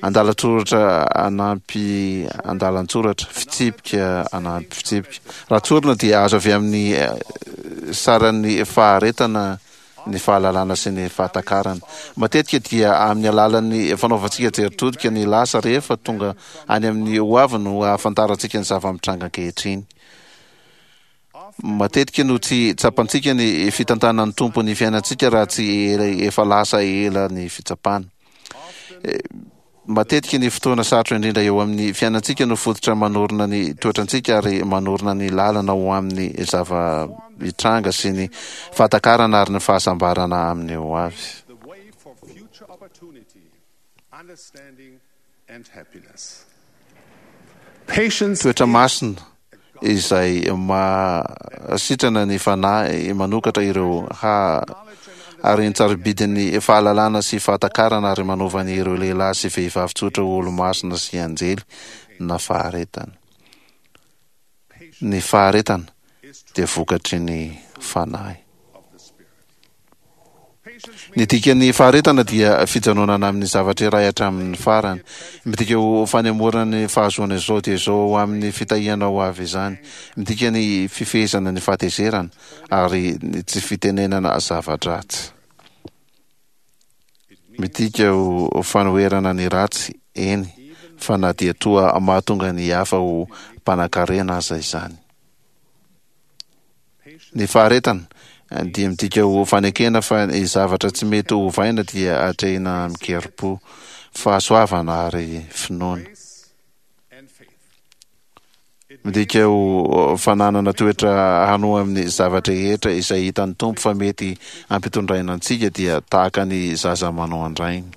Speaker 2: Andalan-tsoratra anampy andalan-tsoratra, fitsipika anampy fitsipika. Raha tsorina dia azo avy amin'ny saran'ny faharetana ny fahalalana sy ny fahatakarana. Matetika dia amin'ny alalan'ny fanaovantsika jery todika ny lasa rehefa tonga any amin'ny hoavy no ahafantarantsika ny zava-mitranga ankehitriny. Matetika no tsy tsapantsika ny fitantanan'ny Tompo ny fiainantsika raha tsy efa lasa ela ny fitsapana. Matetika ny fotoana sarotra indrindra eo amin'ny fiainantsika no fototra manorina ny toetrantsika ary manorina ny lalana ho amin'ny zava-mitranga sy ny fahatakarana ary ny fahasambarana amin'ny ho avy. Toetra masina izay mahasitrana ny fanahy, manokatra ireo ha haren-tsarobidin'ny fahalalana sy fahatakarana ary manova ny ireo lehilahy sy vehivavy tsotra ho olo-masina sy anjely na faharetana. Ny faharetana dia vokatry ny fanahy. Ny dikan'ny faharetana dia fijanonana amin'ny zavatra iray hatramin'ny farany. Midika ho fanemorana ny fahazoana izao dia izao ho amin'ny fitahiana ho avy izany. Midika ny fifehezana ny fahatezerana ary ny tsy fitenenana zava-dratsy. Midika ho fanoherana ny ratsy, eny, fa na dia toa mahatonga ny hafa ho mpanankarena aza izany. Ny faharetana dia midika ho fanekena fa ny zavatra tsy mety ho ovaina dia atrehina amin-kerim-po, fahasoavana ary finoana. Midika ho fananana toetra hanoa amin'ny zava-drehetra izay hitan'ny Tompo fa mety hampitondraina antsika dia tahaka ny zaza manao an-drainy.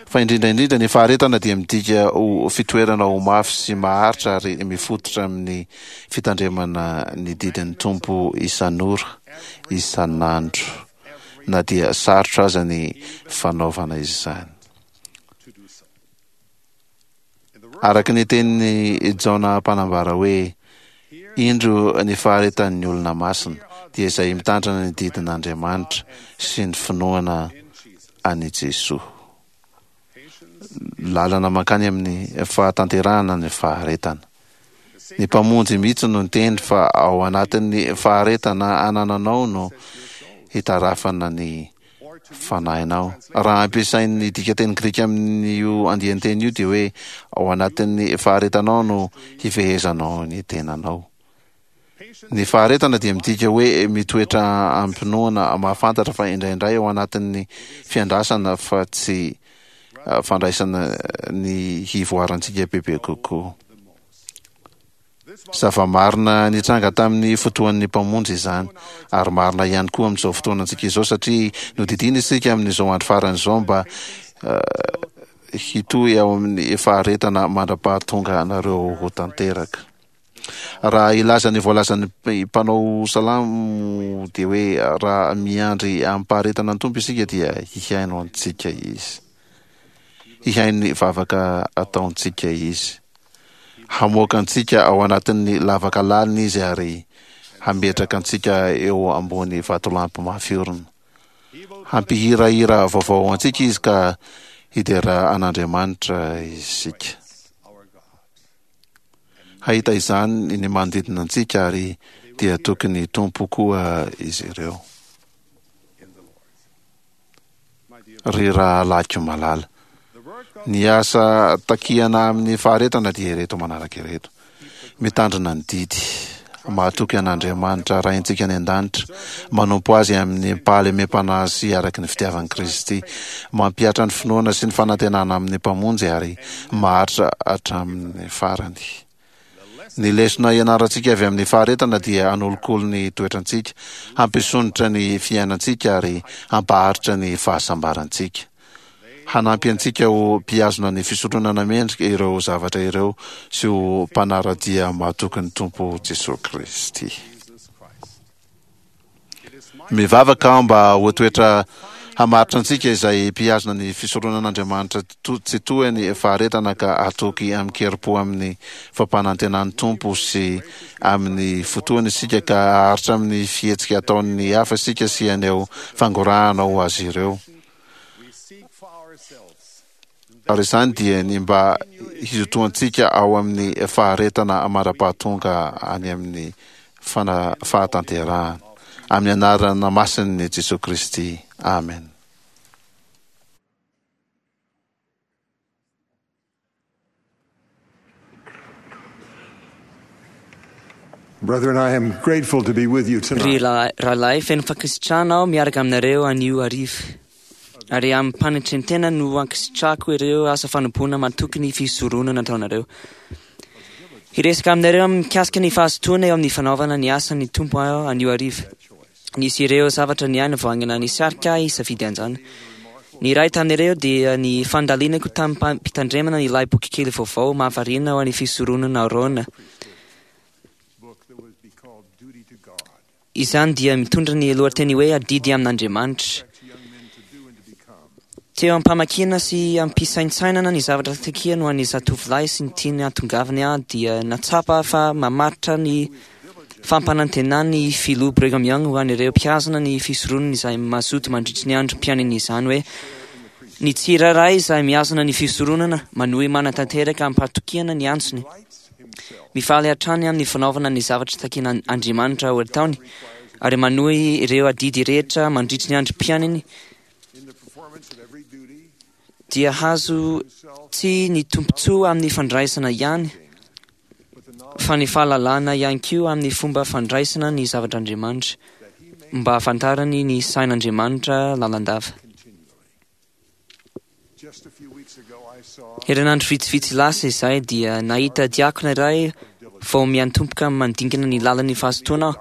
Speaker 2: Fa indrindra indrindra ny faharetana dia midika ho fitoerana ho mafy sy maharitra ary mifototra amin'ny fitandremana ny didin'ny Tompo isan'ora, isan'andro, na dia sarotra aza ny fanaovana izany. Araka ny tenin'i Jaona mpanambara hoe, Indro ny faharetan'ny olona masina, dia izay mitandrina ny didin'Andriamanitra sy ny finoana an'i Jesoa. Lalana mankany amin'ny fahatanterahana ny faharetana. Ny Mpamonjy mihitsy no niteny fa ao anatin'ny faharetana anananao no hitarafana ny fanahinao. Raha ampiasain'ny dikanteny grika amin'io andian-teny io dia hoe ao anatin'ny faharetanao no hifehezanao ny tenanao. Ny faharetana dia midika hoe mitoetra amim-pinoana mahafantatra fa indraindray ao anatin'ny fiandrasana fa tsy fandraisana ny hivoarantsika bebe kokoa. Zava-marina nitranga tamin'ny fotoan'ny Mpamonjy izany, ary marina ihany koa amin'izao fotoanantsika izao, satria nodidiana isika amin'izao andro farany izao mba hitohy ao amin'ny faharetana mandra-pahatonga anareo ho tanteraka. Raha hilaza ny voalazan'ny mpanao salamo dia hoe raha miandry amim-paharetana ny Tompo isika dia hihaino antsika Izy. Hihaino ny vavaka ataontsika Izy. Hamoaka antsika ao anatin'ny lavaka lalina Izy ary hametraka antsika eo ambony vatolampy mafy orina. Hampihirahira vaovao ho antsika Izy ka hidera an'Andriamanitra isika. Hahita izany ny manodidina antsika ary dia tokony hitompo koa izy ireo. Ry rahalahiko malala, ny asa takiana amin'ny faharetana dia ireto manaraka ireto, mitandrina ny didy, mahatoky an'Andriamanitra Raintsika any an-danitra, manompo Azy amin'ny fahalemem-panahy sy araka ny fitiavan'i Kristy, mampihatra ny finoana sy ny fanantenana amin'ny Mpamonjy ary maharitra hatramin'ny farany. Ny lesona ianarantsika avy amin'ny faharetana dia hanolokolo ny toetrantsika, hampisondrotra ny fiainantsika ary hampaharitra ny fahasambarantsika. Hanampy antsika ho mpihazona ny fisotronana mendrika ireo zavatra ireo sy ho mpanara-dia mahatoky ny Tompo Jesoa Kristy. Mivavaka aho mba ho toetra hamaritra antsika izay mpihazona ny fisoronan'Andriamanitra tsy toa ny faharetana ka hatoky amin-kerim-po amin'ny fampanantenan'ny Tompo sy amin'ny fotoany isika ka haharitra amin'ny fihetsika ataon'ny hafa isika sy haneho fangorahana ho azy ireo. Ary izany dia ny mba hizotoantsika ao amin'ny faharetana mandra-pahatonga any amin'ny fahatanterahana. Amin'ny anarana masin'i Jesoa Kristy. Amen.
Speaker 3: Brethren, I am grateful to be with you
Speaker 9: Ry
Speaker 3: tonight.
Speaker 9: rahalahy, feno fankasitrahana aho miaraka aminareo anio hariva. Ary amim-panetren-tena no ankasitrahako ireo asa fanompoana matoky ny fisoronana nataonareo. Hiresaka aminareo mikasika ny fahazotoana eo amin'ny fanaovana ny asan'ny Tompo aho anio hariva. Nisy ireo zavatra niaina vao haingana nisarika ahy hisafidy an'izany. Ny iray tamin'ireo dia ny fandalinako tamim-pitandremana ilay bokikely vaovao mahavariana ho an'ny fisoronana Aarona. Izany dia mitondra ny lohateny hoe Adidy amin'Andriamanitra. Teo am-pamakiana sy am-pisaintsainana ny zavatra takiany ho an'ny zatovolahy sy ny tiany hahatongavany aho dia nahatsapa fa mamaritra ny fampanantenan'ny Filoha Brigham Young ho an'ireo mpihazona ny fisoronany izay mazoto mandritry ny androm-piainany izany hoe ny tsirairay izay mihazona ny fisoronana manohy manatanteraka amim-pahatokiana ny antsony mifaly hatrany amin'ny fanaovana ny zavatra takian'Andriamanitra ho ataony ary manohy ireo adidy rehetra mandritry ny androm-piainany. dia hazo tsy ny tombontsoa amin'ny fandraisana ihany, fa ny fahalalana ihany koa amin'ny fomba fandraisana ny zavatr'Andriamanitra, mba hahafantarany ny sain'Andriamanitra lalandava. Herinandro vitsivitsy lasa izay dia nahita diakona iray vao miantomboka mandinkana ny lalan'ny fahazotoana aho.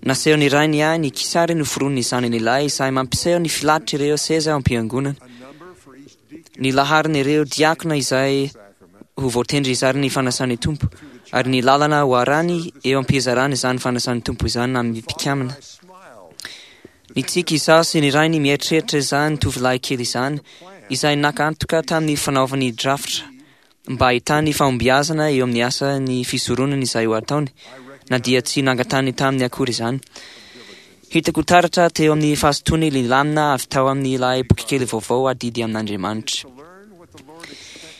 Speaker 9: Nasehon'ny rainy ahy ny kisary noforonin'ny zanany lahy izay mampiseho ny filahatr'ireo seza ao am-piangonana. Ny laharan'ireo diakona izay ho voatendry hizara ny fanasan'ny Tompo, ary ny lalana ho arany eo am-pizarana izany fanasan'ny Tompo izany amin'ny mpikambana. Nitsiky izaho sy ny rainy mieritreritra izany tovolahy kely izany, izay naka antoka tamin'ny fanaovany drafitra mba hahitany fahombiazana eo amin'ny asan'ny fisoronana izay ho ataony, na dia tsy nangatahany taminy akory izany. Hitako taratra teo amin'ny fahazotoany ny lamina avy tao amin'ilay bokikely vaovao Adidy amin'Andriamanitra.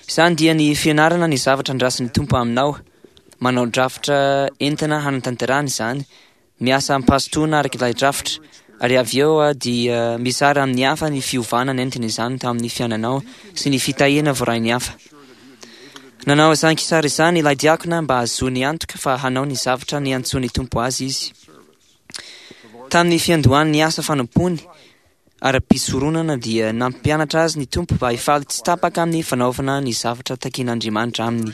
Speaker 9: Izany dia ny fianarana ny zavatra andrasan'ny Tompo aminao, manao drafitra entina hanatanterahana izany, miasa amim-pahazotoana araka ilay drafitra, ary avy eo dia mizara amin'ny hafa ny fiovana nentin'izany tamin'ny fiainanao sy ny fitahiana voarain'ny hafa. Nanao izany kisary izany ilay diakona mba hahazoany antoka fa hanao ny zavatra niantsoan'ny Tompo azy izy. Tamin'ny fiandohan'ny asa fanompoany ara-pisoronana dia nampianatra azy ny Tompo mba hifaly tsy tapaka amin'ny fanaovana ny zavatra takian'Andriamanitra aminy.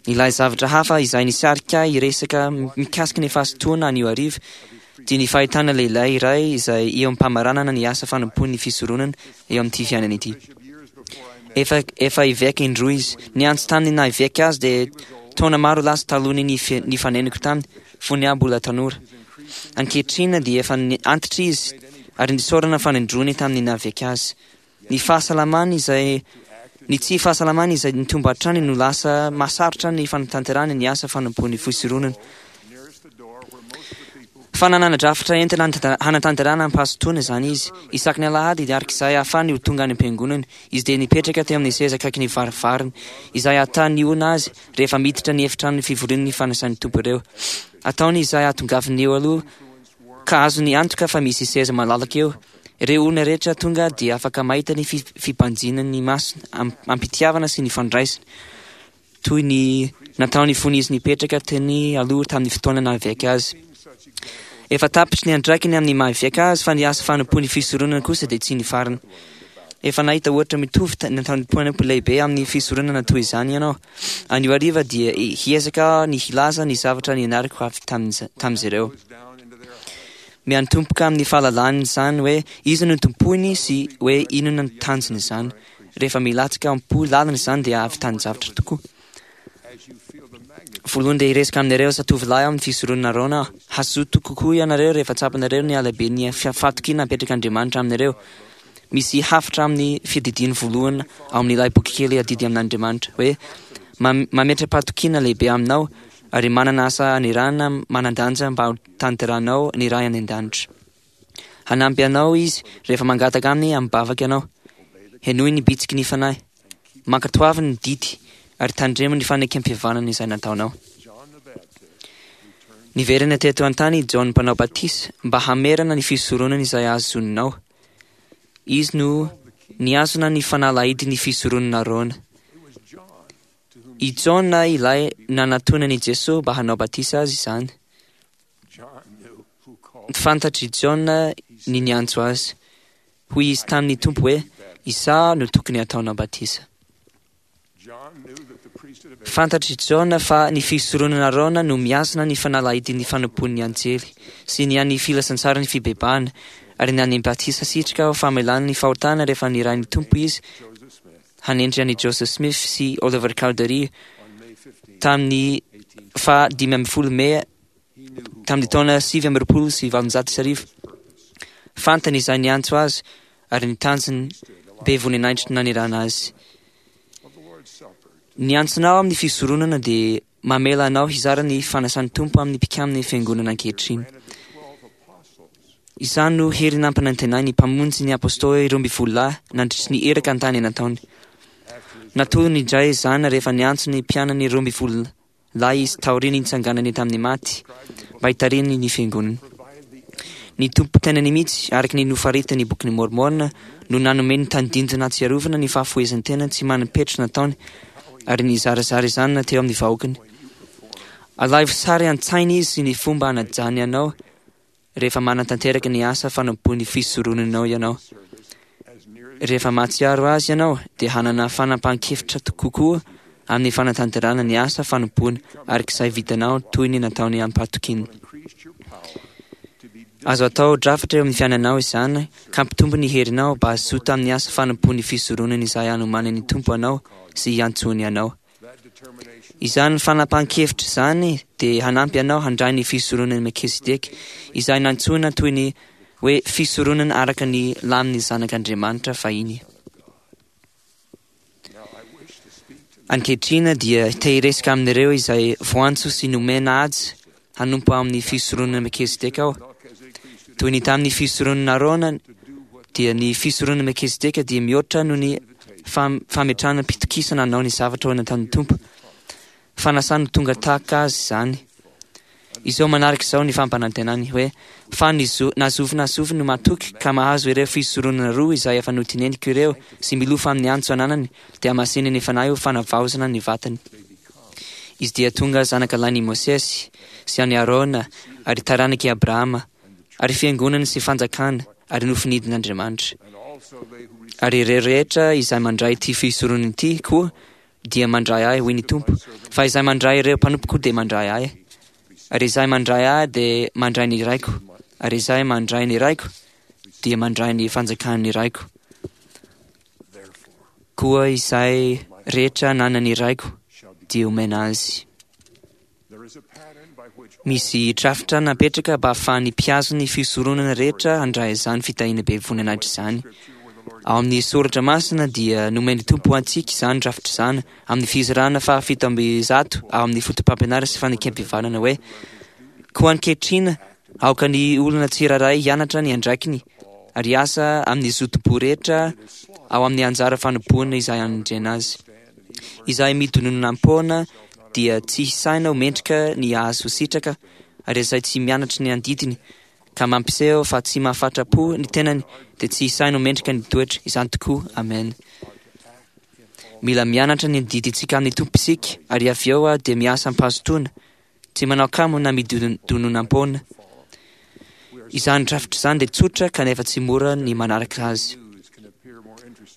Speaker 9: Ilay zavatra hafa izay nisarika ahy hiresaka mikasika ny fahazotoana anio hariva dia ny fahitana lehilahy iray izay eo am-pamaranana ny asa fanompoan'ny fisoronana eo amin'ity fiainana ity. Efa, efa eveka indroa izy. Niantso taminy naha eveka azy dia taona maro lasa talohan'ny nifanenako taminy, fony aho mbola tanora. Ankehitriny dia efa antitra izy ary nisaorana fanindroany tamin'ny naha eveka azy. Ny fahasalamany izay ny tsy fahasalamany izay nitombo hatrany no lasa mahasarotra ny fanatanterahany ny asa fanompoan'ny fisoronana. Fa nanana drafitra entina hanatanterahana am-pahazotoana izany izy. Isaky ny alahady, araka izay ahafahany ho tonga any am-piangonana, izy dia nipetraka teo amin'ny seza akaikin'ny varavarana, izay ahatan'ny olona azy rehefa miditra ny efitrano fivorian'ny fanasan'ny Tompo ireo. Ataony izay hahatongavany eo aloha, ka azony antoka fa misy seza malalaka eo. Ireo olona rehetra tonga dia afaka mahita ny fibanjinany masony am-pitiavana sy ny fandraisany. toy ny nataony fony izy nipetraka teny aloha tamin'ny fotoana naha-eveka azy. Efa tapitry ny andraikiny amin'ny maha-eveka azy fa ny asa fanompoan'ny fisoronana kosa dia tsy nifarana. Efa nahita ohatra mitovy nataon'ny mpanompo lehibe amin'ny fisoronana toy izany ianao. Anio hariva dia hiezaka aho ny hilaza ny zavatra nianarako avy tamin'izy ireo. Miantomboka amin'ny fahalalany izany hoe iza no tompoiny sy hoe inona ny tanjony izany. Rehefa milatsaka am-po lalina izany dia ahavitany-javatra tokoa. Voalohany dia hiresaka aminareo zatovolahy ao amin'ny fisoronana Arona aho. Hazoto kokoa ianareo rehefa tsapanareo ny halehiben'ny fahatokiana apetrak'Andriamanitra aminareo. Misy hafatra amin'ny fiadidiany voalohany ao amin'ilay bokikely Adidy amin'Andriamanitra hoe, Mametra-pahatokiana lehibe aminao ary manana asa anirahana manan-danja mba hotanterahanao ny Ray any An-danitra. Hanampy anao Izy rehefa mangataka Aminy amim-bavaka ianao. Henoy ny bitsiky ny Fanahy. Mankatoavy ny didy ary tandremo ny fanekempihavanana izay nataonao. Niverina teto an-tany i Jaona Mpanao Batisa mba hamerana ny fisoronana izay azoninao. Izy no nihazona ny fanalahidin'ny fisoronana Arona. I Jaona ilay nanatonan'i Jesoa mba hanao batisa azy izany. Fantatr'i Jaona ny niantso azy. Hoy izy tamin'ny Tompo hoe, Izaho no tokony hataonao batisa. Fantatr'i Jaona fa ny fisoronana Arona no mihazona ny fanalahidin'ny fanompoan'ny anjely sy ny an'ny filazantsaran'ny fibebahana ary ny an'ny batisa sitraka ho famelana ny fahotana rehefa nirahin'ny Tompo izy hanendry an'i Joseph Smith sy Oliver Cowdery tamin'ny faha 15 Mey tamin'ny taona 1829. Fantany izay niantso azy ary ny tanjony be voninahitry nanirahana azy. Ny antsonao amin'ny fisoronana dia mamela anao hizara ny fanasan'ny Tompo amin'ny mpikamin'ny Fiangonana ankehitriny. Izany no hery nampanantenain'ny Mpamonjy ny Apôstôly 12 lahy nandritry ny iraka an-tany nataony. Natolony indray izany rehefa niantso ny mpianany 12 lahy izy taorian'ny nitsanganany tamin'ny maty mba hitarihany ny Fiangonany. Ny Tompo tenany mihitsy, araka ny nofaritan'ny Bokin'i Môrmôna, no nanome ny tandindona hahatsiarovana ny fahafohezan-tena tsy manam-petra nataony, ary nizarazara izany teo amin'ny vahoakany. Alaivo sary an-tsaina izy sy ny fomba hanajany anao rehefa manatanteraka ny asa fanompoan'ny fisoronanao ianao. Rehefa mahatsiaro azy ianao, dia hanana fanapahan-kevitra kokoa amin'ny fanatanterahana ny asa fanompoana araka izay vitanao toy ny nataony amim-pahatokiana. Azo atao drafitra eo amin'ny fiainanao izany ka hampitombo ny herinao mba hazoto amin'ny asa fanompoan'ny fisoronana izay anomanan'ny Tompo anao sy hiantsoany anao. Izany fanapahan-kevitra izany dia hanampy anao handray ny fisoronan'i Melkizedeka izay nantsoina toy ny hoe fisoronana araka ny lamin'ny Zanak'Andriamanitra fahiny. Ankehitriny dia te hiresaka amin'ireo izay voantso sy nomena azy hanompo ao amin'ny fisoronana Melkizedeka aho. Toy ny tamin'ny fisoronana Arona, dia ny fisoronana Melkizedeka dia mihoatra noho ny fametrahana mpitokisana hanao ny zavatra ho nataon'ny Tompo. Fanasany ho tonga tahaka azy izany. Izao manaraka izao ny fampanantenany hoe, Fa ny zo, na zovy na zovy no matoky ka mahazo ireo fisoronana roa izay efa noteneniko ireo sy milofo amin'ny antso ananany, dia hamasinin' ny Fanahy ho fanavaozana ny vatany. Izy dia tonga zanaka lahin' i Mosesy sy an' i Arona ary taranak' i Abrahama, ary fiangonana sy fanjakana ary nofinidin' Andriamanitra. Ary ireo rehetra izay mandray ity fisoronana ity koa dia mandray ahy, hoy ny Tompo, fa izay mandray ireo mpanompoko dia mandray ahy, ary izay mandray ahy dia mandray ny Raiko, ary izay mandray ny Raiko dia mandray ny fanjakan'ny Raiko. Koa izay rehetra ananan'ny Raiko dia omena azy. Misy drafitra napetraka mba hahafahan'ny mpihazo ny fisoronana rehetra handray izany fitahiana be voninahitra izany. Ao amin'ny Soratra Masina dia nomen'ny Tompo ho antsika izany drafitra izany amin'ny fizarana fahafito amby zato ao amin'ny Fotopampianarana sy Fanekempihavanana hoe, Koa ankehitriny aoka ny olona tsirairay hianatra ny andraikiny ary hiasa amin'ny zotom-po rehetra ao amin'ny anjara fanompoana izay anendrena azy. Izay midononam-poana dia tsy hisaina ho mendrika ny hahazo sitraka ary izay tsy mianatra ny andidiny ka mampiseho fa tsy mahafatra-po ny tenany dia tsy hisaina ho mendrika ny toetra. Izany tokoa. Amen. Mila mianatra ny adidintsika amin'ny Tompo isika ary avy eo dia miasa am-pahazotoana, tsy manao kamo na midononam-poana. Izany drafitra izany dia tsotra kanefa tsy mora ny manaraka azy.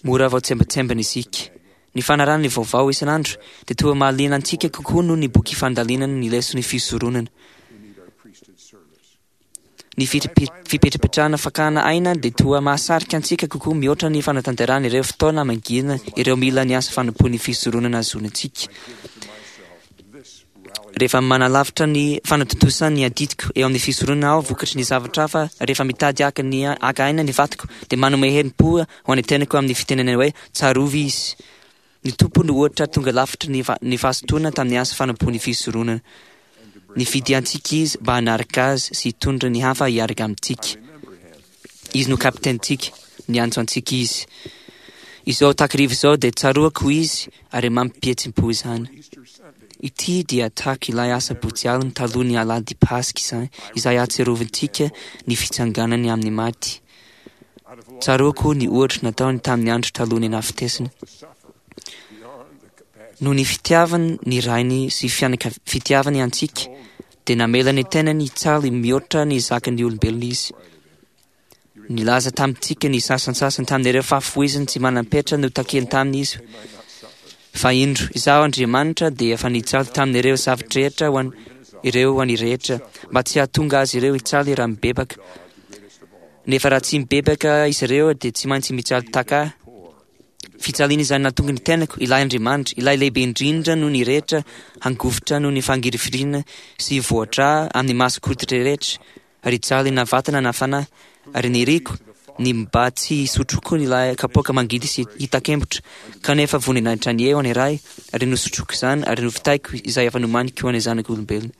Speaker 9: Mora voatsembatsembana isika. Ny fanarahana ny vaovao isan'andro dia toa mahaliana antsika kokoa noho ny boky fandalinana ny leson'ny fisoronana. Ny fipetrapetrahana fakana aina dia toa mahasarika antsika kokoa mihoatra ny fanatanterahana ireo fotoana mangina ireo mila ny asa fanompoan'ny fisoronana ahazoana antsika. Rehefa manalavitra ny fanatontosana ny adidiko eo amin'ny fisoronana aho vokatry ny zavatra hafa, rehefa mitady haka ny haka aina ny vatako dia manome herim-po ho an'ny tenako amin'ny fitenenana hoe tsarovy izy. Ny Tompo no ohatra tonga lafatra ny ny fahazotoana tamin'ny asa fanompoan'ny fisoronana. Nifidy antsika izy mba hanaraka azy sy hitondra ny hafa hiaraka amintsika. Izy no kapitenintsika, niantso antsika izy. Izao takariva izao dia tsaroako izy ary mampihetsi-po izany. Ity dia tahaka ilay asabotsy alina taloha ny alahady Paska izany, izay ahatsiarovantsika ny fitsanganany amin'ny maty. Tsaroako ny ohatra nataony tamin'ny andro taloha ny nahafatesany. Noho ny fitiavany ny rainy sy fitiavany antsika, dia namela ny tenany hijaly mihoatra ny zakan'ny olombelona izy. Nilaza tamintsika ny sasantsasany tamin'ireo fahafoizany tsy manam-petra notakiany taminy izy. Fa indro, izaho Andriamanitra dia efa nijaly tamin'ireo zava-drehetra ho an ireo ho an'ny rehetra, mba tsy hahatonga azy ireo hijaly raha mibebaka. Nefa raha tsy mibebaka izy ireo dia tsy maintsy mijaly tahaka ahy. Fijaliana izay nahatonga ny tenako, ilay Andriamanitra, ilay lehibe indrindra noho ny rehetra, hangovitra noho ny fangirifiriana sy hivoatra amin'ny mason-koditra rehetra, ary hijaly na vatana na fanahy, ary niriko ny mba tsy hisotroko ilay kapoaka mangidy sy hitakembotra, kanefa voninahitra ny eo ny Ray, ary nosotroko izany, ary novitaiko izay efa nomaniko ho an'ny zanak'olombelona.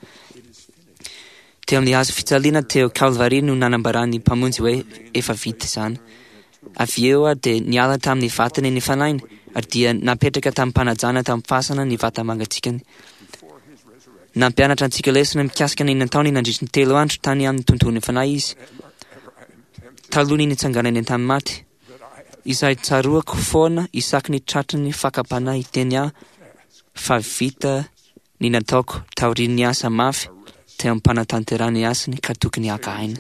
Speaker 9: Teo amin'ny hazo fijaliana teo Kalvary no nanambaran'ny Mpamonjy hoe efa vita izany. Avy eo dia niala tamin'ny vatany ny fanahiny, ary dia napetraka tamim-panajana tamin'ny fasana ny vata-mangatsiakany. Nampianatra antsika lesona mikasika ny nataony nandritry ny telo andro tany amin'ny tontolon'ny fanahy izy. talohan'ny nitsanganany tamin'ny maty, izay tsaroako foana isaky ny tratry ny fakam-panahy hiteny aho fa vita ny nataoko taorian'ny asa mafy teo am-panatanterahana ny asany ka tokony haka aina.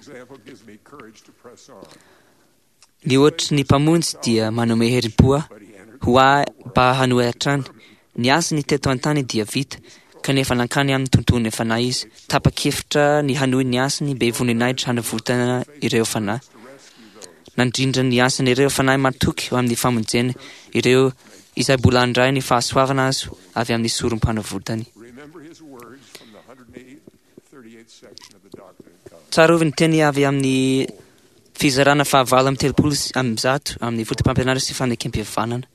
Speaker 9: Ny ohatry ny Mpamonjy dia manome herim-po ahy ho ahy mba hanohy hatrany. Ny asany teto an-tany dia vita, kanefa nankany amin'ny tontolon'ny fanahy izy, tapa-kevitra ny hanohy ny asany be voninahitra hanavotana ireo fanahy. Nandrindra ny asan'ireo fanahy matoky ho amin'ny famonjena ireo izay mbola handray ny fahasoavana azo avy amin'ny sorom-panavotany. Tsarovy ny teny avy amin'ny fizarana fahavalo amby telopolo sy 130 amin'ny fotopampianarana sy fanekem-pihavanana.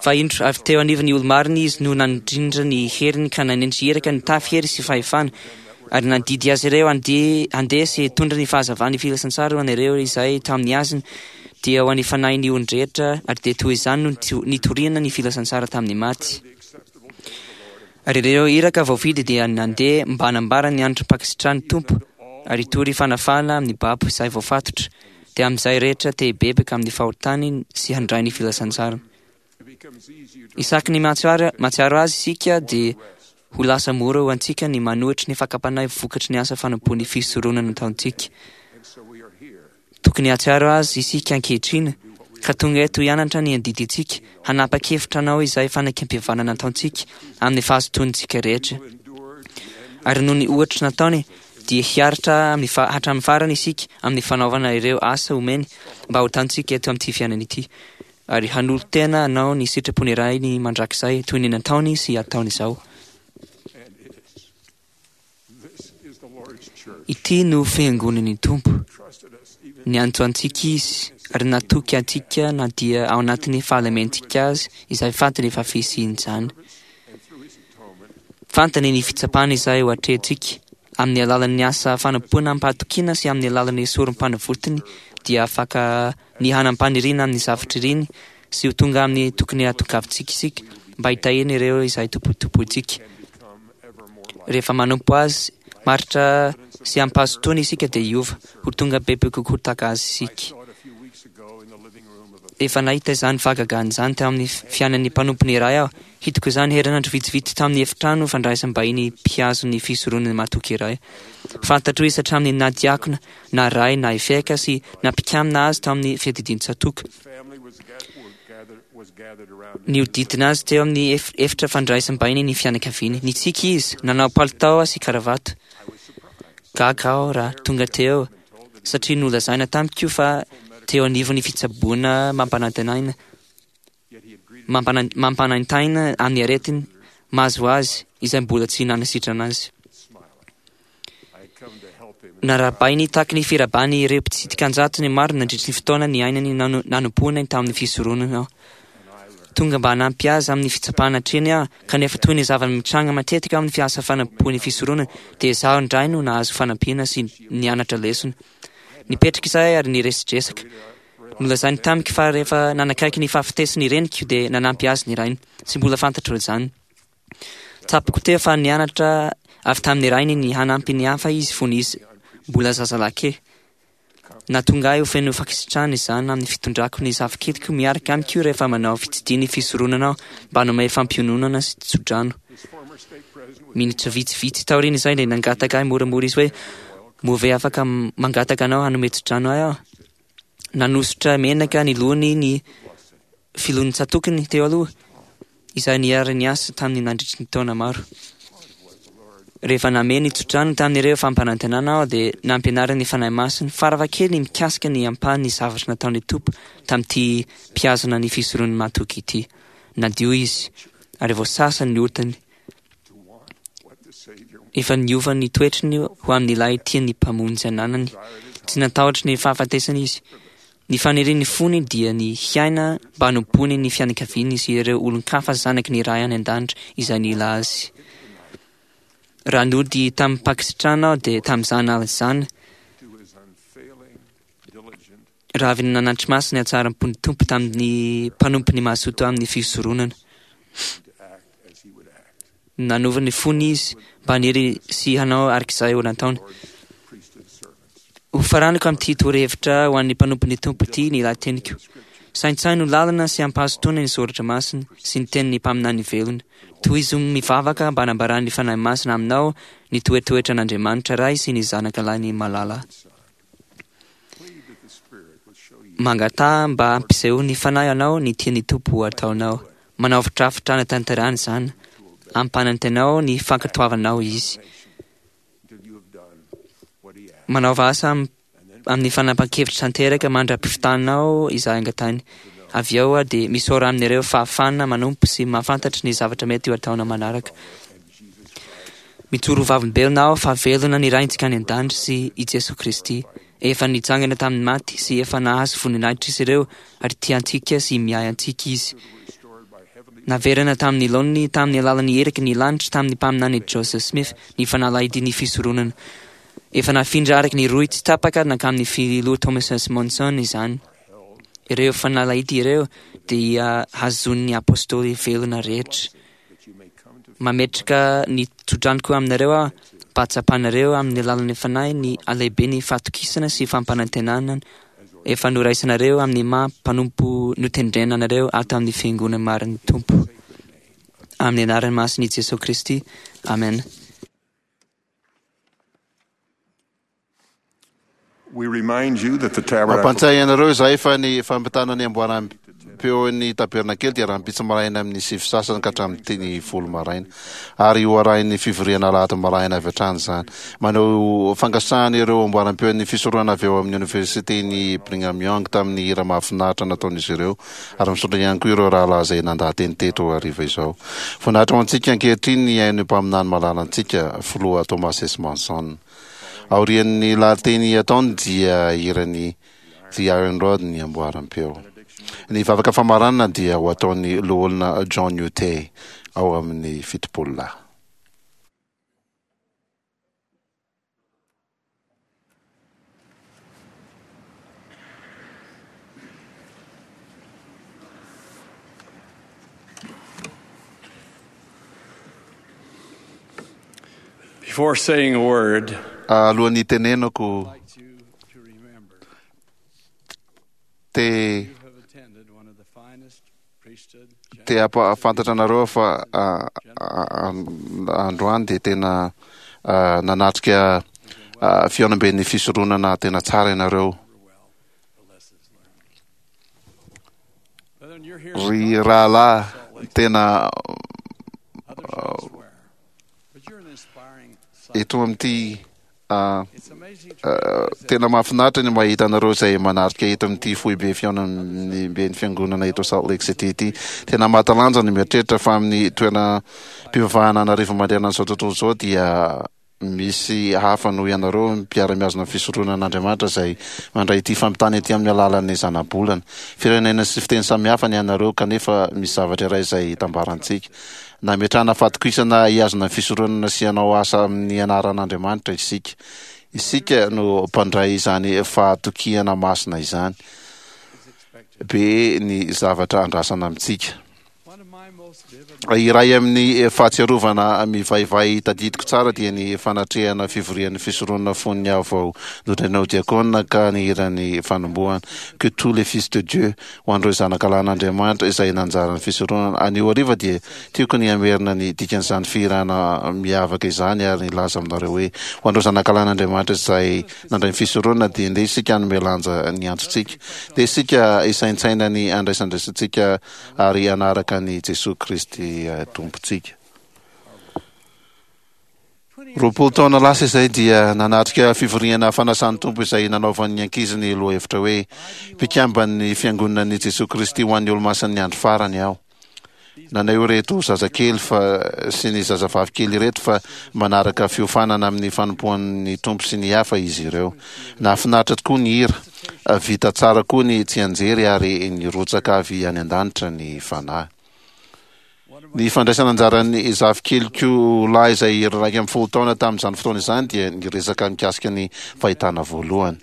Speaker 9: Fa indro avy teo anivon'ny olo-marina izy no nandrindra ny heriny ka nanendry iraka nitafy hery sy fahefana, ary nandidy azy ireo handeha handeha sy hitondra ny fahazavan'ny filazantsara ho an'ireo izay tamin'ny azony, dia ho an'ny fanahin'ny olon-drehetra, ary dia toy izany no nitoriana ny filazantsara tamin'ny maty. Ary ireo iraka voafidy dia nandeha mba hanambara ny androm-pankasitrahan'ny Tompo, ary hitory fanafahana amin'ny babo izay voafatotra, dia amin'izay rehetra te hibebaka amin'ny fahotany sy handray ny filazantsara. Isaky ny mahatsiaro azy isika dia ho lasa mora ho antsika ny manohitra ny fakam-panahy vokatry ny asa fanompoan'ny fisoronana nataontsika. Tokony hahatsiaro azy isika ankehitriny, ka tonga eto hianatra ny adidintsika, hanapa-kevitra hanao izay fanekempihavanana nataontsika amin'ny fahazotoantsika rehetra. Ary noho ny ohatra nataony, dia hiaritra amin'ny fa, hatramin'ny farany isika amin'ny fanaovana ireo asa omeny mba ho tantsika eto amin'ity fiainana ity, ary hanolo-tena hanao ny sitrapon'ny Rainy mandrakizay toy ny nataony sy ataony izao. Ity no fiangonan'ny Tompo. Niantso antsika Izy ary natoky antsika na dia ao anatin'ny fahalementsika azy izay fantany fa fisian'izany. Fantany ny fitsapana izay ho atrehintsika. Amin'ny alalan'ny asa fanompoana amim-pahatokiana sy amin'ny alalan'ny sorom-panavotiny dia afaka ny hanam-paniriana amin'ny zavatra iriny sy ho tonga amin'ny tokony hahatongavantsika isika mba hitahiana ireo izay tompotompointsika. Rehefa manompo Azy maharitra sy amim-pahazotoana isika dia hiova ho tonga bebe kokoa tahaka Azy isika. Efa nahita izany fahagagana izany teo amin'ny fiainan'ny mpanompony iray aho. Hitako izany herinandro vitsivitsy tamin'ny efitrano fandraisam-bahiny mpihazo ny fisoronana matoky iray. Fantatro izy hatramin'ny na diakona, na ray, na eveka sy na mpikamina azy tao amin'ny fiadidian-tsatoka. Nihodidina azy teo amin'ny efitra fandraisam-bahiny ny fianakaviany. Nitsiky izy, nanao palitao sy karavato. Gaga aho raha tonga teo, satria nolazaina tamiko fa teo anivon'ny fitsaboana mampanantenaina, mampanaintaina amin'ny aretiny mahazo azy izay mbola tsy nanasitrana azy. Narahabainy tahaky ny firabany ireo mpitsidika an-jatony maro nandritry ny fotoana niainany nanompoany tamin'ny fisoronana aho. Tonga mba hanampy azy amin'ny fitsapana hatreny aho, kanefa toy ny zava-mitranga matetika amin'ny asa fanompoan'ny fisoronana, dia izaho indray no nahazo fanampiana sy nianatra lesona. Nipetraka izahay ary niresidresaka. Nolazainy tamiko fa rehefa nanakaiky ny fahafatesany ny reniko dia nanampy azy ny rainy. Tsy mbola fantatro izany. Tsapako teo fa nianatra avy tamin'ny rainy ny hanampy ny hafa izy fony izy mbola zazalahy kely. Nahatonga ahy ho feno fankasitrahana izany amin'ny fitondrako ny zafikeliko miaraka amiko rehefa manao fitsidihan'ny fisoronana aho mba hanome fampiononana sy tsodrano. Minitra vitsivitsy taorian'izay dia nangataka ahy moramora izy hoe, Moa ve afaka mangataka anao hanome tsodrano ahy aho? Nanosotra menaka ny lohany ny filohan'ny tsatokiny teo aloha, izay niara-niasa taminy nandritry ny taona maro. Rehefa namehy ny tsodrano tamin'ireo fampanantenana aho dia nampianarin'ny Fanahy Masina farafahakeliny mikasika ny ampahan'ny zavatra nataon'ny Tompo tamin'ity mpihazona ny fisoron'ny matoky ity. Nadio izy, ary voasasa ny otany. Efa niova ny toetrany ho amin'ilay tian'ny Mpamonjy ananany. Tsy natahotra ny fahafatesana izy. Ny fanirian'ny fony dia ny hiaina mba hanompoany ny fianakaviany sy ireo olon-kafa zanaky ny Ray any An-danitra izay nila azy. Raha nody tamim-pankasitrahana aho dia tamin'izany alina izany, raha avy nanatri-maso ny hatsaram-pon'ny Tompo tamin'ny mpanompony mazoto amin'ny fisoronana. Nanova ny fony izy mba haniry sy hanao araka izay ho nataony. Hofaranako amin'ity torohevitra ho an'ny mpanompon'ny Tompo ity ny lahateniko. Saintsaino lalina sy am-pahazotoana ny Soratra Masina sy ny tenin'ny mpaminany velona. Tohizo mivavaka mba hanambaran'ny Fanahy Masina aminao ny toetoetran'Andriamanitra Ray sy ny Zanaka Lahiny malala. Mangataha mba hampisehoan'ny Fanahy anao ny tian'ny Tompo ho ataonao. Manaova drafitra hanatanterahana izany. Ampanantenao ny fankatoavanao Izy. Manaova asa amin'ny fanapahan-kevitra tanteraka mandra-pivitanao izay angatahiny. Avy eo dia misaora amin'ireo fahafahana manompo sy mahafantatra ny zavatra mety ho ataonao manaraka. Mijoro ho vavolombelona aho fa velona ny Raintsika any an-danitra sy i Jesoa Kristy. Efa nitsangana tamin'ny maty sy efa nahazo voninahitra izy ireo ary tia antsika sy miahy antsika Izy. Naverina tamin'ny laoniny tamin'ny alalan'ny eriky ny lanitra tamin'ny mpaminany Joseph Smith ny fanalahidin'ny fisoronana. Efa nafindra araka ny rohy tsy tapaka nankamin'ny filoha Thomas S. Monson izany. Ireo fanalahidy ireo dia hazonin'ny apostoly velona rehetra. Mametraka ny tsodranoko aminareo aho mba hatsapanareo amin'ny alalan'ny Fanahy ny halehiben'ny fahatokisana sy fampanantenana efa noraisinareo amin'ny maha mpanompo notendrena anareo ato amin'ny Fiangonana marin'ny Tompo. Amin'ny anaran'ny masin'i Jesoa Kristy. Amen.
Speaker 3: We remind you that the tabernacle
Speaker 2: Mampantsahy anareo izahay fa ny fampitana ny amboaram-peon'ny tabernakely dia rahampitso maraina amin'ny sivy sasany ka hatramin'ny folo maraina, ary ho arahin'ny fivoriana alahady maraina avy hatrany izany. Maneho fankasitrahana ireo amboaram-peon'ny fisoronana avy ao amin'ny Oniversiten'i Brigham Young tamin'ny hira mahafinaritra nataon'izy ireo, ary misaotra ihany koa ireo rahalahy izay nandaha-teny teto hariva izao. Voninahitra ho antsika ankehitriny ny haino mpaminany malalantsika, Filoha Thomas S. Monson. Aorian'ny lahateny ataony dia hiran'ny The Iron Rod ny amboaram-peo. Ny vavaka famaranana dia ho ataon'ny Loholona John Utey ao amin'ny Fitopololahy.
Speaker 10: Before saying a word,
Speaker 2: Alohan'ny hitenenako, te te hampahafantatra anareo aho fa androany dia tena nanatrika fihaonamben'ny fisoronana tena tsara ianareo. Ry rahalahy, tena eto amin'ity tena mahafinaritra ny mahita anareo izay manatrika eto amin'ity foibe fihaonamben'ny fiangonana eto Salt Lake City ity. Tena mahatalanjona ny mieritreritra fa amin'ny toeram-pivavahana an'arivo manerana an'izao tontolo izao dia Misy hafa noho ianareo mpiara-mihazona ny fisoronan'Andriamanitra izay mandray ity fampitana ity amin'ny alalan'ny zanabolana. Firenena sy fiteny samihafa ny anareo kanefa misy zavatra iray izay itambarantsika. Nametrahana fahatokisana hihazona ny fisoronana sy hanao asa amin'ny anaran'Andriamanitra isika. Isika no mpandray izany fahatokiana masina izany. Be ny zavatra andrasana amintsika. Iray amin'ny fahatsiarovana mivaivay tadidiko tsara dia ny fanatrehana fivorian'ny fisoronana fony aho vao nodrenao diakona ka nihira ny fanombohana Que tous les fils de Dieu ho an'ireo zanaka lahin'Andriamanitra izay nanjara ny fisoronana. Anio hariva dia tiako ny hamerina ny dikan'izany fihirana miavaka izany ary nilaza aminareo hoe ho an'ireo zanaka lahin'Andriamanitra izay nandray ny fisoronana dia ndeha isika hanome lanja ny antsontsika. Ndeha isika hisaintsaina ny handraisandraisantsika ary hanaraka an'i Jesoa Kristy Tompontsika. 20 taona lasa izay dia nanatrika fivoriana fanasan'ny Tompo izay nanaovan'ny ankizy ny lohahevitra hoe Mpikamban'ny Fiangonan'i Jesoa Kristy ho an'ny Olomasin'ny Andro Farany aho. Naneho ireto zazakely fa sy ny zazavavy kely ireto fa manaraka fiofanana amin'ny fanompoan'ny Tompo sy ny hafa izy ireo. Nahafinaritra tokoa ny hira. Vita tsara koa ny tsianjery ary nirotsaka avy any an-danitra ny Fanahy. Ny fandraisana anjaran'ny zafikeliko lahy izay 11 taona tamin'izany fotoana izany dia niresaka mikasika ny fahitana voalohany.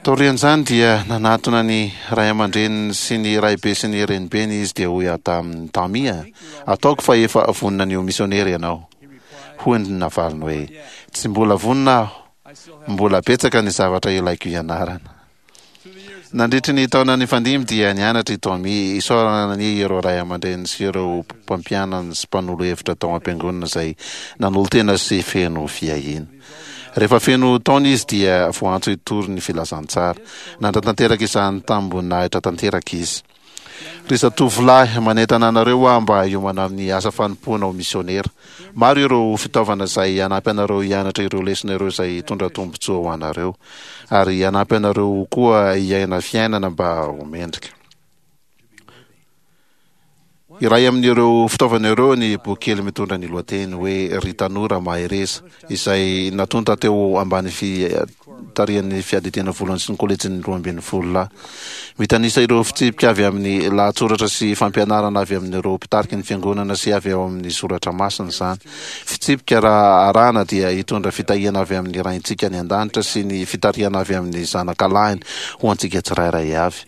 Speaker 2: Taorian'izany dia nanatona ny ray aman-dreniny sy ny raibe sy ny renibeny izy dia hoy aho taminy, Tamia, ataoko fa efa vonona ny ho misionera ianao. Hoy ny navaliny hoe, Tsy mbola vonona aho. Mbola betsaka ny zavatra ilaiko hianarana. Nandritry ny taona nifandimby dia nianatra i Tommy. Isaorana anie ireo ray aman-dreniny sy ireo mpampianany sy mpanolo hevitra tao am-piangonana izay nanolo-tena sy feno fiahiana. Rehefa feno taona izy dia voantso hitory ny filazantsara. Nanatanteraka izany tamim-boninahitra tanteraka izy. Ry zatovolahy, manentana anareo aho mba hiomana amin'ny asa fanompoana ho misionera. Maro ireo fitaovana izay hanampy anareo hianatra ireo lesona ireo izay hitondra tombontsoa ho anareo, ary hanampy anareo koa hiaina fiainana mba ho mendrika. Iray amin'ireo fitaovana ireo ny boky kely mitondra ny lohateny hoe Ry Tanora Mahereza, izay natonta teo ambany fitarihan'ny Fiadidiana Voalohany sy ny Kolejin'ny Roambinifolo Lahy. Mitanisa ireo fitsipika avy amin'ny lahatsoratra sy fampianarana avy amin'ireo mpitariky ny Fiangonana sy avy ao amin'ny soratra masina izany. Fitsipika raha arahana dia hitondra fitahiana avy amin'ny Raintsika any An-danitra sy ny fitarihana avy amin'ny Zanakalahiny ho antsika tsirairay avy.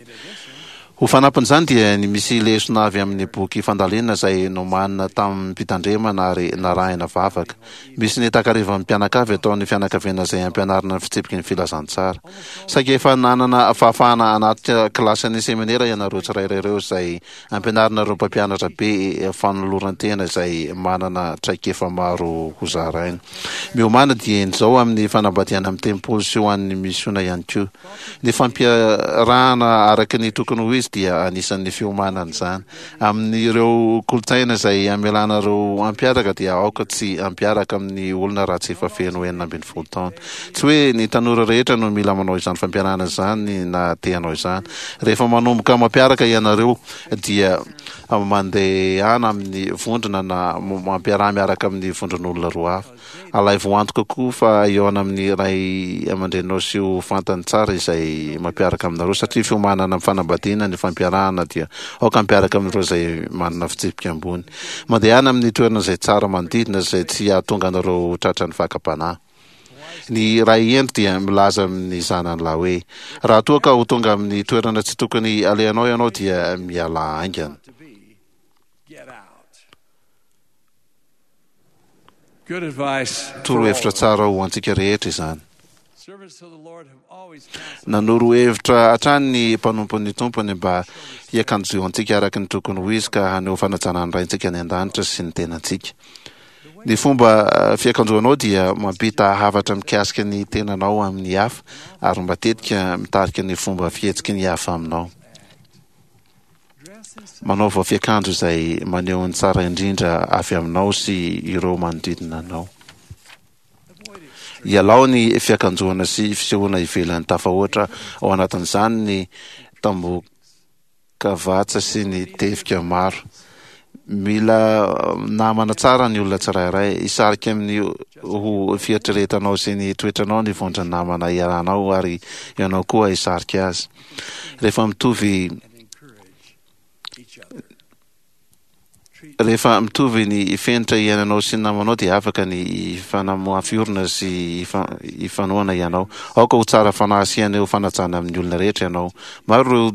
Speaker 2: Ho fanampin'izany dia ny misy lesona avy amin'ny boky fandalinana izay nomanina tamim-pitandremana ary narahina vavaka. Misy ny takarivan'ny mpianakavy ataon'ny fianakaviana izay ampianarina ny fitsipiky ny filazantsara. Saika efa nanana fahafahana hanatrika kilasin'ny seminera ianareo tsirairay ireo izay ampianarina ireo mpampianatra be fanoloran-tena izay manana traikefa maro hozaraina. Miomàna dieny izao amin'ny fanambadiana amin'ny tempoly sy ho an'ny misiona ihany koa. Ny fampiarahana araka ny tokony ho izy dia anisan'ny fiomanana izany. Amin'ireo kolontsaina izay hamelana ireo hampiaraka dia aoka tsy hampiaraka amin'ny olona raha tsy efa feno 16 taona. Tsy hoe ny tanora rehetra no mila manao izany fampiarahana izany na te hanao izany. Rehefa manomboka mampiaraka ianareo dia mandehana amin'ny vondrona na mampiaraha miaraka amin'ny vondron'olona roa hafa. Alaivo antoka koa fa hihaona amin'ny ray aman-dreninao sy ho fantany tsara izay mampiaraka aminareo, satria fiomanana amin'ny fanambadiana ny fampiarahana dia aoka hampiaraka amin'ireo izay manana fitsipika ambony. Mandehana amin'ny toerana izay tsara manodidina izay tsy hahatonga anareo ho tratran'ny fakam-panahy. Ny ray hendry dia milaza amin'ny zanany lahy hoe, Raha toa ka ho tonga amin'ny toerana tsy tokony alehanao ianao dia mialà haingana. Torohevitra tsara ho antsika rehetra izany. Nanoro hevitra hatrany ny mpanompon'ny Tompony mba hiakanjoantsika araka ny tokony ho izy ka haneho fanajana ny Raintsika any an-danitra sy ny tenantsika. Ny fomba fiakanjoanao dia mampita hafatra mikasika ny tenanao amin'ny hafa ary matetika mitarika ny fomba fihetsiky ny hafa aminao. Manaova fiakanjo izay maneho ny tsara indrindra avy aminao sy ireo manodidina anao. Ialao ny fiakanjoana sy fisehoana ivelany tafahoatra, ao anatin'izany ny tambokavatsa sy ny tevika maro. Mila namana tsara ny olona tsirairay. Hisarika amin'ny ho fieritreretanao sy ny toetranao ny vondron'ny namana iarahanao ary ianao koa hisarika azy. Rehefa mitovy Rehefa mitovy ny fenitra iainanao sy ny namanao dia afaka ny hifanamoafy orona sy hifanohana ianao. Aoka ho tsara fanahy sy haneho fanajana amin'ny olona rehetra ianao. Maro ireo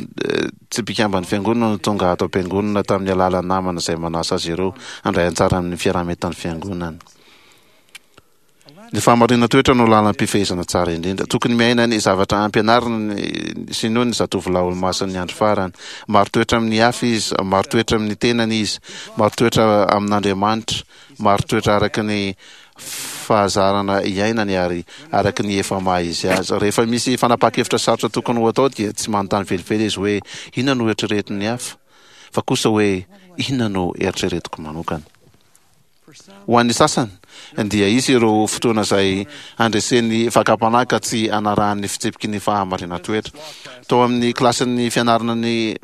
Speaker 2: tsy mpikamban'ny Fiangonana no tonga ato am-piangonana tamin'ny alalan'ny namana izay manasa azy ireo handray anjara amin'ny fiaraha-mientan'ny Fiangonana. Ny fahamarinan-toetra no lalam-pifehezana tsara indrindra. Tokony miaina ny zavatra ampianarina sy inoany ny zatovolahy olomasin'ny andro farany. Marin-toetra amin'ny hafa izy, marin-toetra amin'ny tenany izy, marin-toetra amin'Andriamanitra, marin-toetra araka ny fahazarana iainany ary araka ny efa maha izy azy. Rehefa misy fanapahan-kevitra sarotra tokony ho atao dia tsy manontany velively izy hoe inona no eritreretin'ny hafa fa kosa hoe inona no eritreretiko manokana. Ho an'ny sasany dia hisy ireo fotoana izay handresen'ny fakam-panahy ka tsy hanarahany ny fitsipiky ny fahamarinan-toetra. Tao amin'ny kilasin'ny fianarana ny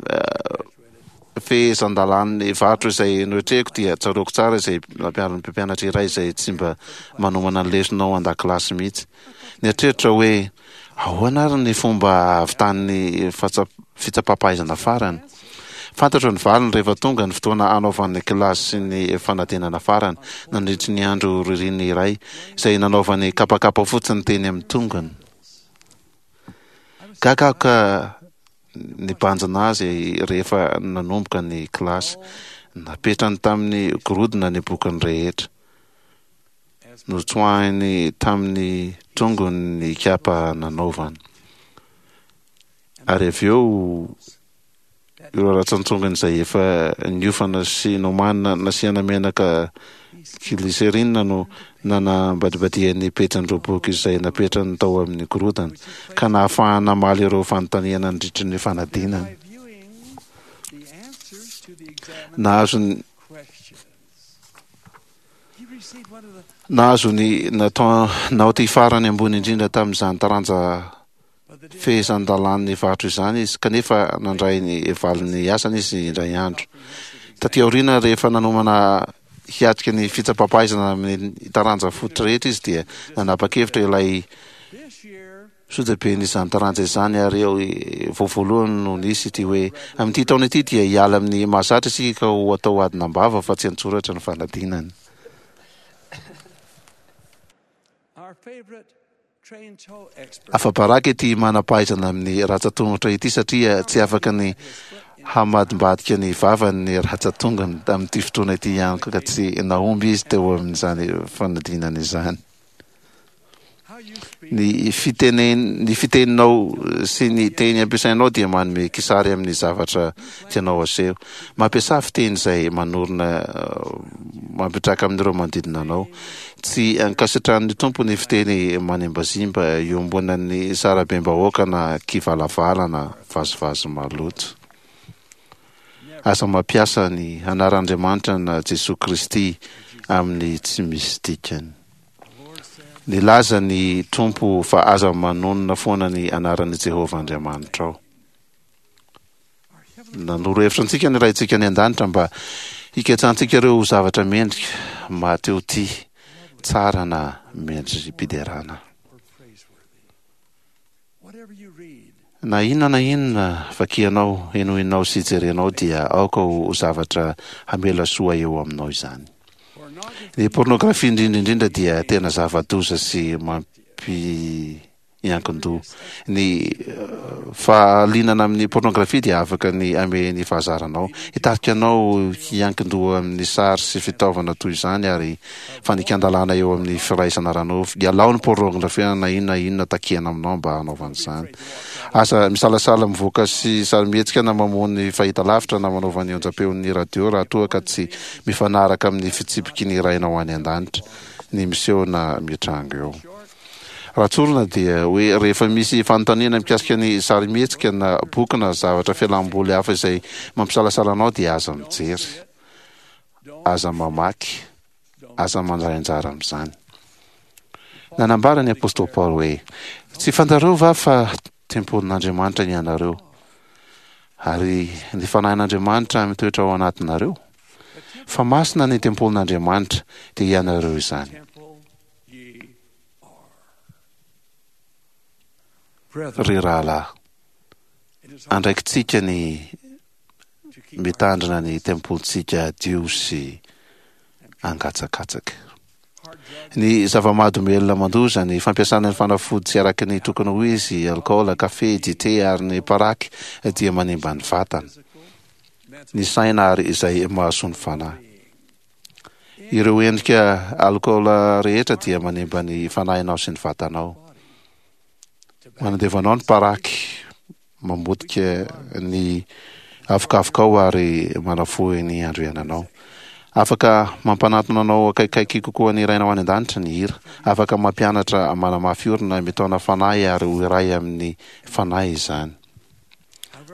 Speaker 2: fehezan-dalàn'ny varotra izay noetrehiko dia tsaroako tsara izay nampianarin'ny mpampianatra iray izay tsy mba manomana ny lesona ao an-dakilasy mihitsy. Nieritreritra hoe, ahoana ary ny fomba hahavitan'ny fitsapam-pahaizana farany? Fantatro ny valiny rehefa tonga ny fotoana hanaovan'ny kilasy sy ny fanadinana farany, nandritry ny andro ririnina iray, izay nanaovany kapakapa fotsiny teny amin'ny tongony. Gaga aho ka nibanjina azy rehefa nanomboka ny kilasy. Napetrany tamin'ny gorodona ny bokiny rehetra. Notsoahiny tamin'ny tongony ny kapa nanaovany. Ary avy eo ireo ratsan-tsongony izay efa niofana sy nomanina nasiana menaka glycérine no nanambadibadihany ny pejin'ireo boky izay napetrany tao amin'ny gorodona, ka nahafahany namaly ireo fanontaniana nandritry ny fanadinana. Nahazo ny Nahazo ny naoty farany ambony indrindra tamin'izany taranja fehezan-dalàn'ny varotra izany izy, kanefa nandray ny valin'ny asany izy indray andro. Taty aoriana, rehefa nanomana hiatrika ny fitsapam-pahaizana amin'ny taranja fototra rehetra izy, dia nanapa-kevitra ilay sojaben'izany taranja izany ary vao voalohany no nisy ity hoe, Amin'ity taona ity dia hiala amin'ny mahazatra isika ka ho atao adina am-bava fa tsy an-tsoratra ny fanadinana. Afa-baraka ity manam-pahaizana amin'ny ratsan-tongotra ity satria tsy afaka ny hamadimbadika ny vavany ny ratsan-tongony tamin'ity fotoana ity ihany koa ka tsy nahomby izy teo amin'izany fanadinana izany. Ny fitenen ny fiteninao sy ny teny ampiasainao dia manome kisary amin'ny zavatra tianao aseho. Mampiasà fiteny izay manorina mampitraka amin'ireo manodidina anao. Tsy ankasitrahan'ny Tompo ny fiteny manimbazimba iombonan'ny sarabem-bahoaka na kivalavala na vazivazy maloto. Aza mampiasa ny anaran'Andriamanitra na Jesoa Kristy amin'ny tsy misy dikany. Nilaza ny Tompo fa aza manonona foana ny anaran'i Jehovah Andriamanitrao. Nanoro hevitra antsika ny Raintsika any An-danitra mba hiketsantsika ireo zavatra mendrika, mahatehotia, tsara na mendri-piderana. Na inona na inona vakianao, henoinao sy jerenao dia aoka ho zavatra hamela soa eo aminao izany. Ny pornografia indrindra indrindra dia tena zava-doza sy mampi hiankin-doha. Ny fahalianana amin'ny pornografia dia afaka ny hamehy ny fahazaranao, hitarika anao hiankin-doha amin'ny sary sy fitaovana toy izany ary fandikan-dalàna eo amin'ny firaisana ara-nofo. Ialao ny pornografia na inona na inona takiana aminao mba hanaovana izany. Aza misalasala mivoaka sy sarimihetsika na mamono ny fahitalavitra na manaova ny onjam-peon'ny radio raha toa ka tsy mifanaraka amin'ny fitsipiky ny Rainao any An-danitra ny miseho na mitranga eo. Raha tsorina dia hoe rehefa misy fanontaniana mikasika ny sarimihetsika na boky na zavatra fialam-boly hafa izay mampisalasala anao dia aza mijery, aza mamaky, aza mandray anjara amin'izany. Nanambara ny apostoly Paoly hoe, Tsy fantareo va fa tempolin'Andriamanitra ianareo, ary ny Fanahin'Andriamanitra mitoetra ao anatinareo? Fa masina ny tempolin'Andriamanitra, dia ianareo izany. Ry rahalahy, andraikitsika ny mitandrina ny tempolintsika hadio sy hangatsakatsaka. Ny zava-mahadomelina mandoza, ny fampiasana ny fanafody tsy araka ny tokony ho izy, alikaola, kafe, dite ary ny paraky dia manimba ny vatana, ny saina ary izay mahasoa ny fanahy. Ireo endrika alikaola rehetra dia manimba ny fanahinao sy ny vatanao. Manandevo anao ny paraky, mamotika ny avokavokao ary manafohy ny andro iainanao. Afaka mampanatona anao akaikikaiky kokoa ny Rainao any An-danitra ny hira. Afaka mampianatra, manamafy orina, mitaona fanahy ary ho iray amin'ny fanahy izany.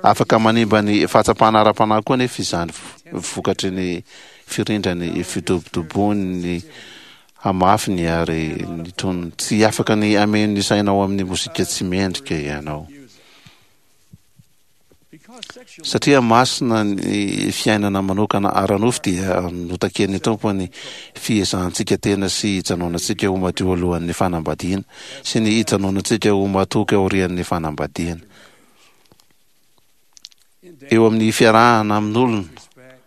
Speaker 2: Afaka manimba ny fahatsapana ara-panahy koa anefa izany vokatry ny firindran'ny fidobodoboan'ny hamafiny ary ny tonony. Tsy afaka ny hameno ny sainao amin'ny mozika tsy mendrika ianao. Satria masina ny fiainana manokana ara-nofo dia notakian'ny Tompo ny fiezahantsika tena sy hijanonantsika ho madio alohan'ny fanambadiana sy ny hijanonantsika ho matoky aorian'ny fanambadiana. Eo amin'ny fiarahana amin'olona,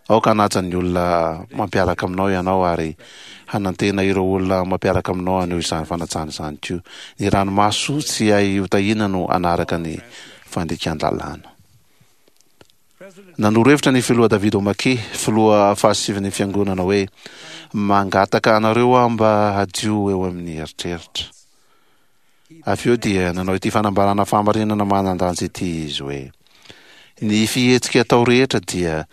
Speaker 2: aoka hanaja ny olona mampiaraka aminao ianao ary hanantena ireo olona mampiaraka aminao haneho izany fanajana izany koa. Ny ranomaso tsy hay hotahiana no hanaraka ny fandikan-dalàna. Nanoro hevitra ny Filoha David O. McKay, filoha fahasivin'ny Fiangonana hoe, Mangataka anareo aho mba hadio eo amin'ny eritreritra. Avy eo dia nanao ity fanambarana fahamarinana manan-danja ity izy hoe, Ny fihetsika atao rehetra dia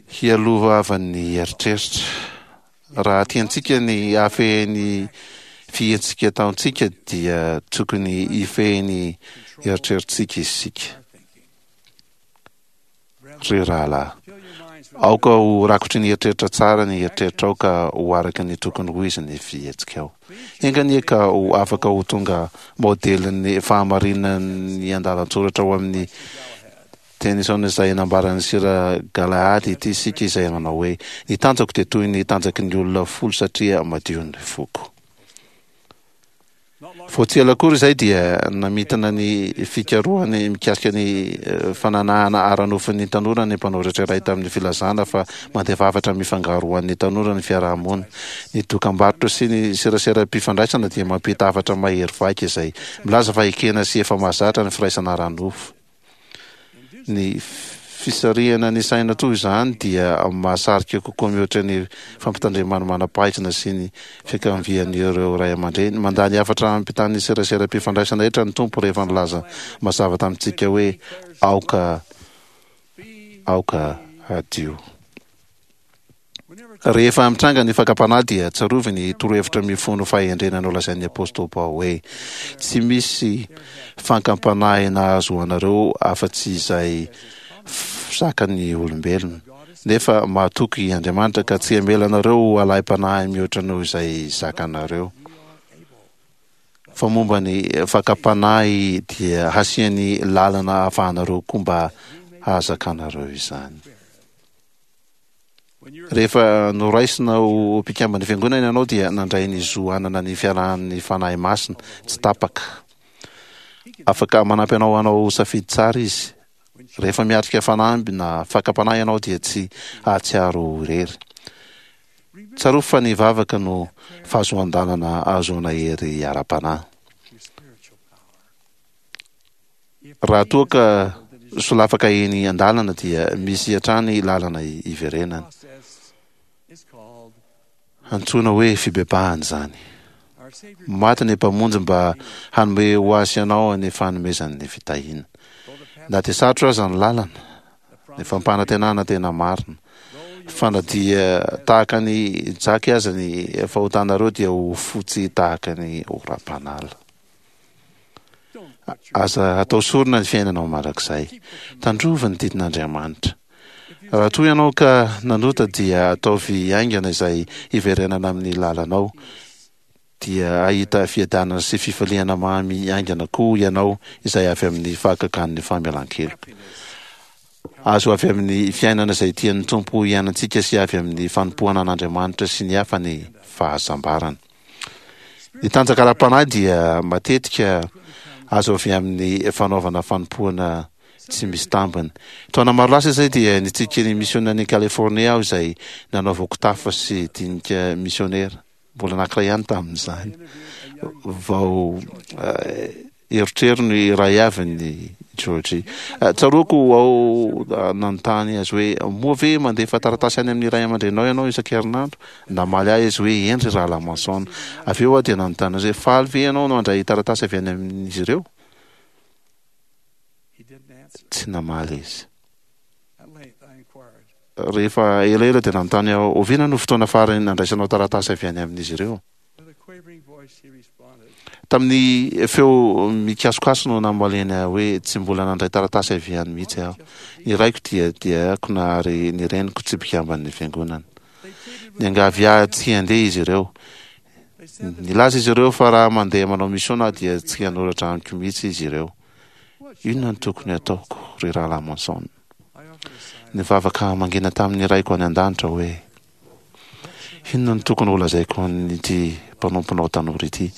Speaker 2: hialohavan'ny eritreritra. Raha tiantsika ny hahafehy ny fihetsika ataontsika dia tokony hifehy ny eritreritsika isika. Ry rahalahy, aoka ho rakotry ny eritreritra tsara ny eritreritrao ka ho araka ny tokony ho izy ny fihetsikao. Enga anie ka ho afaka ho tonga maodelin'ny fahamarinan'ny andalan-tsoratra ao amin'ny Tennyson izay nambaran'i Sir Galahad ity isika izay nanao hoe, Ny tanjako dia toy ny tanjaky ny olona folo satria madio ny foko. Vao tsy ela akory izay dia namintina ny fikarohany mikasika ny fananahana ara-nofon'ny tanora ny mpanoratra iray tamin'ny filazana fa mandefa hafatra mifangaro ho an'ny tanora ny fiaraha-monina. Ny dokambarotra sy ny seraseram-pifandraisana dia mampita hafatra mahery vaika izay milaza fa ekena sy efa mahazatra ny firaisana ara-nofo. Ny fisarihana ny saina toy izany dia mahasarika kokoa mihoatra ny fampitandreman'ny manam-pahaizana sy ny fiankavian'ireo ray aman-dreny. Mandà ny hafatra ampitan'ny seraseram-pifandraisana rehetra ny Tompo rehefa nilaza mazava tamintsika hoe, Aoka, aoka hadio. Rehefa mitranga ny fakam-panahy dia tsarovy ny torohevitra mifono fahendrena nolazain'ny apostoly Paoly hoe, Tsy misy fankam-panahy nahazo anareo afa-tsy izay zakan'ny olombelona. Nefa mahatoky Andriamanitra ka tsy hamela anareo ho alaim-panahy mihoatra noho izay zakanareo. Fa momba ny fakam-panahy dia hasiany lalana ahafahanareo koa mba hahazakanareo izany. Rehefa noraisina ho mpikamban'ny Fiangonana ianao dia nandray ny zo hanana ny fiarahan'ny Fanahy Masina tsy tapaka. Afaka manampy anao hanao safidy tsara Izy. Rehefa miatrika fanamby na fakam-panahy ianao dia tsy hahatsiaro ho irery. Tsarovy fa ny vavaka no fahazoan-dalana ahazoana hery ara-panahy. Raha toa ka solafaka eny an-dalana dia misy hatrany lalana hiverenana. Antsoina hoe fibebahana izany. Maty ny Mpamonjy mba hanome ho ahy sy anao ny fanomezany ny fitahiana. Na dia sarotra aza ny lalana, ny fampanantenana tena marina, fa na dia tahaka ny jaky aza ny fahotanareo dia ho fotsy tahaka ny oram-panala. Aza atao sorona ny fiainanao mandrakizay. Tandrovy ny didin'Andriamanitra. Raha toa ianao ka nanota dia ataovy haingana izay hiverenana amin'ny lalanao, dia hahita fiadanana sy fifaliana mamy haingana koa ianao izay avy amin'ny fahagagan'ny famelan-keloka. Azo avy amin'ny fiainana izay tian'ny Tompo hiainantsika sy avy amin'ny fanompoana an'Andriamanitra sy ny hafa ny fahasambarana. Ny tanjaka ara-panahy dia matetika azo avy amin'ny fanaovana fanompoana tsy misy tambiny. Taona maro lasa izay dia nitsidika ny misionan'i Californie aho izay nanaovako tafa sy dinika misionera. Mbola anankiray ihany tamin'izany. Vao Erotrerony iray avy ny Georgie. Tsaroako aho nanontany azy hoe, Moa ve mandefa taratasy any amin'ny ray aman-dreninao ianao isan-kerinandro? Namaly ahy izy hoe, Eny ry Rahalahy Manson. Avy eo aho dia nanontany azy hoe, Faly ve ianao mandray taratasy avy any amin'izy ireo? Tsy namaly izy. Rehefa elaela dia nanontany aho, Oviana no fotoana farany nandraisanao taratasy avy any amin'izy ireo? Tamin'ny feo mikasokaso no namaliany ahy hoe, Tsy mbola nandray taratasy avy any mihitsy aho. Ny raiko dia diakona ary ny reniko tsy mpikamban'ny fiangonana. Niangavy ahy tsy handeha izy ireo. Nilaza izy ireo fa raha mandeha manao misiona aho dia tsy hanoratra amiko mihitsy izy ireo. Inona no tokony hataoko, ry Rahalahy Monson? Nivavaka mangina tamin'ny Raiko any An-danitra hoe, Inona no tokony holazaiko an'ity mpanomponao tanora ity,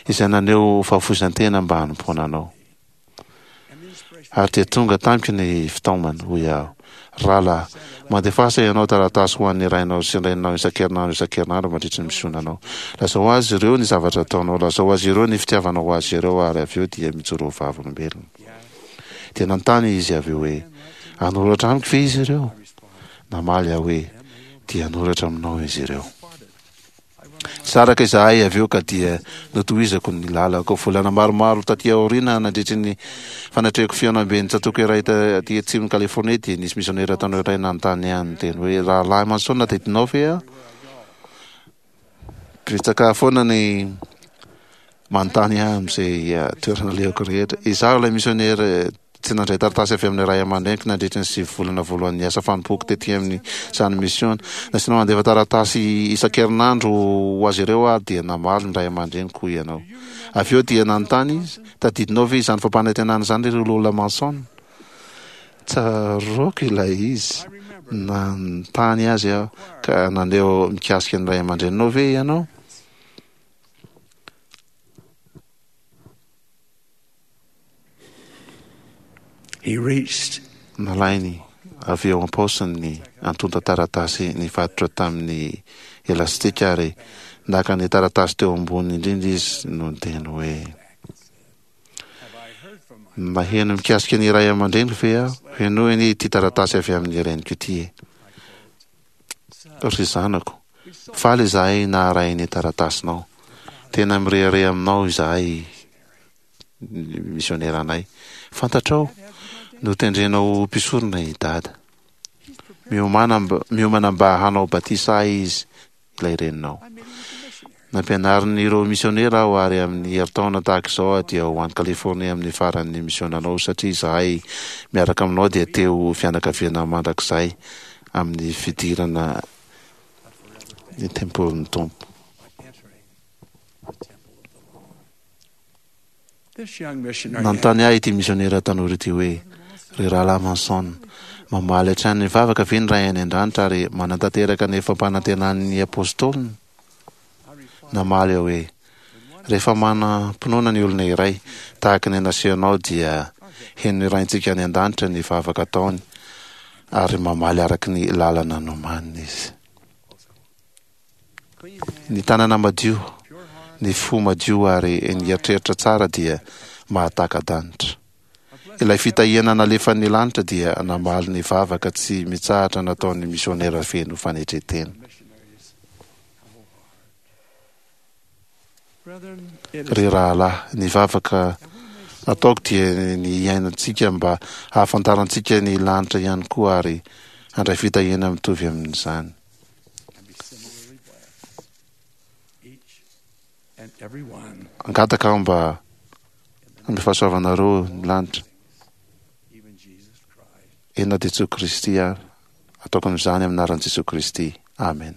Speaker 2: izay naneho fahafoizan-tena mba hanompoana anao? Ary dia tonga tamiko ny fitaomana, hoy aho, Rahalahy, mandefasa ianao taratasy ho an'ny rainao sy ny reninao isan-kerinandro isan-kerinandro mandritry ny misionanao. Lazao azy ireo ny zavatra ataonao, lazao azy ireo ny fitiavanao azy ireo, ary avy eo dia mijoroa vavolombelona. Dia nanontany izy avy eo hoe, Hanoratra amiko ve izy ireo? Namaly aho hoe, Dia hanoratra aminao izy ireo. Saraka izahay avy eo ka dia notohizako ny lalako. Volana maromaro taty aoriana, nandritry ny fanatrehako fihaonamben'ny tsatòka iray taty atsimon'i Californie, dia nisy misionera tanora iray nanontany ahy niteny hoe, Rahalahy Manson, tadidinao ve aho? Betsaka foana ny manontany ahy amin'izay toerana alehako rehetra. Izaho ilay misionera tsy nandray taratasy avy amin'ny ray aman-dreniko nandritry ny 9 volana voalohan'ny asa fanompoako tety amin'izany misiona. Nasiana mandefa taratasy isan-kerinandro ho azy ireo aho dia namaly ny ray aman-dreniko hoy ianao. Avy eo dia nanontany izy, Tadidinao ve izany fampanantenana izany ry Lola Manson? Tsaroako ilay izy. Nanontany azy aho, ka naneho mikasika ny ray aman-dreninao ve ianao? Nalainy avy eo am-paosiny ny antontan-taratasy nifatotra tamin'ny elastika ary naka ny taratasy teo ambony indrindra izy no niteny hoe, Naheno mikasika ny ray aman-dreniko ve aho? Henoy anie ity taratasy avy amin'ny reniko ity e! Ry zanako, faly izahay naharay ny taratasinao. Tena mirehareha aminao izahay misioneranay. Fantatrao, notendrena ho mpisorona i Dada. Miomana mba hanao batisa ahy izy ilay reninao. Nampianarin'ireo misionera aho ary amin'ny herintaona tahaka izao aho dia ho any Californie amin'ny faran'ny misionanao satria izahay miaraka aminao dia te ho fianakaviana mandrakizay amin'ny fidirana ny tempolin'ny Tompo. Nanontany ahy ity misionera tanora ity hoe, Ry Rahalahy Manson, mamaly hatrany ny vavaka ve ny Ray any An-danitra ary manatanteraka ny fampanantenan'ny Apôstôliny? Namaly aho hoe, Rehefa manam-pinoana ny olona iray, tahaka ny nasehonao dia henon'ny Raintsika any An-danitra ny vavaka ataony ary mamaly araka ny lalana nomaniny Izy. Ny tanana madio, ny fo madio ary ny eritreritra tsara dia mahataka-danitra. Ilay fitahiana nalefan'ny lanitra dia namaly ny vavaka tsy mitsahatra nataon'ny misionera feno fanetren-tena. Ry rahalahy, ny vavaka ataoko dia ny hiainantsika mba hahafantarantsika ny lanitra ihany koa ary handray fitahiana mitovy amin'izany. Angataka aho mba hanome fahasoavanareo ny lanitra. Eny na dia Jesoa Kristy ary. Ataoko amin'izany amin'ny anaran'i Jesoa Kristy. Amen.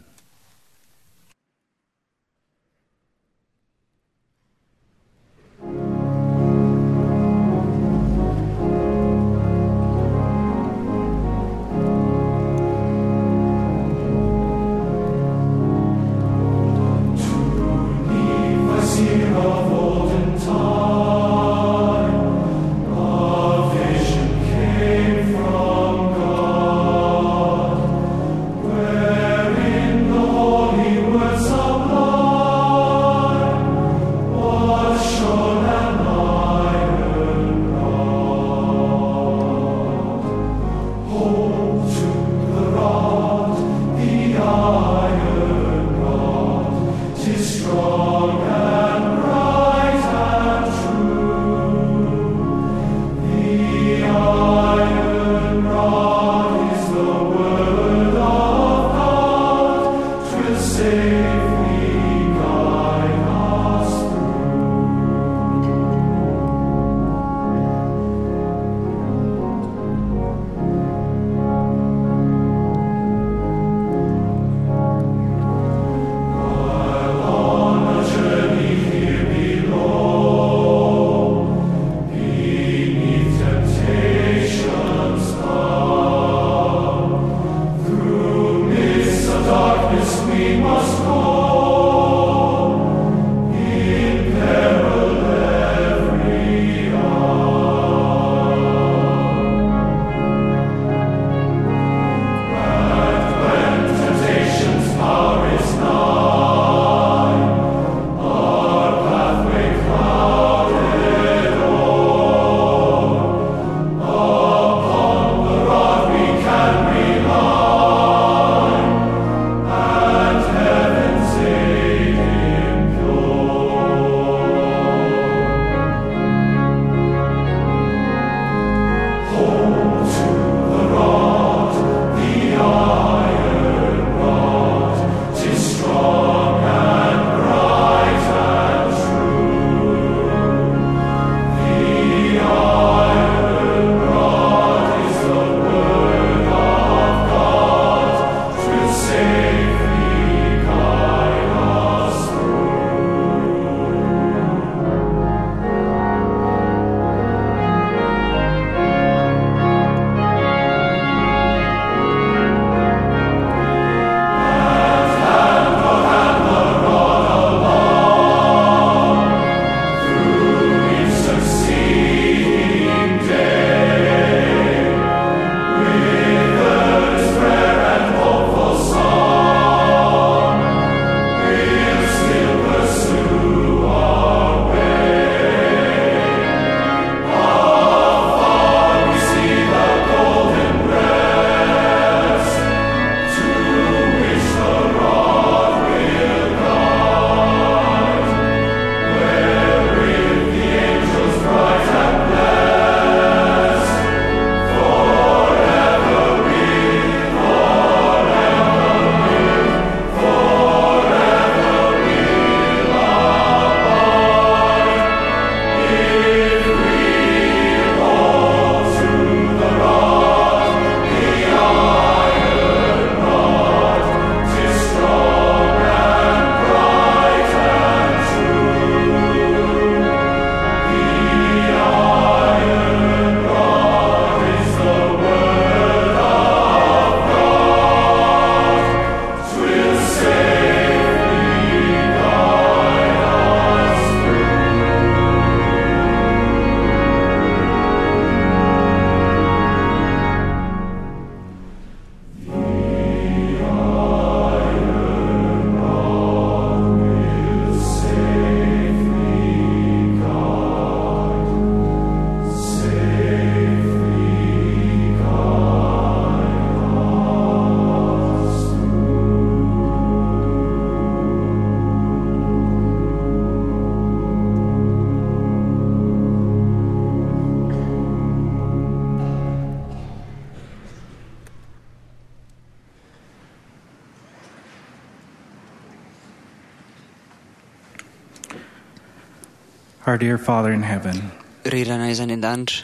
Speaker 11: Our dear Father in heaven,
Speaker 9: Ry Rainay izay any an-danitra,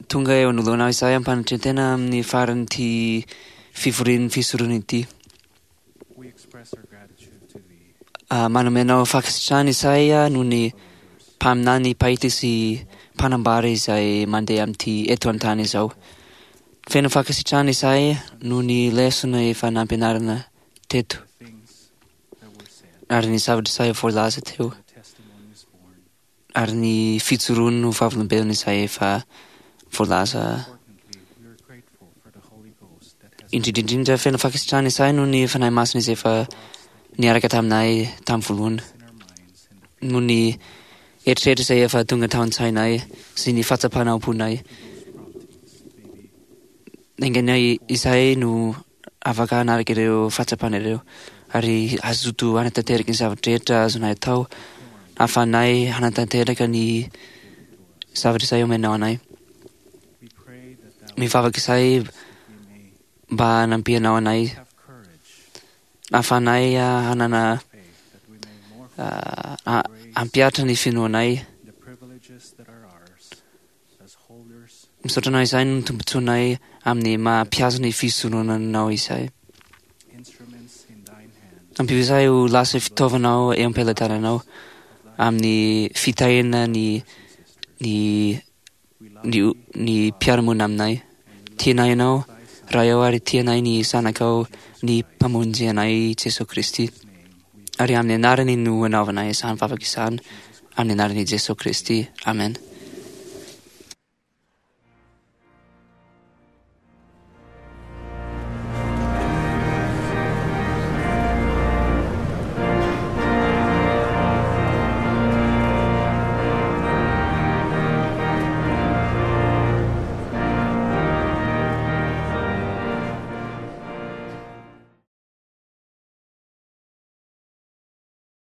Speaker 9: tonga eo anoloanao izahay am-panetren-tena amin'ny faran'ity fivorian'ny fisoronana ity.
Speaker 11: we express our gratitude to thee
Speaker 9: Ah, manome anao fankasitrahana izahay ah, noho ny mpaminany mpahita sy mpanambara izay mandeha amin'ity eto an-tany izao. Feno fankasitrahana izahay noho ny lesona efa nampianarina teto ary ny zavatra izay voalaza teo
Speaker 11: testimonies borne.
Speaker 9: ary ny fijoroany ho vavolombelona izay efa voalaza.
Speaker 11: Importantly, we are grateful for the Holy Ghost that has
Speaker 9: Indrindra indrindra feno fankasitrahana izahay noho ny Fanahy Masina izay efa niaraka taminay tamin'ny voalohany
Speaker 11: in our minds and the
Speaker 9: noho ny eritreritra izay efa tonga tao an-tsainay sy ny fahatsapana am-ponay.
Speaker 11: promptings may be
Speaker 9: Enga izahay no afaka hanaraka ireo fahatsapana ireo ary hazoto hanatanteraka ny zavatra rehetra azonay atao ahafahanay hanatanteraka ny zavatra izay omenao anay.
Speaker 11: we pray that thou
Speaker 9: Mivavaka izahay
Speaker 11: we may
Speaker 9: mba hanampianao anay
Speaker 11: have courage,
Speaker 9: ahafahanay ah, hanana
Speaker 11: faith, that we may more
Speaker 9: ah, ah, hampihatra ny finoanay.
Speaker 11: the privileges that are ours as holders
Speaker 9: Misaotra anao izahay no tombontsoanay amin'ny maha mpihazo ny fisoronanao izahay.
Speaker 11: instruments in thine hand
Speaker 9: Ampio izahay ho lasa fitaovanao eo am-pelatananao amin'ny fitahiana ny ny ny ny mpiara-monina aminay. Tianay ianao, Ray ao ary tianay ny zanakao, ny mpamonjy anay Jesoa Kristy. Ary amin'ny anarany no anaovanay izany vavaka izany, amin'ny anaran'i Jesoa Kristy. Amen.